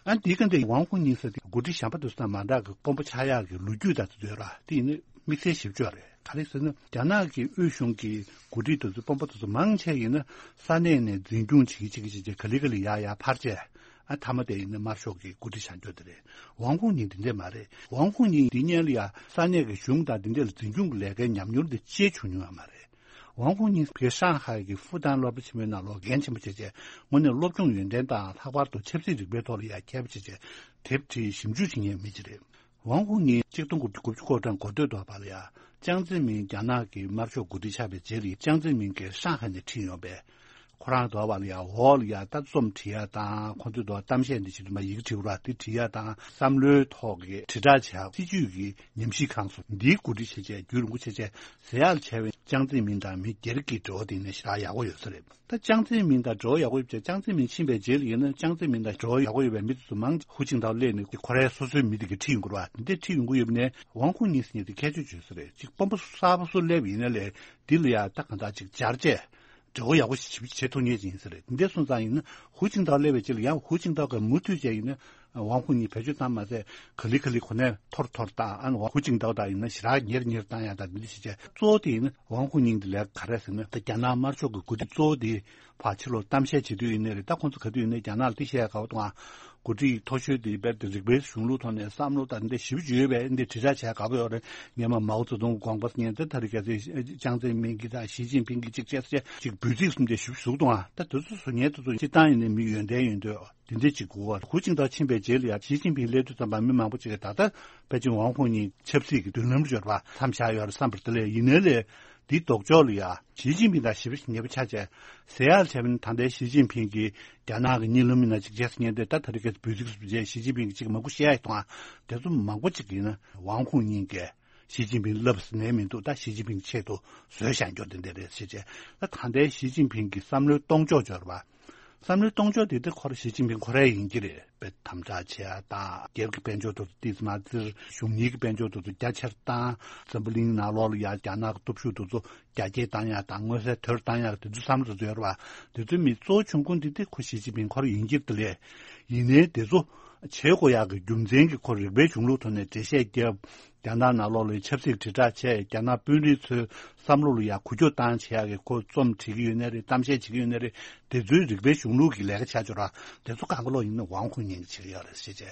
ཨ་འདི་ག་འདི་ཝང་ཧུང་ཉིང་ཟེར་དེ་འགོ་ཁྲིད་གཞན་པ་དེ་ཚོ་དང་མ་འདྲ་གི་དཔོན་པོ་ཆགས་ཡག་གི་ལོ་རྒྱུས་དང་དེ་ཚོ་ཡོད་ར། དེ་ཡིན་ན་དམིགས་བསལ་ཞིབ་ཕྱོགས་རེད། ག་རེ་ཟེར་ན་རྒྱ་ནག་གི་དབུས་གཞུང་གི་འགོ་ཁྲིད་དེ་ཚོ་དཔོན་པོ་དེ་ཚོ་མང་ཆེ་ཡིན་ན་ས་གནས་ནས་འཛིན་སྐྱོང་བྱེད་ཀྱི་བྱེད་ཀྱི་བྱེད་ཀྱི་ག་ལེ་ག་ལེ་ཡར་ཡར་འཕར་བྱས། ཨ་མཐའ་མ་དེ་ཡིན་ན་དམར་ཤོག་གི་འགོ་ཁྲིད་བྱ་རྒྱུ་དེ་རེད། ཝང་ཧུང་ཉིང་དེ་འདྲས་མ་རེད། ཝང་ཧུང་ཉིང་འདི་སྔོན་ལ་ཡ་ས་གནས་ཀྱི་གཞུང་དང་འདི་འདྲས་ལ་འཛིན་སྐྱོང་གི་ལས་ཀའི་ཉམས་མྱོང་དེ་ཅིག་བྱུང་མྱོང་ཡང་མ་རེད། ཝང་ཧུང་ཉིང་ཕ་གིའི་ཧྲང་ཧའེ་གི་ཧྥུ་ཏན་སློབ་གྲྭ་ཆེན་མོའི་ནང་ལོགས་རྒན་ཆེན་པོ་བྱས་བྱས་དངོས་གནས་སློབ་སྦྱོང་ཡོན་ཏན་དང་ལྷག་པར་དུ་ཆབ་སྲིད་རིག་པའི་ཐོག་ལ་ཡ་མཁས་པ་བྱས་བྱས་དེབ་བྲིས་ཞིབ་འཇུག་བྱེད་མཁན་མི་ཅིག་རེད། ཝང་ཧུང་ཉིང་གཅིག་སྟོང་དགུ་བརྒྱ་དགུ་བཅུ་གོ་གྲངས་འགོ་སྟོད་དུ་བར་ལ་ཡ་ཅང་ཙེ་མིན་རྒྱ་ནག་གི་དམར་ཤོག་འགོ་ཁྲིད་ཆགས་པའི་རྗེས་ལ་ཅང་ཙེ་མིན་གྱིས་ཧྲང་ཧའེ་ནས་ཁྲིད་ཡོང་པས། ཁོ་རང་དུ་བ་ལ་ཡ་འོག་ལ་ཡ་ད་རྩོམ་བྲིས་ཡ་དང་ཁོ་ཚོའི་དུ་བ་གཏམ་བཤད་འདི་བྱེད་དུ་མ་ཡིག་བྲིས་ར་དེ་བྲིས་ཡ་དང་བསམ་བློའི་ཐོག་གི་དྲིལ་བསྒྲགས་བྱ་སྲིད་ཇུས་ཀྱི་ཉམས་ཞིབ་ཁང་སོགས་འདིའི་འགོ་ཁྲིད་བྱས་བྱས་རྒྱུན་རིང་པོ་བྱས་བྱས་ཟེར་ཡག་ལ་བྱས་པའི་ཅང་ཙེ་མིན་དང་མི་སྒེར་གྱི་འབྲེལ་བ་དེ་ནས་ཞེ་དྲག་ཡག་པོ་ཡོད་ས་རེད། ད་ཅང་ཙེ་མིན་དང་འབྲེལ་བ་ཡག་པོ་ཡོད་པ་བྱས་ཅང་ཙེ་མིན་ཕྱིན་པའི་རྗེས་ལ་ཡིན་ན་ཅང་ཙེ་མིན་དང་འབྲེལ་བ་ཡག་པོ་ཡོད་པའི་མི་དེ་ཚོ་མང་ཧུའུ་ཅིན་ཐའོ་སླེབས་ནས་ཁོ་རའི་སོ་སོའི་མི་དེ་གིས་ཁྲིད་ཡོང་གི་རེད་བ། དེ་འདྲས་ཁྲིད་ཡོང་གི་ཡོད་པ་ནས་ཝང་ཧུང་ཉིང་ཟེར་མཁན་དེ་ཁྱད་ཆོས་ཡོད་ས་རེད། གཅིག་དཔོན་པོ་གསར་པ་སུ་སླེབས་ཡིན་ན་ལས་འདི་ལ་ཡ་ད་གང་ལྟར་ཅིག་སྦྱར་བྱས། འབྲེལ་བ་ཡག་པོ་ཞིག་བྱེད་ཐུབ་ངེས་ཅིག་ཡིན་ས་རེད། འདི་འདྲ་སོང་ཙང་ཡིན་ན་ཧུའུ་ཅིན་ཐའོ་སླེབས་པའི་རྗེས་ལ་ཡང་ཧུའུ་ཅིན་ཐའོ་གིས་མུ་མཐུད་བྱས་ཡིན་ན་ཝང་ཧུའུ་ཉིང་བེད་སྤྱོད་བཏང་མ་ཟད་ག་ལེ་ག་ལེ་ཁོ་ནས་འཐོར་འཐོར་བཏང་། ཨ་ནི་ཧུའུ་ཅིན་ཐའོ་དང་ཡིན་ན་ཞེ་དྲག་ཉེར་ཉེར་བཏང་ཡ་དང་འདི་འདྲ་བྱས་བྱས། གཙོ་བོ་དེ་ཡིན་ན་ཝང་ཧུའུ་ཉིང་དེ་ལས་ག་རེ་ཟེར་ན། ད་རྒྱ་ནག་དམར་ཤོག་གི་འགོ་ཁྲིད་གཙོ་བོ་དེ་ཕར་ཕྱི་ལོགས་གཏམ་བཤད་བྱེད་དུས་ཡིན་ནའི་རེད། ད་ཁོང་ཚོ་ག་དུས་ཡིན་ནའི་རྒྱ་ནག་ལ་འདི་བཤད་དགའ་བོ་དང་། འགོ་ཁྲིད་མཐོ་ཤོས་དེ་དཔེར་ན་རིག་པའི་གཞུང་ལུགས་ཐོག་ནས་བསམ་བློ་དང་འདི་ཞིབ་ཅིག་ཡོད་པས་འདི་དྲིལ་བསྒྲགས་བྱས་དགའ་པོ་ཡོད་རེད། སྔོན་མ་མའོ་ཙེ་ཏུང་གི་དགོངས་པ་ཟེར་མཁན་དེ་ད་རེས་གལ་སྲིད་ཅང་ཙེ་མིན་གྱིས་དང་ཞི་ཅིན་ཕིང་གིས་གཅིག་བྱས་ཟེར་བྱས་ཅིག་འབོད་ཚིག་གསུམ་དེ་ཞིབ་ཞིབ་བཟོ་གི་འདུག་ཨ། ད་དེ་ཚོ་བཟོ་མཁན་དེ་ཚོ་སྤྱིར་བཏང་ཡིན་ནའི་མི་ཡོན་ཏན་ཡོད་འདོད་དེ་འདྲས་ཅིག་དགོས་པ། ཧུའུ་ཅིན་ཐའོ་ཕྱིན་པའི་རྗེས་ལ་ཡང་ཞི་ཅིན་ཕིང་སླེབས་དུས་ཙམ་པ་མི་མང་པོ་ཅིག་གིས་ད་ལྟ་པེ་ཅིང་ཝང་ཧུའུ་ཉིང་ཆབ་སྲིད་ཀྱི་མདུན་ལམ་སྦྱོར་བ་མཚམས་བཞག་ཡོད་རེད་བསམ་པ་རེད། དེ་ལས་ཡིན་ནའི་ལས་འདིའི་ལྡོག་ཕྱོགས་ལ་ཡ་ཞི་ཅིན་ཕིང་དང་ཞེ་པོ་ཉེ་པོ་ཆགས་བྱས་ཟེར་ཡག་བྱས་པ་ཡིན་ན། ད་ལྟའི་ཞི་ཅིན་ཕིང་གིས་རྒྱ་ནག་གི་གཉིད་ལམ་ཡིན་ན་ཅིག་བྱས་ཟེར་མཁན་དེ་ད་ད་རེས་ཀྱི་འབོད་ཚིག་སུ་བྱས་ཞི་ཅིན་ཕིང་གིས་ཅིག་མང་པོ་བཤད་ཡག་གི་འདུག་ཨ། དེ་ཚོ་མང་པོ་ཅིག་ཡིན་ན་ཝང་ཧུའུ་ཉིང་གིས་ཞི་ཅིན་ཕིང་ལབ་ཟིན་ནས་མི་འདུག་ད་ཞི་ཅིན་ཕིང་ཆེད་དུ་བཟོས་བཞག་རྒྱུ་དེ་འདྲ་རེད་ཟེར་བྱས། ད་ད་ལྟའི་ཞི་ཅིན་ཕིང་གི་བསམ་བློའི་གཏོང་ཕྱོགས་སྦྱོར་བ། བསམ་བློའི་གཏོང་ཕྱོགས་དེ་དེ་ཁོ་རང་ཞི་ཅིན་ཕིང་ཁོ་རང་ཡིན་གྱི་རེད། དཔེ་དམ་དྲག་བྱེད་ཡ་དང་། རྒྱལ་གྱི་དཔལ་འབྱོར་དེ་ཚོ་ཏོག་ཙམ་མ་བཙིར། གཞུང་གཉེར་གྱི་དཔལ་འབྱོར་དེ་ཚོ་རྒྱ་ཆེར་བཏང་། འཛམ་བུ་གླིང་ནང་ལོགས་ལ་ཡ་རྒྱ་ནག་གི་སྟོབས་ཤུགས་དེ་ཚོ་རྒྱ་སྐྱེད་བཏང་ཡ་དང་མངོན་གསལ་དོད་བཏང་ཡ་དེ་ཚོའི་བསམ་བློ་དེ་ཚོ་ཡོད་རེད་བ། དེ་ཚོའི་མི་གཙོ་བོ་ཆུང་ཀུ་འདི་དེ་ཁོ་ཞི་ཅིན་ཕིང་ཁོ་རང་ཡིན་གྱི་རེད། དེ་ལས་ཡིན་ནའི་དེ་ཚོ་བྱེད་དགོས་ཡག་གི་རྒྱུ་མཚན་གྱིས་ཁོ་རིག་པའི་གཞུང་ལུགས་ཐོག་ནས་འགྲེལ་བཤད་བརྒྱབ། རྒྱ་ནག་ནང་ལོགས་ལ་ཆབ་སྲིད་དྲིལ་བསྒྲགས་བྱས། རྒྱ་ནག་དཔོན་རིགས་ཚོའི་བསམ་བློ་ལ་ཡང་འགུལ་སྐྱོད་བཏང་བྱེད་ཡག་གི་ཁོ་རྩོམ་བྲིས་ཀྱི་ཡོད་ནའི་རེད། གཏམ་བཤད་བྱེད་ཀྱི་ཡོད་ནའི་རེད། དེ་ཚོའི་རིག་པའི་གཞུང་ལུགས་ཀྱི་ལས་ཀ་བྱ་ཆོག་ར། དེ་ཚོ་གང་ག་ལོག་ཡིན་ན་ཝང་ཧུའུ་ཉིང་གིས་བྱེད་ཀྱི་ཡོད་རེད་ཟེར་བྱས་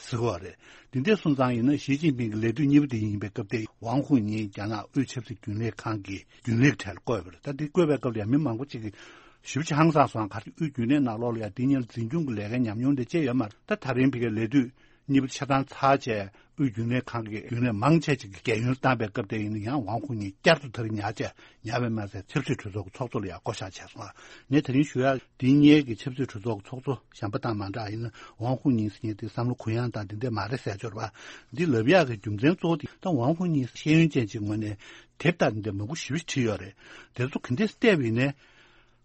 ཟེར་གྱི་ཡོད་རེད། དེ་འདྲ་སོང་ཙང་ཡིན་ན་ཞི་ཅིན་ཕིང་གི་ལས་དུས་གཉིས་པ་དེ་ཡིན་པའི་སྐབས་དེ་ཝང་ཧུའུ་ཉིང་རྒྱ་ནག་དབུས་ཆབ་སྲིད་རྒྱུན་ལས་ཁང་གི་རྒྱུན་ལས་གྲས་ལ་བསྐོས་པ་རེད། ད་དེ་བསྐོས་པའི་སྐབས་ལ་ཡང་མི་མང་པོ་ཅིག་གིས་ཞེ་པོ་ཅིག་ཧང་སངས་སོང་། ག་རེ་དབུས་རྒྱུན་ལས་ནང་ལོགས་ལ་ཡང་དེ་སྔོན་ལ་འཛིན་སྐྱོང་གི་ལས་ཀའི་ཉམས་མྱོང་དེ་ཅི་ཡོད་མ་རེད། ད་ད་རིང་ཕ་གིའི་ལས་དུས་གཉིས་པ་ཆ་ཚང་ཚར་བྱས་དབུས་རྒྱུན་ལས་ཁང་གི་རྒྱུན་ལས་མང་ཆེ་ཅིག་གི་རྒས་ཡོལ་བཏང་པའི་སྐབས་དེ་ཡིན་ན་ཡང་ཝང་ཧུའུ་ཉིང་བསྐྱར་དུ་དེ་རུ་ཉར་བྱས། ཉར་བས་མ་ཟད་ཆབ་སྲིད་གྲོས་ཚོགས་ཀྱི་ཚོགས་གཙོ་ལ་ཡང་བསྐོ་བཞག་བྱས་སོང་། ངས་དེ་རིང་ཞུ་ཡག་འདི་སྔོན་གྱི་ཆབ་སྲིད་གྲོས་ཚོགས་ཀྱི་ཚོགས་གཙོ་གཞན་པ་དང་མ་འདྲ་ཡིན་ན་ཝང་ཧུའུ་ཉིང་ཟེར་མཁན་དེ་བསམ་བློ་གུ་ཡངས་དང་འདི་འདྲ་མ་རེད་ཟེར་ཆོག་རེད་བ། འདི་ལབ་ཡག་གི་རྒྱུ་མཚན་གཙོ་བོ་དེ་ད་ཝང་ཧུའུ་ཉིང་ཤེས་ཡོན་ཅན་ཅིག་ངོས་ནས་དེབ་དང་འདི་འདྲ་མང་པོ་ཞེ་པོ་བྲིས་ཡོད་རེད། དེ་ཚོ་ག་འདྲས་བལྟས་པ་ཡིན་ནའི།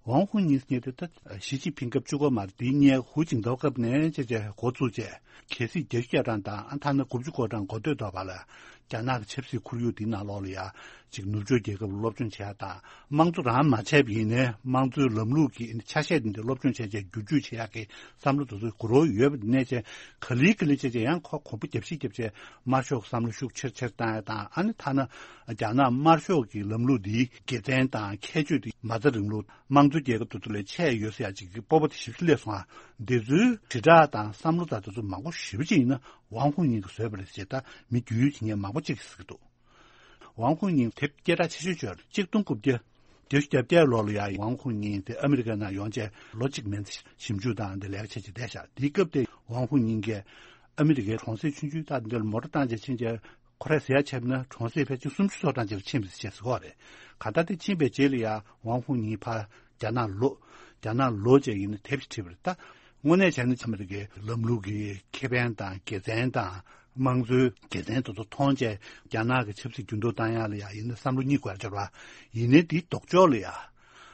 ཝང་ཧུའུ་ཉིང་ཟེར་མཁན་དེ་ད་ཞི་ཅིན་ཕིང་སྐབས་བཅུ་གོ་མར་དེའི་སྔོན་ཧུའུ་ཅིན་ཐའོ་སྐབས་ནས་བྱས་བྱས་འགོ་བཙུགས་བྱས། གལ་སྲིད་བརྒྱད་ཅུ་གྱ་གྲངས་དང་ཨ་ཐ་ན་དགུ་བཅུ་གོ་གྲངས་འགོ་སྟོད་ཐོག་བར་ལ་རྒྱ་ནག་གི་ཆབ་སྲིད་ཁོར་ཡུག་དེའི་ནང་ལོགས་ལ་ཡ་ཅིག་ནུབ་ཕྱོགས་རྒྱལ་ཁབ་ལ་སློབ་སྦྱོང་བྱས་དང་། དམངས་གཙོ་རང་མ་བྱས་པ་ཡིན་ནའི་དམངས་གཙོའི་ལམ་ལུགས་ཀྱི་ཆ་ཤས་དེ་འདྲ་སློབ་སྦྱོང་བྱས་བྱས་བསྒྱུར་བཅོས་བྱེད་ཡག་གི་བསམ་བློ་དེ་ཚོ་དགུ་རོ་ཡོད་པ་དེ་ནས་བྱས་ག་ལེ་ག་ལེ་བྱས་བྱས་ཡང་ཁོ་གོམ་པ་རྒྱབ་ཤིག་རྒྱབ་བྱས་དམར་ཤོག་བསམ་བློ་ཤུགས་ཆེར་ཆེར་བཏང་ཡ་དང་། ཨ་ནི་ཐ་ན་རྒྱ་ནག་དམར་ཤོག་གི་ལམ་ལུགས་འདིའི་དགེ་མཚན་དང་ཁྱད་ཆོས་དེ་མ་རྩ་རིང་ལུགས་དམངས་གཙོ་རྒྱལ་ཁབ་དེ་ཚོ་ལས་ཆེ་ཡོད་ཟེར་ཡ་ཅིག་གི་སྤོབས་པ་དེ་ཞེ་པོ་ཅིག་སླེབས་སོང་ཨ། འདི་ཚོའི་དྲིལ་བསྒྲགས་དང་བསམ་བློ་དང་དེ་ཚོ་མང་པོ་ཞེ་པོ་ཅིག་ཡིན་ན་ཝང་ཧུའུ་ཉིང་གིས་བཟོས་པ་རེད་ཟེར་ད་མི་རྒྱུས་ཡོད་ཀྱི་མཁན་མང་པོ་ཅིག་གིས་ཟེར་གྱི་འདུག་ཝང་ཧུའུ་ཉིང་དེབ་སྐད་གྲགས་ཆེ་ཤོས་ཅིག་ཡོད་རེད། གཅིག་སྟོང་དགུ་བརྒྱ་བརྒྱད་ཅུ་གྱ་བརྒྱད་ལོ་ལ་ཡ་ཝང་ཧུའུ་ཉིང་དེ་ཨ་མི་རི་ཀའི་ནང་ཡོང་བྱས་ལོ་གཅིག་མན་ཙམ་ཞིབ་འཇུག་དང་འདི་ལས་ཀ་བྱས་བྱས་བསྡད་ཤག་དེའི་སྐབས་དེ་ཝང་ཧུའུ་ཉིང་གིས་ཨ་མི་རི་ཀའི་གྲོང་གསེབ་ཆུང་ཆུང་དག་འདིར་མོ་ཊ་བཏང་བྱས་ཕྱིན་བྱས། ཁོ་རས་ཟེར་ཡ་བྱས་ན་གྲོང་གསེབ་ཕལ་ཆེར་སུམ་ཅུ་སོ་གྲངས་ཅིག་ལ་ཕྱིན་པ་ཞིག་བྱས་ཟེར་གྱི་ཡོད་རེད། གང་ལྟར་དེ་ཕྱིན་པའི་རྗེས་ལ་ཡ་ཝང་ཧུའུ་ཉིང་ཕར་རྒྱ་ནག་ལོག་རྒྱ་ནག་ལོག་བྱས་ཡིན་ན་དེབ་ཅིག་བྲིས་པ་རེད། ད་དངོས་གནས་བྱས་ན་ཨ་མི་རི་ཀའི་ལམ་ལུགས་ཀྱི་ཁེ་ཕན་དང་དགེ་མཚན་དང་དམངས་གཙོའི་དགེ་མཚན་དེ་ཚོ་མཐོང་བྱས་རྒྱ་ནག་གི་ཆབ་སྲིད་འགྱུར་ལྡོག་བཏང་ཡ་ལ་ཡ་ཡིན་ན་བསམ་བློ་གཉིས་དགོས་ཡ་ཅིག་ཡོད་རེད་བ། ཡིན་ནའི་དེའི་ལྡོག་ཕྱོགས་ལ་ཡ།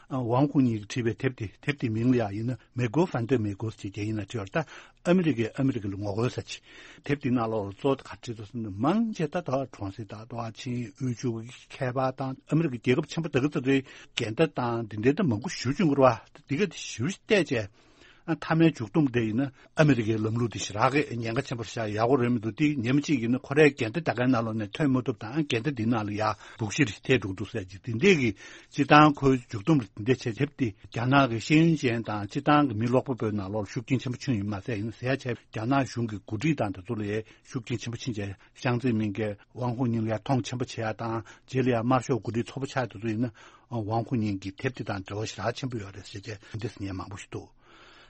ཝང་ཧུའུ་ཉིང་གིས་བྲིས་པའི་དེབ་དེ། དེབ་དེའི་མིང་ལ་ཡང་ཡིན་ན་མེ་གོ་ཧྥན་ཏེ་མེ་གོ་ཟེར་བྱས་ཡིན་ན་བྲིས་ཡོད་རེད། ད་ཨ་མི་རི་ཀས་ཨ་མི་རི་ཀ་ལ་ངོ་རྒོལ་ཟེར་བྱས། དེབ་དེའི་ནང་ལོགས་ལ་གཙོ་བོ་དེ་ག་བྲིས་འདུག་ཟེར་ན་མང་ཆེ་ད་ད་གྲོང་གསེབ་དང་ད་ཆིངས་ཡིག་དབུལ་ཕྱུག་གི་ཁྱད་པར་དང་ཨ་མི་རི་ཀ་རྒྱལ་ཁབ་ཆེན་པོ་དེ་ག་ཚོ་དེ་འགལ་ཟླ་དང་དེ་འདྲའི་ད་མང་པོ་ཞེ་པོ་བྱུང་གི་རེད་བ། དེ་ག་དེ་ཞེ་པོ་བལྟས་བྱས། ཨ་མཐའ་མའི་མཇུག་སྡོམ་དེ་ཡིན་ན་ཨ་མི་རི་ཀའི་ལམ་ལུགས་འདི་ཞེ་དྲག་གི་ཉེན་ཁ་ཆེན་པོ་ཞེ་དྲག་ཡག་པོ་རེད་མི་འདུག་དེ་ཉིན་མ་གཅིག་ཡིན་ན་ཁོ་རའི་འགལ་ཟླ་ད་གའི་ནང་ལོགས་ནས་ཐོན་མ་ཐུབ་དང་འགལ་ཟླ་འདི་ནང་ལ་ཡ་སྦུག་གཞི་རེ་ཐེབས་འགྲོ་གི་འདུག་ཟེར་གྱི་དེ་འདྲས་ཀྱི་སྤྱིར་བཏང་ཁོའི་མཇུག་སྡོམ་རེ་དེ་འདྲས་བྱས། དེབ་དེ་རྒྱ་ནག་གི་ཤེས་ཡོན་ཅན་དང་སྤྱིར་བཏང་གི་མི་ཀློག་པ་པོའི་ནང་ལོགས་ལ་ཤུགས་རྐྱེན་ཆེན་པོ་བྱུང་ཡིན་མ་ཟད་ཡིན་ཟེར་ཡ་བྱས། རྒྱ་ནག་གཞུང་གི་འགོ་ཁྲིད་དང་དེ་ཚོ་ལ་ཡ་ཤུགས་རྐྱེན་ཆེན་པོ་ཕྱིན་བྱས་ཞང་ཙེ་མིན་གྱིས་ཝང་ཧུའུ་ཉིང་ལ་ཡ་མཐོང་ཆེན་པོ་བྱེད་ཡ་དང་རྗེས་ལ་ཡ་དམར་ཤོག་འགོ་ཁྲིད་ཚོགས་པ་ཆགས་དེ་ཚོ་ཡིན་ན་ཝང་ཧུའུ་ཉིང་གི་དེབ་དེ་དང་འབྲེལ་བ་ཞེ་དྲག་ཆེན་པོ་ཡོད་རེད་ཟེར་བྱས་འདི་འདྲས་ཉན་མང་པོ་ཞིག་འདུག་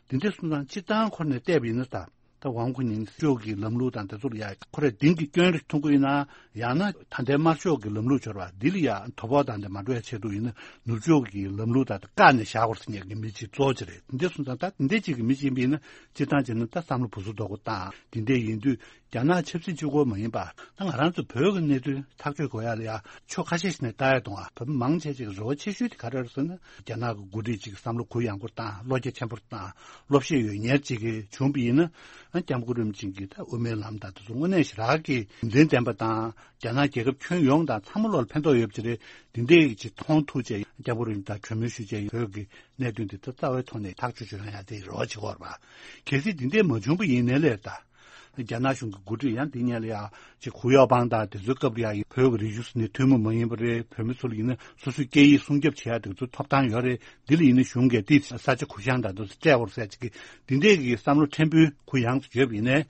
དེ་འདྲས་སོང་ཙང་སྤྱིར་བཏང་ཁོ་ནས་བལྟས་པ་ཡིན་ན་ད། ད་ཝང་ཧུའུ་ཉིང་ཕྱོགས་ཀྱི་ལམ་ལུགས་དང་དེ་ཚོ་ལ་ཡ་ཁོ་རས་གདེང་གི་སྐྱོན་རེ་མཐོང་གི་ཡོད་ན། ཡང་ན་ད་ལྟའི་དམར་ཤོག་གི་ལམ་ལུགས་སྦྱོར་བ་འདི་ལ་ཡ་དོ་ཕོག་དང་དེ་མ་འགྲོ་ཡ་ཆེད་དུ་ཡིན་ན་ནུབ་ཕྱོགས་ཀྱི་ལམ་ལུགས་དང་དེ་བཀག་ནས་བཞག་དགོས་ཟེར་མཁན་གྱི་མི་གཅིག་གཙོ་བོ་ཅིག་རེད། དེ་འདྲས་སོང་ཙང་ད་དེ་འདྲས་ཅིག་གི་མི་གཅིག་ཡིན་པ་ཡིན་ན་སྤྱིར་བཏང་བྱས་ན་ད་བསམ་བློ་སྦུ་སུབ་རྡོག་པོ་བཏང་། དེ་འདྲས་ཡིན་དུས་ རྒྱ་ནག་ཆབ་སྲིད་གཅིག་པོ་མ་ཡིན་པ། ད་ང་རང་ཚོ་བོད་ཀྱི་གནད་དོན་ཐག་གཅོད་དགོས་ཡ་ལ་ཡ་ཕྱོགས་ཁ་ཤས་ཤིག་ནས་ལྟ་ཡ་གཏོང་བ། བོད་མི་མང་ཆེ་ཅིག་རེ་བ་ཆེ་ཤོས་དེ་ག་རེ་རེད་ཟེར་ན། རྒྱ་ནག་གི་འགོ་ཁྲིད་ཅིག་བསམ་བློ་གུ་ཡངས་པོ་བཏང་། བློ་རྒྱ་ཆེན་པོ་བཏང་། བློ་ཤེད་ཡོད་མཁན་ཅིག་གིས་བྱུང་བ་ཡིན་ན། ཨ་སྐྱབས་མགོན་རིན་པོ་ཆེ་གི་ད་དབུ་མའི་ལམ་དང་དེ་ཚོ་དངོས་གནས་ཞེ་དྲག་གི་ཡོན་ཏན་ལྡན་པ་དང་། རྒྱ་ནག་རྒྱལ་ཁབ་ཁྱོན་ཡོངས་དང་ཚང་མ་ལོག་ལ་ཕན་ཐོགས་ཡོད་པ་ཅིག་རེད། འདི་འདྲའི་ཅིག་མཐོང་ཐུབ་བྱས། སྐྱབས་མགོན་རིན་པོ་ཆེ་དང་གྲོས་མོལ་ཞུ་བྱས། བོད་ཀྱི་གནད་དོན་འདི་ད་རྩ་བའི་ཐོག་ནས་ཐག་གཅོད་བྱུང་ཡ་དེ་རེ་བ་བྱེད་ཀྱི་ཡོད་རེད་པ། གལ་སྲིད་འདི་འདྲས་མ་བྱུང་པ་ཡིན་ནའི་ལས་ད། རྒྱ་ནག་གཞུང་གི་འགོ་ཁྲིད་ཡང་འདི་སྔོན་ལ་ཡ་ཅིག་ཧུའུ་ཡའོ་པང་དང་དེ་ཚོའི་སྐབས་ལ་ཡ་བོད་ཀྱི་རིག་གཞུང་ནི་ཐུན་མོང་མ་ཡིན་པ་རེད། བོད་མི་ཚོ་ལ་ཡིན་ན་སོ་སོའི་སྐད་ཡིག་སྲུང་སྐྱོབ་བྱེད་ཡ་དེ་ཚོ་ཐོབ་ཐང་ཡོད་རེད། འདི་ལ་ཡིན་ན་གཞུང་གིས་དེ་ས་ཆ་གུ་ཡངས་དང་དེ་ཚོ་སྤྲད་དགོས་རེད་ཟེར་ཅིག་གི་འདི་འདྲས་ཀྱི་བསམ་བློ་ཕྲན་བུ་གུ་ཡངས་སུ་ཡོད་པ་ཡིན་ནའི།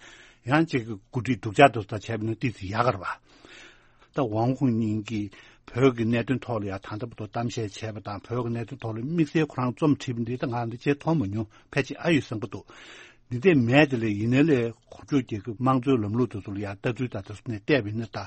ཡང་ཅིག་གི་འགོ་ཁྲིད་སྡུག་ཅག་དེ་ཚོ་དང་བྱས་པ་ཡིན་ན་ཏོག་ཙམ་ཡག་གི་རེད་པ། ད་ཝང་ཧུའུ་ཉིང་གིས་བོད་ཀྱི་གནད་དོན་ཐོག་ལ་ཡང་ད་ལྟ་བར་དུ་གཏམ་བཤད་བྱས་པ་དང་། བོད་ཀྱི་གནད་དོན་ཐོག་ལ་དམིགས་བསལ་ཁོ་རང་རྩོམ་བྲིས་པ་འདི་ད་ང་འདི་བྱས་མཐོང་མ་མྱོང་། ཕལ་ཆེར་ཨ་ཡོད་བསམ་གྱི་འདུག་འདི་འདྲས་མེད་དེ་ལས་ཡིན་ནའི་ལས་ཁོ་ཚོས་རྒྱལ་ཁབ་དམངས་གཙོའི་ལམ་ལུགས་དེ་ཚོ་ལ་ཡང་ལྟ་ཚུལ་དང་དེ་ཚོ་ནས་བལྟས་པ་ཡིན་ན། ད་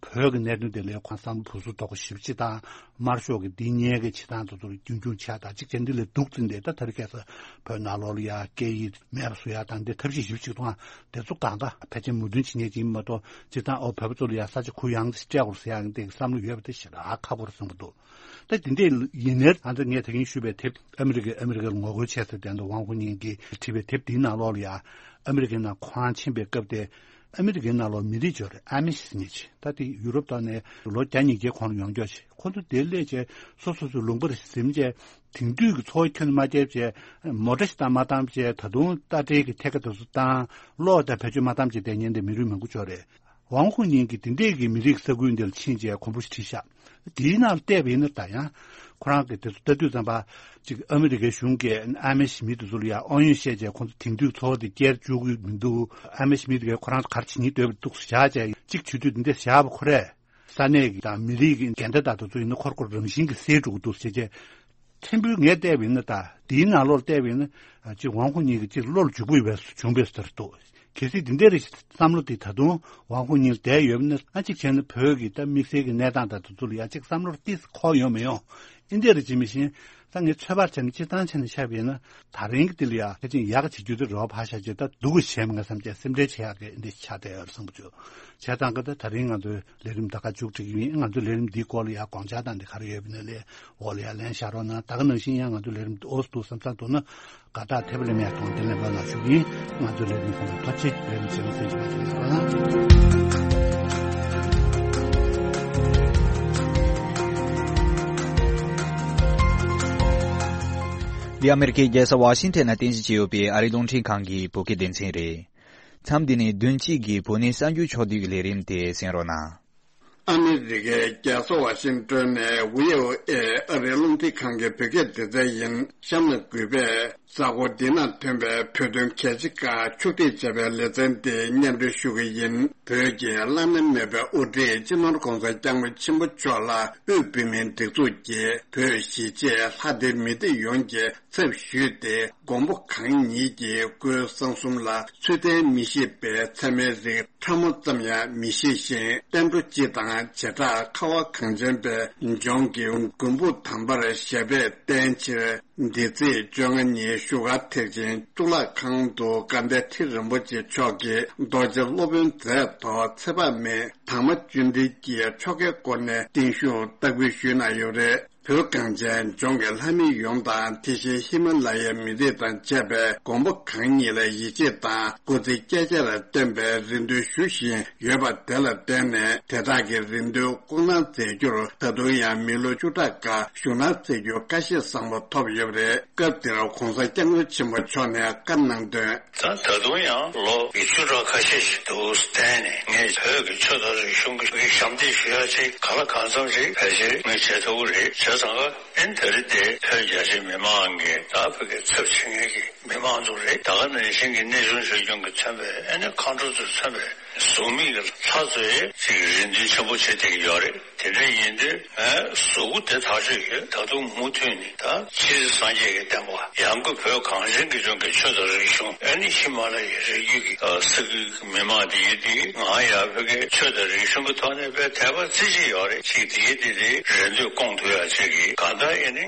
བོད་ཀྱི་གནད་དོན་དེ་ལས་ཁོ་བསམ་བློ་སྦུག་སུབ་དོག་པོ་ཞེ་པོ་ཅིག་དང་། དམར་ཤོག་གི་འདི་སྔོན་གྱི་བྱེད་སྟངས་དེ་ཚོ་ལ་རྒྱུན་འཁྱོངས་བྱས་དང་ཅིག་བྱས། འདི་ལས་སྡུག་ཙམ་དེ་ད་ད་རེས་ཁ་སང་བོད་ནང་ལོགས་ལ་ཡང་སྐད་ཡིག་མེད་པ་བཟོ་ཡ་དང་འདི་ཐབས་ཤེས་ཞེ་པོ་ཅིག་གཏོང་ཡ་དེ་ཚོ་གང་ག་ཕལ་ཆེར་མོས་མཐུན་བྱེད་མཁན་ཅིག་ཡིན་མ་གཏོགས། སྤྱིར་བཏང་ཨོ་བོད་པ་ཚོ་ལ་ཡང་ས་ཆ་གུ་ཡངས་སྤྲད་དགོས་ཟེར་ཡ་འདི་བསམ་བློ་ཡོད་པ་དེ་ཞེ་དྲག་ཁག་པོ་རེད་བསམ་གྱི་འདུག་ད་དེ་འདྲས་ཡིན་ནའི་ང་ཚོ་ངས་ད་གིན་ཞུས་པའི་དེབ། ཨ་མི་རི་ཀས་ཨ་མི་རི་ཀར་ངོ་རྒོལ་བྱས་ཟེར་དེ་འདྲ་ཝང་ཧུའུ་ཉིང་གིས་བྲིས་པའི་དེབ་འདིའི་ནང་ལོགས་ལ་ཡང་། ཨ་མི་རི་ཀའི་ནང་ཁོ་རང་ཕྱིན་པའི་སྐབས་དེ། ཨ་མི་རི་ཀའི་ནང་ལོགས་མི་རིགས་ཅིག་ཡོད་རེད། ཨ་མི་ཤི་ཟེར་མཁན་ཅིག་ད་དེ་ཡུ་རོབ་ཐོག་ནས་ལོ་བརྒྱ་ཉིས་བརྒྱའི་གོང་ལ་ཡོང་འབྱོར་བྱས། ཁོ་ཚོ་དེར་སླེབས་བྱས་སོ་སོ་སོའི་ལུང་པར་གཟིམ་བྱས། དེང་དུས་ཀྱི་འཚོ་བ་ཁྱོན་ནས་མ་སྟེར་བྱས། མོ་ཊ་ཞིག་བཏང་མ་བཏང་བྱས། ད་དུང་རྟ་དྲེལ་གྱི་ཐད་ཀ་དེ་ཚོ་བཏང་། གློག་དང་བེད་སྤྱོད་མ་བཏང་བྱས་བསྡད་མཁན་དེ་མི་རིགས་མང་པོ་ཅིག་ཡོད་རེད། ཝང་ཧུའུ་ཉིང་གིས་དེ་འདྲས་ཀྱི་མི་རིགས་ས་ཁུལ་འདི་ལ་ཕྱིན་བྱས་གོམ་པ་ཞིག་བྲིས་ཤག་དེའི་ནང་ལ་བལྟས་པ་ཡིན་ན་ད་ཡང་ཁོ་རང་གིས་དེ་ཚོ་ལྟ་དུས་ཙམ་པ། ཅིག་ཨ་མི་རི་ཀའི་གཞུང་གིས་ཨ་མི་ཤི་མི་དེ་ཚོ་ལ་ཡང་དབང་ཡོད་བཤད་བྱས་ཁོང་ཚོ་དེང་དུས་འཚོ་བ་དེ་སྐྱེལ་བཅུག་གི་མི་འདུག་ཨ་མི་ཤི་མི་དེ་གས་ཁོ་རང་ཚོ་ག་རེ་བྱེད་ཉེན་འདུག་བཞག་བྱས། ཅིག་བྱེད་དུས་འདི་འདྲ་བཞག་པ་ཁོ་རས། ས་གནས་ཀྱི་དང་མི་རིགས་ཀྱི་འགལ་ཟླ་དང་དེ་ཚོ་ཡིན་ན་ཁོ་རང་ཁོ་རང་རང་བཞིན་གྱིས་སེལ་འགྲོ་གི་འདུག་ཟེར་བྱས། ཕྲན་བུ་ངས་བལྟས་པ་ཡིན་ན། ད་དེའི་ནང་ལོགས་བལྟས་པ་ཡིན་ན། ཨ། ཅིག་ཝང་ཧུའུ་ཉིང་གིས་ཅིག་བློ་ལ་འཇུག་པ་ཡོད་པ་བྱུང་བས་ཟེར་འདུག་གལ་སྲིད་འདི་འདྲའི་བསམ་བློ་དེ་ད་དུང་ཝང་ཧུའུ་ཉིང་ལ་བསྡད་ཡོད་པ་ན། ཨ། གཅིག་བྱས་ན་བོད་ཀྱི་ད་དམིགས་བསལ་གྱི་གནས་སྟངས་དང་དེ་ཚོ་ལ་ཡང་ཅིག་བསམ་བློ་ཏོག་ཙམ་འཁོར་ཡོང་མི་ཡོང་། འདི་འདྲ་རེ་བྱེད་མི་ཤེས། ད་ངས་ཚོད་དཔག་བྱས་ན། སྤྱིར་བཏང་བྱས་ན་ཆ་བཞག་ན་ད་རིང་གི་འདི་ལ་ཡང་ཕལ་ཆེར་ཡག་ག་བྱེད་རྒྱུ་དེ་རེ་བ་ཕར་བཞག་བྱས། ད་སྡུག་ག་བྱས་མེད་བསམ་བྱས་སེམས་ཁྲལ་བྱེད་ཡག་གི་འདི་ཆགས་བསྡད་ཡོད་རེད་བསམ་གྱི་འདུག་བྱས་ཙང་གི་ད་ད་རིང་ང་ཚོའི་ལས་རིམ་ད་ག་མཇུག་སྒྲིལ་གྱི་ཡིན། ང་ཚོའི་ལས་རིམ་འདིའི་སྐོར་ལ་ཡང་དགོངས་འཆར་དང་འདི་ག་རེ་ཡོད་པ་ཡིན་ན་ལས་འོག་ལ་ཡང་ལན་བཞག་རོགས་གནང་། ད་ག་ནང་བཞིན་ཡང་ང་ཚོའི་ལས་རིམ་འདི་འོས་སུ་འདུག་བསམ་བསམ་འདུག་ན། དགའ་རྟགས་ཐེབས་ལེན་ཡག་གཏོང་། དེ་ལེན་པ་ལ་ཞུ་གི་ཡིན། ང་ཚོའི་ལས་རིམ་ཁོང་དུ་ཐོབ་ཆེད་ལས་རིམ་བྱེད་མི་སེམས་ཀྱི་མ་དེ་ལ་རོགས་གནང་། འདི་ཨ་མེ་རི་ཁའི་རྒྱལ་ས་ཝ་ཤིང་ཊོན་ན་རྟེན་གཞི་བྱས་ཡོད་པའི་ཨ་རིའི་རླུང་འཕྲིན་ཁང་གི་བོད་སྐད་སྡེ་ཚན་རེད། མཚམས་འདི་ནས་བདུན་གཅིག་གི་བོད་གནས་གསར་འགྱུར་ཕྱོགས་བསྡུས་ཀྱི་ལས་རིམ་དེ་གསན་རོགས་གནང་། ཨ་མི་རི་ཀའི་རྒྱལ་ས་ཝ་ཤིང་ཏོན་ནས་བྷི་ཨོ་ཨེ་ཨ་རིའི་རླུང་འཕྲིན་ཁང་གི་བོད་སྐད་སྡེ་ཚན་ཡིན། གཤམ་ལ་གུས་པས་གཟའ་འཁོར་འདི་ན་ཐོན་པའི་བོད་དོན་གལ་ཆེ་ཁག་ཕྱོགས་སྒྲིག་བྱས་པའི་ལེ་ཚན་འདི་སྙན་སྒྲོན་ཞུ་གི་ཡིན། བོད་ཀྱི་བླ་ན་མེད་པའི་དབུ་ཁྲིད་སྤྱི་ནོར་༸གོང་ས་༸སྐྱབས་མགོན་ཆེན་པོ་མཆོག་ལ་དབུས་བོད་མིའི་སྒྲིག་འཛུགས་ཀྱིས་བོད་གཞིས་བྱེས་ལྷ་སྡེ་མི་སྡེ་ཡོངས་ཀྱི་ཚབ་ཞུས་ཏེ། མགོན་པོ་གང་ཉིད་ཀྱི་སྐུའི་གསང་གསུམ་ལ་ཚུལ་ལྡན་མི་ཤེས་པའི་ཚད་མའི་རིགས་ཕྲ་མོ་ཙམ་ཡང་མི་ཤེས་ཤིང་། བསྟན་འགྲོ་སྤྱི་དང་བྱེ་བྲག་ཁ་བ་གངས་ཅན་པའི་ལྗོངས་ཀྱི་མགོན་པོ་དམ་པར་ཞབས་པད་བརྟན་ཕྱིར། འདི་ཚེས་བཅོ་ལྔ་ཉིན་བཞུགས་སྒར་ཐེག་ཆེན་གཙུག་ལག་ཁང་དུ་དགའ་ལྡན་ཁྲི་རིན་པོ་ཆེ་མཆོག་གིས་རྡོ་རྗེ་སློབ་དཔོན་མཛད་ཐོག་ཚེ་དཔག་མེད་དར་མ་བཅུད་འགྲིལ་གྱིས་ཆོ་གའི་སྒོ་ནས་བརྟན་བཞུགས་བསྟར་འབུལ་ཞུས་གནང་ཡོད་རེད། བོད་གངས་ཅན་ལྗོངས་ཀྱི་ལྷ་མི་ཡོངས་དང་། དེ་བཞིན་ཧི་མ་ལ་ཡའི་མི་རིགས་དང་བཅས་པའི་མགོན་པོ་གང་ཉིད་ལ་ཡིད་ཆེས་དང་སྐུ་ཚེ་བསྐལ་བརྒྱར་བརྟན་པའི་རེ་འདུན་ཞུ་བཞིན་ཡོད་པ་དེ་ལ་བརྟེན་ནས། དེ་དག་གི་རེ་འདུན་སྐུ་གནང་མཛད་རྒྱུར་ད་དུང་ཡང་མི་ལོ་བཅུ་ཕྲག་འགའ་བཞུགས་གནང་མཛད་རྒྱུར་བཀའ་བཞེས་བཟང་པོ་ཐོབ་ཡོད་པ་རེད། སྐབས་དེར་༸གོང་ས་༸སྐྱབས་མགོན་ཆེན་པོ་མཆོག་ནས་བཀའ་གནང་དོན། ད་ད་དུང་ཡང་ལོ་ཉི་ཤུ་ཕྲག་ཁ་ཤས་ཤིག་འདུག་བསྟན་ནས། ངས་བོད་ཀྱི་ཆོས་དང་རིག་གཞུང་གི་ཞབས་འདེགས་ཞུ་ཡ་ཅིག་གང་ལ་གང་འཚམ་ཞིག་ཕལ་ཆེར་ངས་བྱེད་ཐུབ་ཀྱི་རེད། བྱས་ཙང་ཀ་ཨེ་ནི་ད་རེས་དེ་བོད་རྒྱ་ཆེའི་མི་མང་གི་ད་བོད་ཀྱི་ཚབ་བྱེད་མཁན་གྱི་མི་མང་ཚོ་རེད། ད་ག་ནང་བཞིན་གྱི་གནས་ཆུང་ཆོས་སྐྱོང་གིས་མཚོན་པའི་ཨེ་ནི་མཁའ་འགྲོ་ཚོས་མཚོན་པའི་གཟུགས་མེད་ཀྱི་ལྷ་ཚོས་ཅིག་རེ་འདུན་ཆེན་པོ་བྱེད་བསྡད་ཀྱི་ཡོད་རེད། དེ་འདྲ་ཡིན་དུས་ངའི་གཟུགས་པོ་དེ་ཐག་ཆོད་ཡོད། ད་དུང་མུ་མཐུད་ནས་ད་ཕྱི་སངས་རྒྱས་ཀྱི་བསྟན་པ། ཡང་སྒོས་བོད་གངས་ཅན་གྱི་ལྗོངས་ཀྱི་ཆོས་དང་རིག་གཞུང་། ཨ་ནི་ཧི་མ་ལ་ཡའི་རི་རྒྱུད་ཀྱི་ས་ཁུལ་གྱི་མི་མང་དེ་ཡིན་དུས། ང་ཡང་བོད་ཀྱི་ཆོས་དང་རིག་གཞུང་གི་ཐོག་ནས་དཔེ་དད་པ་རྩེ་གཅིག་ཡོད་རེད། ཅིག་དེ་ཡིན་དུས་དེ་རེ་འདུན་སྐོང་ཐུབ་ཡ་ཅིག་གི་གང་ལྟར་ཨེ་ནི་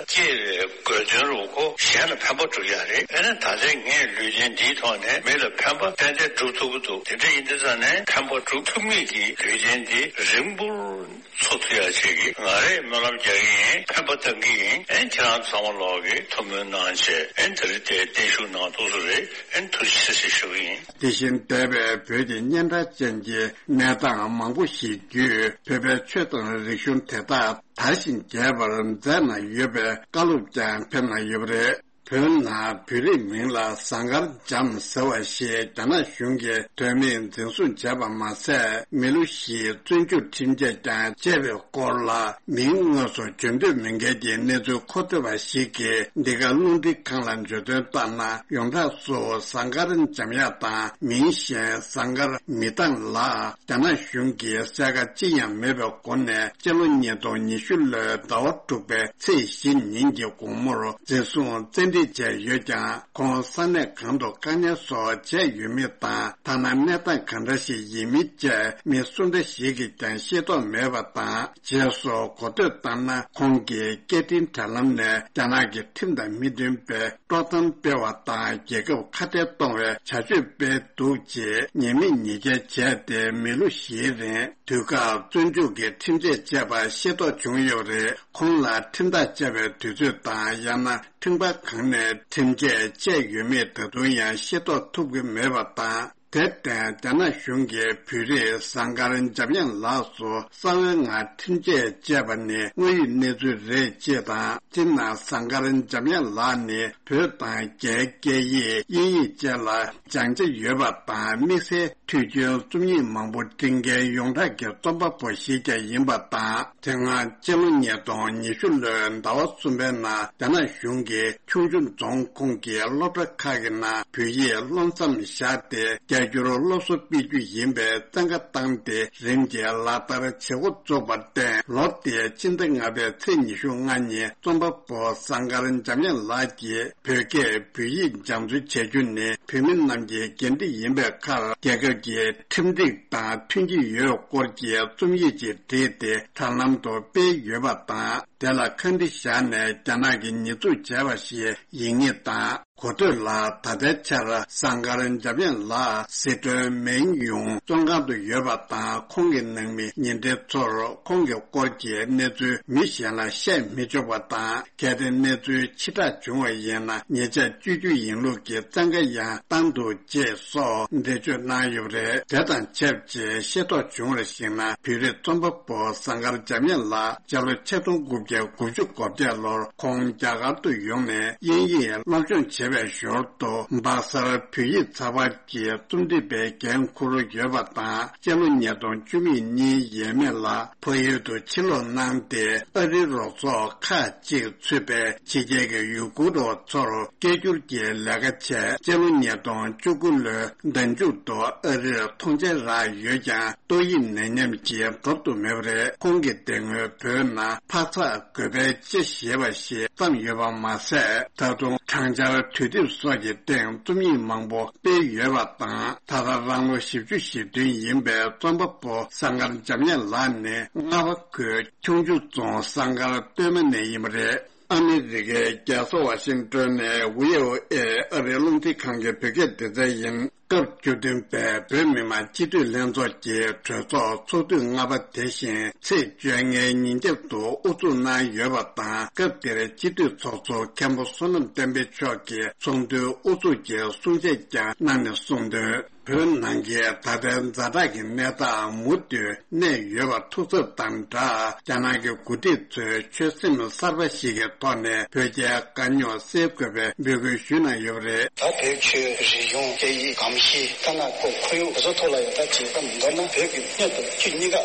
སྐྱེས་པའི་དགོས་དོན་རུ་ཁོ་གཞན་ལ་ཕན་པ་སྒྲུབ་ཡ་རེད། ཨེ་ནི་ད་ལྟའི་ངའི་ལུས་རྟེན་འདིའི་ཐོག་ནས་མི་ལ་ཕན་པ་ཏན་ཏན་སྒྲུབ་ཐུབ་ཀྱི་འདུག་དེ་འདྲ་ཡིན་དུས། ས་ནས་ཕན་པ་སྒྲུབ་ཐུབ་མིན་གྱི་དུས་ཆེན་འདི་རིང་པོར་འཚོ་ཐུབ་ཡ་ཆེད་ཀྱི་ང་རས་སྨོན་ལམ་རྒྱག་གི་ཡིན། ཕན་པ་བཏང་གི་ཡིན། ཨན་ཁྱེད་རང་ཚང་མ་ལོག་གི་ཐུགས་སྨོན་གནང་བྱས་ཨན་དེ་རིང་དེ་བརྟན་བཞུགས་གནང་ཐུབ་ས་རེད། ཨན་ཐུགས་རྗེ་ཆེ་ཞུ་གི་ཡིན། དེ་བཞིན་འདས་པའི་བོད་ཀྱི་སྙན་གྲགས་ཅན་གྱི་གནས་སྟངས་མང་པོ་ཞིག་བརྒྱུད་བོད་པའི་ཆོས་དང་རིག་གཞུང་དེ་དག་དར་ཞིང་རྒྱས་པར་མཛད་གནང་ཡོད་པའི་བཀའ་སློབ་ཀྱང་ཕེབས་གནང་ཡོད་པ་རེད། བོད་ནང་བོད་རིགས་མིང་ལ་ཟངས་དཀར་འཇམ་ཟེར་བ་ཞེས་རྒྱ་ནག་གཞུང་གིས་དོན་མེད་འཛིན་བཟུང་བྱས་པ་མ་ཟད། མི་ལོ་བཞིའི་བཙོན་འཇུག་ཁྲིམས་ཆད་ཀྱང་བཅད་པའི་སྐོར་ལ། མིང་དངོས་སུ་བརྗོད་འདོད་མེད་མཁན་གྱི་གནས་ཚུལ་མཁོ་སྤྲོད་པ་ཞིག་གིས་འདི་ག་རླུང་འཕྲིན་ཁང་ལ་བརྗོད་དོན་བཏང་ན། ཡོངས་གྲགས་སུ་ཟངས་དཀར་འཇམ་དབྱངས་དང་མིང་གཞན་ཟངས་དཀར་མི་ཐང་ལགས། རྒྱ་ནག་གཞུང་གིས་གསལ་ཁ་ཅི་ཡང་མེད་པའི་སྒོ་ནས་སྤྱི་ལོ་ཉིས་སྟོང་ཉི་ཤུ་ལོའི་ཟླ་བ་དྲུག་པའི་ཚེས་བཞི་ཉིན་གྱི་དགོང་མོར་འཛིན་བཟུང་བཙན་ཁྲིད་བྱས་ཡོད་ཀྱང་། ཁོང་ས་གནས་གང་དུ་བཀག་ཉར་སོགས་བྱས་ཡོད་མེད་དང་། ཐ་ན་གནས་སྟངས་གང་འདྲ་ཞིག་ཡིན་མིན་བཅས་མི་སུ་འདྲ་ཞིག་གིས་ཀྱང་ཤེས་རྟོགས་མེད་པ་དང་། རྗེས་སུ་གོ་ཐོས་ལྟར་ན། ཁོང་གིས་སྐད་འཕྲིན་དྲ་ལམ་ནས་རྒྱ་ནག་གི་ཁྲིམས་དང་མི་མཐུན་པའི་དཀྲོག་གཏམ་སྤེལ་བ་དང་། རྒྱལ་ཁབ་ཁ་བྲལ་གཏོང་བའི་བྱ་སྤྱོད་སྤེལ་འདུག་ཅེས་ཉེས་མེད་ཉེས་འགེལ་བྱས་ཏེ། མི་ལོ་བཞིའི་རིང་དུས་བཀག་བཙོན་འཇུག་གི་ཁྲིམས་ཆད་བཅད་པ་ཤེས་རྟོགས་བྱུང་ཡོད་པ་རེད། ཁོང་ལ་ཁྲིམས་ཐག་བཅད་པའི་དུས་ཚོད་དང་། ཡང་ན་ཁྲིམས་འགལ་གང་ནས་ཁྲིམས་ཆད་བཅད་ཡོད་མེད་ད་དུང་ཡང་ཤེས་རྟོགས་ཐུབ་ཀྱི་མེད་པ་དང་། དེར་བརྟེན། རྒྱ་ནག་གཞུང་གིས་བོད་རིགས་ཟངས་དཀར་འཇམ་དབྱངས་ལགས་སུ་གསང་བའི་ངང་ཁྲིམས་ཆད་བཅད་པ་ནི་དངོས་ཡོད་གནས་ཚུལ་རེད་ཅེས་དང་། སྤྱིར་ན་ཟངས་དཀར་འཇམ་དབྱངས་ལགས་ནི་བོད་དང་རྒྱའི་སྐད་ཡིག་དབྱིན་ཡིག་བཅས་ལ་སྦྱང་ཆ་ཡོད་པ་དང་། དམིགས་བསལ་འཕྲུལ་ཆས་རྩོམ་ཡིག་མང་པོ་འབྲི་མཁན་ཡོངས་གྲགས་ཀྱི་རྩོམ་པ་པོ་ཞིག་ཀྱང་ཡིན་པ་དང་། དེ་སྔ་སྤྱི་ལོ་ཉིས་སྟོང་ཉི་ཤུ་ལོའི་ཟླ་བ་གསུམ་པའི་ནང་། རྒྱ་ནག་གཞུང་གིས་ཁྱུང་མཆུ་རྫོང་ཁོངས་ཀྱི་སློབ་གྲྭ་ཁག་གི་ནང་བོད་ཡིག་སློབ་མཚམས་བཞག་སྟེ། སྐད་སྒྱུར་སློབ་གསོ་སྤེལ་རྒྱུ་ཡིན་པའི་བཙན་བཀའ་བཏང་སྟེ། རིམ་གྱིས་ལག་བསྟར་བྱེད་འགོ་བཙུགས་པར་བརྟེན། ལོ་དེའི་ཕྱི་ཟླ་ལྔ་པའི་ཚེས་ཉི་ཤུ་ལྔ་ཉིན། རྩོམ་པ་པོ་ཟངས་དཀར་འཇམ་དབྱངས་ལགས་ཀྱིས་བོད་སྐད་བོད་ཡིག་སྦྱང་བརྩོན་བྱ་རྒྱུ་ནི་བོད་མི་རྣམས་ཀྱི་འགན་འཁྲི་ཡིན་པའི་ཁར། རྒྱལ་ཁབ་ཀྱི་ཁྲིམས་སྒྲིག་དང་མཐུན་གྱི་ཡོད་སྐོར་གྱི་རྩོམ་ཡིག་ཅིག་བྲིས་ཏེ། དྲ་ལམ་དུ་སྤེལ་ཡོད་པ་དང་། དེ་ལ་ཁ་འདྲི་བཞག་ནས་རྒྱ་ནག་གིས་ཉེས་འཛུགས་བྱས་པ་ཞིག་ཡིན་ངེས་དང་། གོ་ཐོས་ལ། ད་ལྟའི་ཆར་ཟངས་དཀར་འཇམ་དབྱངས་ལགས་སི་ཁྲོན་མེན་ཡུང་བཙོན་ཁང་དུ་ཡོད་པ་དང་། ཁོང་གི་ནང་མི་ཉེ་འབྲེལ་ཚོར་ཁོང་གི་སྐོར་གྱི་གནས་ཚུལ་མི་གཞན་ལ་བཤད་མི་ཆོག་པ་དང་། གལ་ཏེ་གནས་ཚུལ་ཕྱིར་བསྒྲགས་བྱུང་བ་ཡིན་ན། ཉེས་ཆད་གཅོད་རྒྱུ་ཡིན་ལུགས་ཀྱི་བཙན་བཀའ་ཡང་བཏང་འདུག་ཅེས་སོགས་འགྲེལ་བརྗོད་གནང་ཡོད་པ་རེད། དེ་དང་ཆབས་ཅིག་ཤེས་རྟོགས་བྱུང་བར་གཞིགས་ན། བོད་རིགས་རྩོམ་པ་པོ་ཟངས་དཀར་འཇམ་དབྱངས་ལགས་སྤྱི་ལོ་ཆིག་སྟོང་དགུ་བརྒྱ་དགུ་བཅུ་གོ་བརྒྱད་ལོར་ཁོང་རྒྱ་གར་དུ་ཡོང་ནས་དབྱིན་ཡིག་སློབ་སྦྱོང་བྱེད་པའི་ཞོར་དུ། སྦག་སར་བོད་ཡིག་ཚགས་པར་གྱི་རྩོམ་སྒྲིག་པའི་འགན་འཁུར་ཡོད་པ་དང་། སྤྱི་ལོ་ཉིས་སྟོང་བཅུ་གཉིས་ཡས་མས་ལ་ཕ་ཡུལ་དུ་ཕྱིར་ལོག་གནང་སྟེ། ཨ་རིའི་རོགས་ཚོགས་ཁག་ཅིག་ཚུད་པའི་ཕྱི་རྒྱལ་གྱི་ཡུ་གུར་རོ་ཚོར་སྐད་སྒྱུར་གྱི་ལས་ཀ་བྱས། སྤྱི་ལོ་ཉིས་སྟོང་བཅུ་དགུ་ལོའི་ཟླ་མཇུག་ཏུ་ཨ་རིར་ཐོངས་མཆན་རག་ཡོད་ཀྱང་། ཏོག་དབྱིབས་ནད་ཉམས་ཀྱིས་འགྲོ་ཐུབ་མེད་པ་རེད། ཁོང་གི་དེ་སྔོན་བོད་ནང་འཕག་འཚག་དགོས་པའི་དཔྱད་ཞེས་པ་ཞིག་བརྩམས་ཡོད་པ་མ་ཟད། ད་དུང་དྲང་འཆར་དུས་དེབ་སོགས་ཀྱི་སྟེང་རྩོམ་ཡིག་མང་པོ་སྤེལ་ཡོད་པ་དང་། ད་ལྟ་རང་ལོ་བཞི་བཅུ་ཞེ་བདུན་ཡིན་པའི་རྩོམ་པ་པོ་ཟངས་དཀར་འཇམ་དབྱངས་ལགས་ནི་རྔ་བ་ཁུལ་ཁྱུང་མཆུ་རྫོང་ཟངས་དཀར་སྟོད་མ་ནས་ཡིན་པ་རེད། ཨ་མི་རི་ཀའི་རྒྱལ་ས་ཝ་ཤིང་ཏོན་ནས་ཝི་ཨོ་ཨེ་ཨ་རིའི་རླུང་འཕྲིན་ཁང་གི་བོད་སྐད་སྡེ་ཚན་ཡིན། སྐབས་བཅུ་བདུན་པའི་བོད་མི་མང་སྤྱི་འཐུས་ལྷན་ཚོགས་ཀྱི་གྲོས་ཚོགས་ཚོགས་དུས་ལྔ་པ་དེ་བཞིན་ཚེས་བཅོ་ལྔའི་ཉིན་རྒྱབ་ཏུ་དབུ་འཛུགས་གནང་ཡོད་པ་དང་། སྐབས་དེར་སྤྱི་འཐུས་ཚོགས་གཙོ་མཁན་པོ་བསོད་ནམས་བསྟན་འཕེལ་མཆོག་གིས་ཚོགས་འདུའི་དབུ་འཛུགས་ཀྱི་གསུང་བཤད་ཀྱང་གནང་ནས་གསུངས་དོན། བོད་ནང་གི་ད་ལྟའི་ཛ་དྲག་གི་གནས་སྟངས་མུ་མཐུད་གནས་ཡོད་པ་ཐུགས་འཚབ་དང་སྦྲགས། རྒྱ་ནག་གི་འགོ་ཁྲིད་ཚོས་ཆོད་སེམས་གསར་པ་ཞིག་གི་ཐོག་ནས་བོད་རྒྱའི་དཀའ་རྙོག་སེལ་དགོས་པའི་འབོད་སྐུལ་ཞུས་གནང་ཡོད་པ་རེད། ད་བོད་ཆོས་རིག་གཞུང་སྐད་ཡིག་གོམས་གཤིས་ཐ་ན་ཁོ་ཁོར་ཡུག་དེ་ཚོ་ཐོག་ལ་ཡང་ད་ཇི་ལྟར་མདོར་ན་བོད་ཀྱི་སྣོད་དང་བཅུད་གཉིས་ཀ་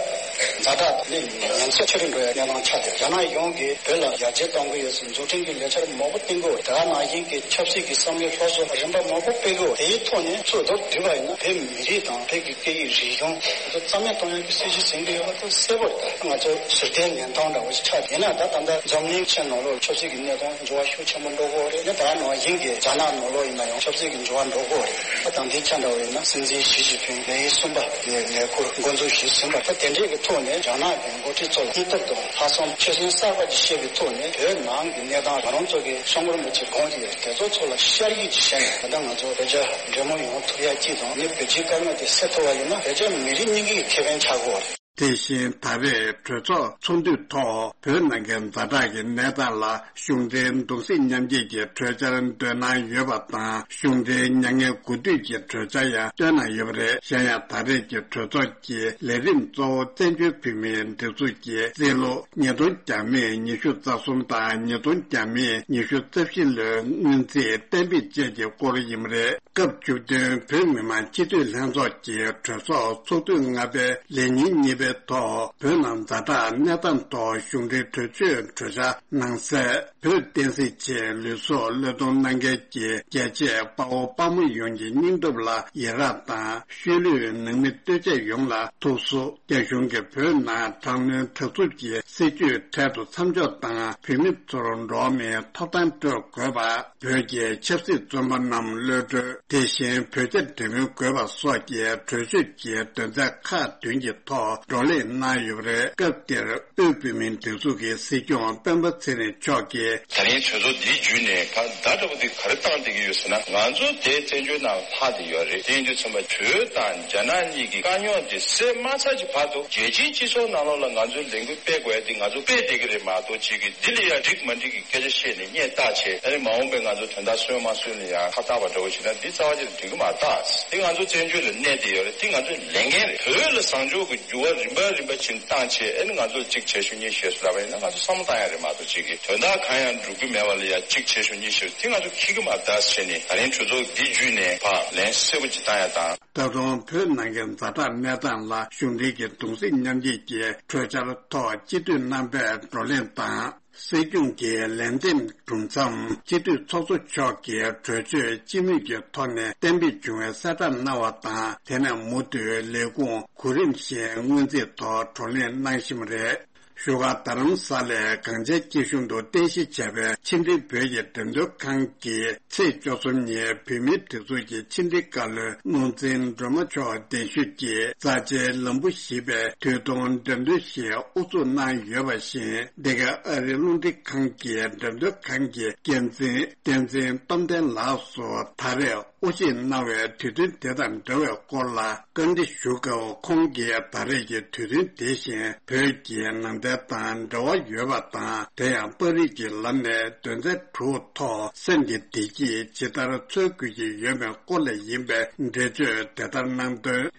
ཛ་དྲག་ཏུ་གནས་ཉེན་ཚབས་ཆེ་རུ་འགྲོ་ཡ་གནས་སྟངས་ཆགས་ཏེ། རྒྱ་ནག་གཞུང་གིས་བོད་ལ་ཡར་རྒྱས་གཏོང་གི་ཡོད་ཟེར་འཛུགས་སྐྲུན་གྱི་ལས་འཆར་མང་པོ་བཏིང་གི་ཡོད། དེ་ག་ནང་བཞིན་གྱི་ཆབ་སྲིད་ཀྱི་བསམ་བློའི་སློབ་གསོ་རིམ་པ་མང་པོ་སྤེལ་གི་ཡོད། དེའི་ཐོག་ནས་ཚུར་མདོར་བསྡུས་པ་ཡིན་ན་བོད་མི་རིགས་དང་བོད་ཀྱི་སྐད་ཡིག་རིག་གཞུང་དེ་ཚོ་རྩ་མེད་གཏོང་ཡག་གི་སྲིད་ཇུས་འཛིན་གྱི་ཡོད་པ་དེ་གསལ་པོ་རེད། ད་ང་ཚོ་ཟུར་བལྟས་ཉན་སྟངས་འདྲ་བོ་ཞིག་ཆགས། ཡིན་ན་ད་ད་ལྟ་འཛམ་གླིང་ཕྱི་ནང་ལོགས་ཆབ་སྲིད་ཀྱི་གནས་སྟངས་འགྱུར་བ་ཤུགས་ཆེན་པོ་འགྲོ་གི་ཡོད་རེད། ད་ད་ནང་བཞིན་གྱི་རྒྱ་ནག་ནང་ལོགས་ཡིན་ན་ཡང་ཆབ་སྲིད་ཀྱི་འགྱུར་བ་འགྲོ་གི་ཡོད་རེད། ད་དེང་དུས་ཆ་འདྲ་བོ་ཡིན་ན་སྲིད་འཛིན་ཞི་ཅིན་ཕིང་ལེའུ་གསུམ་པ་གི་ལས་ཁུར་འགོ་འཛུགས་ཞུས་ཟིན་པ། ད་དེ་འདྲའི་གི་ཐོག་ཐོག་ནས་རྒྱ་ནག་གི་འགོ་ཁྲིད་ཚོ་ལ་སྙིང་སྟོབས་དང་ལྷག་བསམ་ཆོད་སེམས་གསར་པ་ཅིག་བཤད་པའི་ཐོག་ནས་བོད་ནང་གི་གནས་སྟངས། ང་རང་ཚོ་གི་སྐྱབས་མགོན་རིན་པོ་ཆེ་དགོངས་ཏེ་ཡོད། དེ་ཚོ་ཚོ་ལ་ཤར་གྱི་ཅིག་བྱས་ནས། ད་ལྟ་ང་ཚོ་བོད་རྒྱ་འབྲེལ་མོལ་ཡོང་ཐུབ་ཡ་གཅིག་དང་། ནི་བོད་སྤྱིའི་དཀའ་རྙོག་དེ་སེལ་ཐུབ་པ་ཡིན་ན་བོད་རྒྱ་མི་རིགས་གཉིས་ཀྱི་ཁེ་ཕན་ཆགས་ཀྱི་ཡོད་རེད། དེ་བཞིན་ད་རེས་གྲོས་ཚོགས་ཚོགས་འདུའི་ཐོག་བོད་ནང་གི་ཛ་དྲག་གི་གནས་སྟངས་ལ་གཞུང་འབྲེལ་གདུང་སེམས་མཉམ་སྐྱེད་ཀྱི་གྲོས་འཆར་འདོན་གནང་ཡོད་པ་དང་། གཞུང་འབྲེལ་མྱ་ངན་གུས་འདུད་ཀྱི་གྲོས་འཆར་ཡང་བཏོན་གནང་ཡོད་པ་རེད། གཞན་ཡང་ད་རེས་ཀྱི་གྲོས་ཚོགས་ཀྱི་ལས་རིམ་གཙོ་བོ་བཙན་བྱོལ་བོད་མིའི་སྒྲིག་འཛུགས་ཀྱི་རྩིས་ལོ་ཉིས་སྟོང་བརྒྱ་མེད་ཉི་ཤུ་རྩ་གསུམ་དང་། ཉིས་སྟོང་བརྒྱ་མེད་ཉི་ཤུ་རྩ་བཞི་ལོའི་སྔོན་རྩིས་གཏན་འབེབས་བཅས་ཀྱི་སྐོར་ཡིན་པ་རེད། སྐབས་བཅུ་བདུན་བོད་མི་མང་སྤྱི་འཐུས་ལྷན་ཚོགས་ཀྱི་གྲོས་ཚོགས་ཚོགས་དུས་ལྔ་པའི་ལས་ཉིན་གཉིས་པའི་ཐོག་བོད་ནང་ཛ་དྲག་གནས་སྟངས་ཐོག་གཞུང་འབྲེལ་གྲོས་ཆོད་གྲོས་འཆར་ནང་གསལ། བོད་བསྟན་སྲིད་ཆེད་ལུས་སྲོག་བློས་གཏོང་གནང་མཁན་གྱི་རྒྱལ་གཅེས་དཔའ་བོ་དཔའ་མོ་ཡོངས་ཀྱི་སྙིང་སྟོབས་ལ་ཡི་རངས་དང་། ཤུལ་ལུས་ནང་མི་ལྟོས་བཅས་ཡོངས་ལ་ཐུགས་གསོ། རྒྱ་གཞུང་གིས་བོད་ནང་དྲག་གནོན་དྲག་འཚུབ་ཀྱི་སྲིད་བྱུས་འཕྲལ་དུ་མཚམས་འཇོག་དང་། བོད་མི་ཚོར་འགྲོ་བ་མིའི་ཐོབ་ཐང་སྤྲོད་དགོས་པ། བོད་ཀྱི་ཆབ་སྲིད་བཙོན་པ་རྣམས་གློད་གྲོལ། དེ་བཞིན་བོད་རྒྱ་འབྲེལ་མོལ་དགོས་པ་སོགས་ཀྱི་གྲོས་ཆོད་ཀྱི་དོན་ཚན་ཁག་བདུན་གྱི་ཐོག་བགྲོ་གླེང་གནང་ཡོད་པ་རེད། སྐབས་དེར་དབུས་བོད་མིའི་སྒྲིག་འཛུགས་ཀྱི་སྲིད་སྐྱོང་སྤེན་པ་ཚེ་རིང་མཆོག་གིས། ད་རིང་གྲོས་ཚོགས་འདི་བརྒྱུད་ནས་ཕར་བརྡ་འདྲ་པོ་འདི་ག་རེ་བཏང་བསྡད་ཀྱི་ཡོད་ཟེར་ན། ང་ཚོ་དེ་བཙན་བྱོལ་ནང་ལྷག་བསྡད་ཡོད་རེད། དེ་ཡིན་དུས་ཙམ་པ་བོད་དང་རྒྱ་ནག་གཉིས་ཀྱི་དཀའ་རྙོག་དེ་སེལ་མ་ཚར་གྱི་བར་དུ་རྒྱལ་སྤྱིའི་སྤྱི་ཚོགས་ནང་ལོགས་ལ་ང་ཚོའི་ལས་འགུལ་སྤེལ་དགོས་ཡ་དེ་ང་ཚོ་སྤེལ་བསྡད་ཀྱི་རེད་མ་གཏོགས། གཅིག་གིས་འདི་ལ་ཡ་འགྲིག་མ་འགྲིག་གི་སྐད་ཆ་བཤད་ནས་སྙད་བཏགས་བྱས། ཨ་ནི་མ་འོངས་པའི་ང་ཚོ་དོན་དག་སོན་མ་སོན་ལ་ཡ་ཁ་བཏགས་པ་འདྲ་པོ་བྱས་ན་འདི་རྩ་བ་ཅིག་འགྲིག་གི་མ་རེད། ད་དེ་ང་ཚོ་བཙན་བྱོལ་ལ་གནས་བསྡད་ཡོད་རེད། དེ་ང་ཚོའི་ལས་འགན་རེད། བོད་ལ་བཟང་ཕྱོགས་ཀྱི་འགྱུར་བ་རིམ་པ་རིམ་པ་ཕྱིན་བཏང་བྱས། ཨ་ནི་ང་ཚོ་གཅིག་བྱེད་ཤོག་གཉིས་བྱེད་ཤོག་ལབ་པ་ཡིན་ན་ང་ཚོ་བསམ་བློ་བཏང་ཡ་རེད་མ་གཏོགས། གཅིག་གིས་དོན་དག་གང་ཡང་འགྲུབ་ཀྱི་མེད་པ་ལ་ཡ་གཅིག་བྱེད་ཤོག་གཉིས་བྱེད་ཤོག་དེ་ང་ཚོ་འཁྱེར་གྱི་མ་རེད་ཟེར་ནས། ད་རིང་གྲོས་ཚོགས་འདི་བརྒྱུད་ནས་ཕར་ལན་གསལ་པོ་ཅིག་བཏང་ཡ་དང་། ད་དུང་བོད་ནང་གི་ཛ་དྲག་གནས་སྟངས་ལ་གཞུང་འབྲེལ་གྱི་གདུང་སེམས་མཉམ་སྐྱེད་ཀྱི་གྲོས་འཆར་ཐོག་སྤྱི་འཐུས་རྣམ་པས་བགྲོ་གླེང་དང་། སྲིད་སྐྱོང་གི་ལན་འདེབས་གྲུབ་མཚམས། སྤྱི་འཐུས་ཚོགས་གཙོ་མཆོག་གིས་གྲོས་ཆོད་སྤྱི་མོས་ཀྱི་ཐོག་ནས་གཏན་འབེབས་བྱུང་བའི་གསལ་བསྒྲགས་གནང་བ་དང་། དེ་ནས་མུ་མཐུད་ལས་ཁུངས་གོ་རིམ་བཞིན་སྔོན་རྩིས་ཐོག་བགྲོ་གླེང་གནང་བཞིན་པ་རེད། བཞུགས་སྒར་རྡ་རམ་ས་ལའི་གངས་ཅན་སྐྱིད་གཤོངས་དུ་རྟེན་གཞི་བྱས་པའི་ཕྱི་འབྲེལ་བོད་ཀྱི་འགྲེམས་སྟོན་ཁང་གི་ཚེས་བཅུ་གསུམ་ཉིན་བོད་མིའི་སྒྲིག་འཛུགས་ཀྱི་ཕྱི་འབྲེལ་བཀའ་བློན་ནོར་འཛིན་སྒྲོལ་མ་མཆོག་གདན་ཞུས་ཀྱིས། རྩ་ཆེའི་ལམ་བུ་ཞེས་པའི་དུས་ཐུང་འགྲེམས་སྟོན་ཞིག་དབུ་འཛུགས་གནང་ཡོད་པ་བཞིན། འདི་ག་ཨ་རིའི་རླུང་འཕྲིན་ཁང་གི་འགྲེམས་སྟོན་ཁང་གི་འགན་འཛིན་བསྟན་འཛིན་སྟོབས་ལྡན་ལགས་སུ་ད་རེས་དབུ་འབྱེད་གནང་བའི་དུས་སྟོན་དེ་དང་འབྲེལ་བའི་སྐོར་ལ་བཀའ་འདྲི་ཞུ་སྐབས། ཁོང་གིས་ད་རེས་ཀྱི་དུས་སྟོན་དེ་བཞིན་བོད་ཀྱི་ནང་བསྟན་དང་འབྲེལ་བ་ཡོད་པ་དང་། དེ་ཡང་པར་རིས་ཀྱི་ལམ་ནས་དོན་ཚན་དྲུག་ཐོག་སེམས་ཀྱི་བདེ་སྐྱིད་ཇི་ལྟར་འཚོལ་དགོས་ཀྱི་ཡོད་མེད་སྐོར་ལ་ཡིན་པའི་འགྲེལ་བརྗོད་དེ་ལྟར་གནང་དོན།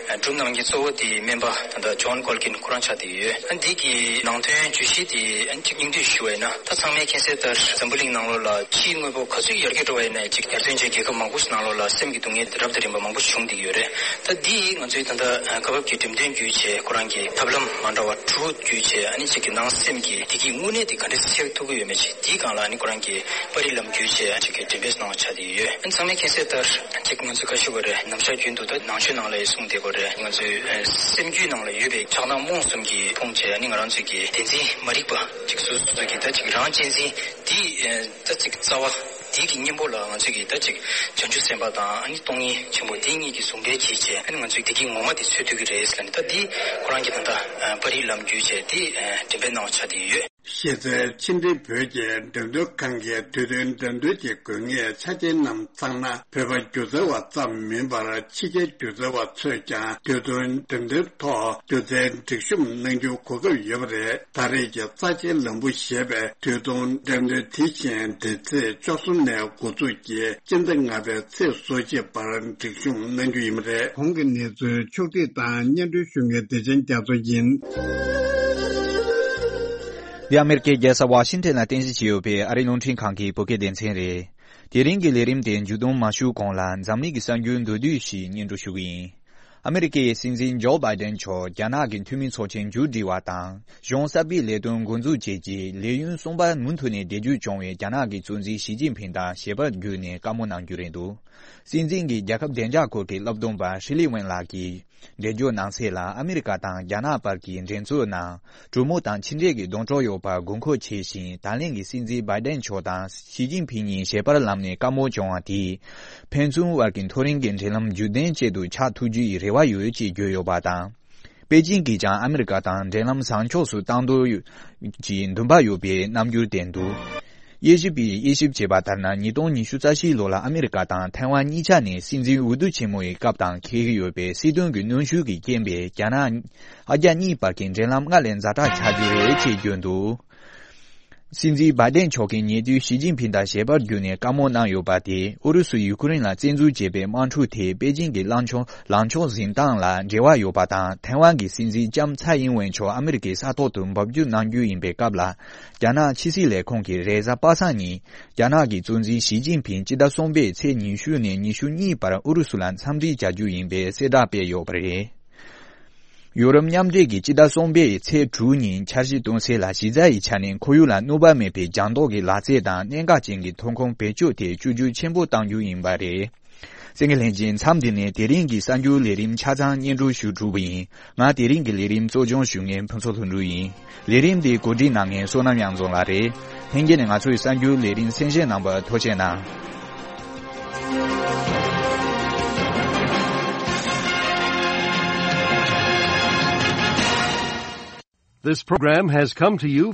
སྒྲུབ་གནང་མཁན་གཙོ་བོ་དེ་སྨན་པ་ད་ལྟ་ཇོན་ཀོལ་ཀིན་ཁོ་རང་ཆགས་བསྡད་ཡོད། ཨ་འདི་གི་ནང་དོན་བརྗོད་གཞི་དེ་ཨ་གཅིག་སྙིང་བསྡུས་ཞུ་བ་ཡིན་ན། ད་ཚང་མས་མཁྱེན་གསལ་ལྟར་འཛམ་བུ་གླིང་ནང་ལོགས་ལ་ཕྱིའི་དངོས་པོ་ག་ཚོད་ཡར་རྒྱས་འགྲོ་བ་ཡིན་ན་ཡང་གཅིག་ཡར་ཐོན་ཅན་རྒྱལ་ཁབ་མང་པོ་ཞིག་ནང་ལོགས་ལ་སེམས་ཀྱི་སྡུག་བསྔལ་དེ་རབ་དང་རིམ་པ་མང་པོ་བྱུང་བསྡད་ཡོད་རེད། ད་འདི་ང་ཚོའི་ད་ལྟ་སྐབས་བབ་ཀྱི་འགྲེམས་སྟོན་བརྒྱུད་བྱས། ཁོ་རང་གི་ཐབས་ལམ་མ་འདྲ་བ་དྲུག་བརྒྱུད་བྱས། ཨ་ནི་གཅིག་གི་ནང་སེམས་ཀྱི་བདེ་སྐྱིད་དངོས་གནས་དེ་ག་འདྲ་སེལ་ཐུབ་ཀྱི་ཡོད་མེད་ཅིག་དེའི་སྒང་ལ་ཨ་ནི་ཁོ་རང་གི་པར་རིས་ལམ་བརྒྱུད་བྱས་ཨ་ཅིག་གི་འགྲེམས་སྤེལ་གནང་བ་ཆགས་བསྡད་ཡོད། ཨ་ནི་ཚང་མས་མཁྱེན་གསལ་ལྟར་ཅིག་ང་ཚོས་ཁ་ཤས་ཀ་རེ་ནམ་ཞག་རྒྱུན་དུ་ད་ནང་ཆོས་ནང་ལ་ཡང་གསུངས་བསྡད་ཀ་རེད། ང་ཚོའི་ཨ་སེམས་རྒྱུད་ནང་ལ་ཡོད་པའི་ཆགས་སྡང་རྨོངས་གསུམ་གྱིས་ཕུང་བྱས། ཨ་ནི་ང་རང་ཚོའི་གི་བདེན་འཛིན་མ་རིག་པ་ཅིག་སོ་སོ་གི་ད་ཅིག་རང་གཅེས་འཛིན་དེ་ཨ་ད་ཅིག་རྩ་བ་དེ་གི་གཉེན་པོ་ལ་ང་ཚོས་གི་ད་ཅིག་བྱང་ཆུབ་སེམས་དཔའ་དང་ཨ་ནི་སྟོང་ཉིད་ཆེན་པོ་དེ་གཉིས་ཀྱི་ཟུང་འབྲེལ་གྱིས་བྱས། ཨ་ནི་ང་ཚོའི་བདེ་སྐྱིད་ངོ་མ་དེ་འཚོལ་ཐུབ་ཀྱི་རེད་ཟེར་ནས། ད་འདི་ཁོ་རང་གི་ད་ལྟ་ཨ་པར་རིས་ལམ་བརྒྱུད་བྱས་དེ་ཨ་འགྲེམས་སྤེལ་གནང་བ་ཆགས་བསྡད་ཡོད། གཞི་རྩའི་ཕྱི་འབྲེལ་བོད་ཀྱི་འགྲེམས་སྟོན་ཁང་གི་དུས་སྟོན་འགྲེམས་སྟོན་གྱི་དགོས་ངེས་ཆ་རྐྱེན་རྣམས་ཚང་ན། བོད་པ་སྒྱུ་རྩལ་བ་ཙམ་མིན་པར་ཕྱི་རྒྱལ་སྒྱུ་རྩལ་བ་ཚོས་ཀྱང་དུས་སྟོན་འགྲེམས་སྟོན་ཐོག་སྒྱུ་རྩལ་སྒྲིག་གཤོམ་གནང་རྒྱུའི་གོ་སྐབས་ཡོད་པ་རེད། ད་རེས་ཀྱི་རྩ་ཆེའི་ལམ་བུ་ཞེས་པའི་དུས་སྟོན་འགྲེམས་སྟོན་དེ་བཞིན་འདི་ཚེས་བཅུ་གསུམ་ནས་འགོ་འཛུགས་ཀྱིས་སྤྱི་ཟླ་ལྔ་པའི་ཚེས་སོ་གཅིག་བར་སྒྲིག་གཤོམ་གནང་རྒྱུ་ཡིན་པ་རེད། གོང་གི་གནས་ཚུལ་ཕྱོགས་བསྒྲིགས་དང་སྙན་སྒྲོན་ཞུ་མཁན་བདེ་ཆེན་རྒྱ་མཚོ་ཡིན། འདི་ཨ་མེ་རི་ཀའི་རྒྱལ་ས་ཝ་ཤིང་ཊོན་ལ་རྟེན་གཞི་བྱས་ཡོད་པའི་ཨ་རིའི་རླུང་འཕྲིན་ཁང་གི་བོད་སྐད་སྡེ་ཚན་རེད། དེ་རིང་གི་ལས་རིམ་དེ་མཇུག་བསྡོམས་མ་ཞུས་གོང་ལ། འཛམ་གླིང་གི་གསར་འགྱུར་མདོར་བསྡུས་ཤིག་སྙན་སྒྲོན་ཞུ་གི་ཡིན། ཨ་མེ་རི་ཀའི་སྲིད་འཛིན་ཇོ་བྷའི་ཌེན་མཆོག་རྒྱ་ནག་གི་འཐུས་མི་ཚོགས་ཆེན་མཇུག་སྒྲིལ་བ་དང་། གཞུང་གསར་པའི་ལས་དོན་འགོ་འཛུགས་བྱས་རྗེས། ལས་ཡུན་གསུམ་པ་མུ་མཐུད་ནས་བསྡད་རྒྱུ་བྱུང་བའི་རྒྱ་ནག་གི་གཙོ་འཛིན་ཞི་ཅིན་ཕིང་དང་ཞལ་པར་བརྒྱུད་ནས་བཀའ་མོལ་གནང་རྒྱུ་རེད་འདུག། སྲིད་འཛིན་གྱིས་རྒྱལ་ཁབ་བདེ་འཇགས་སྐོར་གྱི་བསླབ་སྡོམ་པ་ཧྲི་ལི་ཝེན་ལགས་ཀྱིས་འགྲེལ་བརྗོད་གནང་གསལ་ལ། ཨ་མེ་རི་ཀ་དང་རྒྱ་ནག་བར་གྱི་འགྲན་རྩོད་ནང་གྲོས་མོལ་དང་ཕྱི་འབྲེལ་གྱི་སྡོང་གྲོགས་ཡོད་པར་དགོས་མཁོ་ཆེ་ཞིང་། ད་ལན་གྱི་སྲིད་འཛིན་བྷའི་ཌེན་མཆོག་དང་ཞི་ཅིན་ཕིང་གཉིས་ཞལ་པར་ལམ་ནས་བཀའ་མོལ་བྱུང་བ་དེས། ཕན་ཚུན་དབར་གྱི་མཐོ་རིམ་གྱི་འབྲེལ་ལམ་རྒྱུན་ལྡན་ཅན་དུ་ཆགས་ཐུབ་རྒྱུའི་རེ་བ་ཡོད་ཅེས་བརྗོད་ཡོད་པ་དང་། པེ་ཅིང་གིས་ཀྱང་ཨ་མི་རི་ཀ་དང་འབྲེལ་ལམ་བཟང་ཕྱོགས་སུ་གཏང་འདོད་ཀྱི་འདུན་པ་ཡོད་པའི་རྣམ་འགྱུར་བསྟན་འདུག་དབྱེ་ཞིབ་པས་དབྱེ་ཞིབ་བྱས་པ་ལྟར་ན། ཉིས་སྟོང་ཉི་ཤུ་རྩ་བཞིའི་ལོ་ལ་ཨ་མི་རི་ཀ་དང་ཐའེ་ཝན་གཉིས་ཆ་ནས་སྲིད་འཛིན་འོས་བསྡུ་ཆེན་མོའི་སྐབས་དང་འཁེལ་གྱི་ཡོད་པའི་སྲིད་དོན་གྱི་གནོན་ཤུགས་ཀྱི་རྐྱེན་པས། རྒྱ་ནག་ཨ་རྒྱ་གཉིས་བར་གྱི་འབྲེལ་ལམ་སྔར་ལས་ཛ་དྲག་ཆགས་རྒྱུ་རེད་ཅེས་བརྗོད་འདུག་སྲིད་འཛིན་བྷའི་ཏན་མཆོག་གིས་ཉེ་དུས་ཞི་ཅིན་ཕིང་དང་ཞལ་པར་བརྒྱུད་ནས་བཀའ་མོལ་གནང་ཡོད་པ་དེས། ཨུ་རུ་སུས་ཡུ་ཀེ་རེན་ལ་བཙན་འཛུལ་བྱས་པའི་དམག་འཁྲུག་དེས་པེ་ཅིང་གི་ལངས་ཕྱོགས་ལངས་ཕྱོགས་འཛིན་སྟངས་ལ་འབྲེལ་བ་ཡོད་པ་དང་། ཐའེ་ཝན་གྱི་སྲིད་འཛིན་ལྕམ་ཚའེ་ཨིན་ཝེན་མཆོག་ཨ་མི་རི་ཀའི་ས་ཐོག་ཏུ་འབབ་རྒྱུད་གནང་རྒྱུ་ཡིན་པའི་སྐབས་ལ། རྒྱ་ནག་ཕྱི་སྲིད་ལས་ཁུངས་ཀྱིས་རེས་གཟའ་པ་སངས་ཉིན། རྒྱ་ནག་གི་གཙོ་འཛིན་ཞི་ཅིན་ཕིང་སྤྱི་ཟླ་གསུམ་པའི་ཚེས་ཉི་ཤུ་ནས་ཉི་ཤུ་གཉིས་བར་ཨུ་རུ་སུ་ལ་འཚམས་འདྲི་བྱ་རྒྱུ་ཡིན་པའི་གསལ་བསྒྲགས་སྤེལ་ཡོད་པ་རེད། ཡོ་རོབ་མཉམ་འབྲེལ་གྱིས་སྤྱི་ཟླ་གསུམ་པའི་ཚེས་དྲུག་ཉིན་འཆར་གཞི་གཏོང་སའི་ལ་གཞི་རྩ་ཡི་ཆ་ནས་ཁོར་ཡུག་ལ་གནོད་པ་མེད་པའི་ལྗང་མདོག་གི་ལག་རྩལ་དང་གནད་འགག་ཅན་གྱི་ཐོན་ཁུངས་བེད་སྤྱོད་ཐད་བཅོས་བསྒྱུར་ཆེན་པོ་གཏང་རྒྱུ་ཡིན་པ་རེད། གསན་མཁན་ལྷན་རྒྱས། མཚམས་འདི་ནས་དེ་རིང་གི་གསར་འགྱུར་ལས་རིམ་ཆ་ཚང་སྙན་སྒྲོན་ཞུ་གྲུབ་པ་ཡིན། ང་དེ་རིང་གི་ལས་རིམ་གཙོ་སྐྱོང་ཞུ་མཁན་ཕུན་ཚོགས་ལྷུན་གྲུབ་ཡིན། ལས་རིམ་འདི་གོ་སྒྲིག་གནང་མཁན་བསོད་ནམས་དབྱངས་འཛོམས་ལགས་རེད། ལྷན་རྒྱས་ནས་ང་ཚོའི་གསར་འགྱུར་ལས་རིམ་གསན་བཞེས་གནང་བར་ཐུགས་རྗེ་གནང་། This program has come to you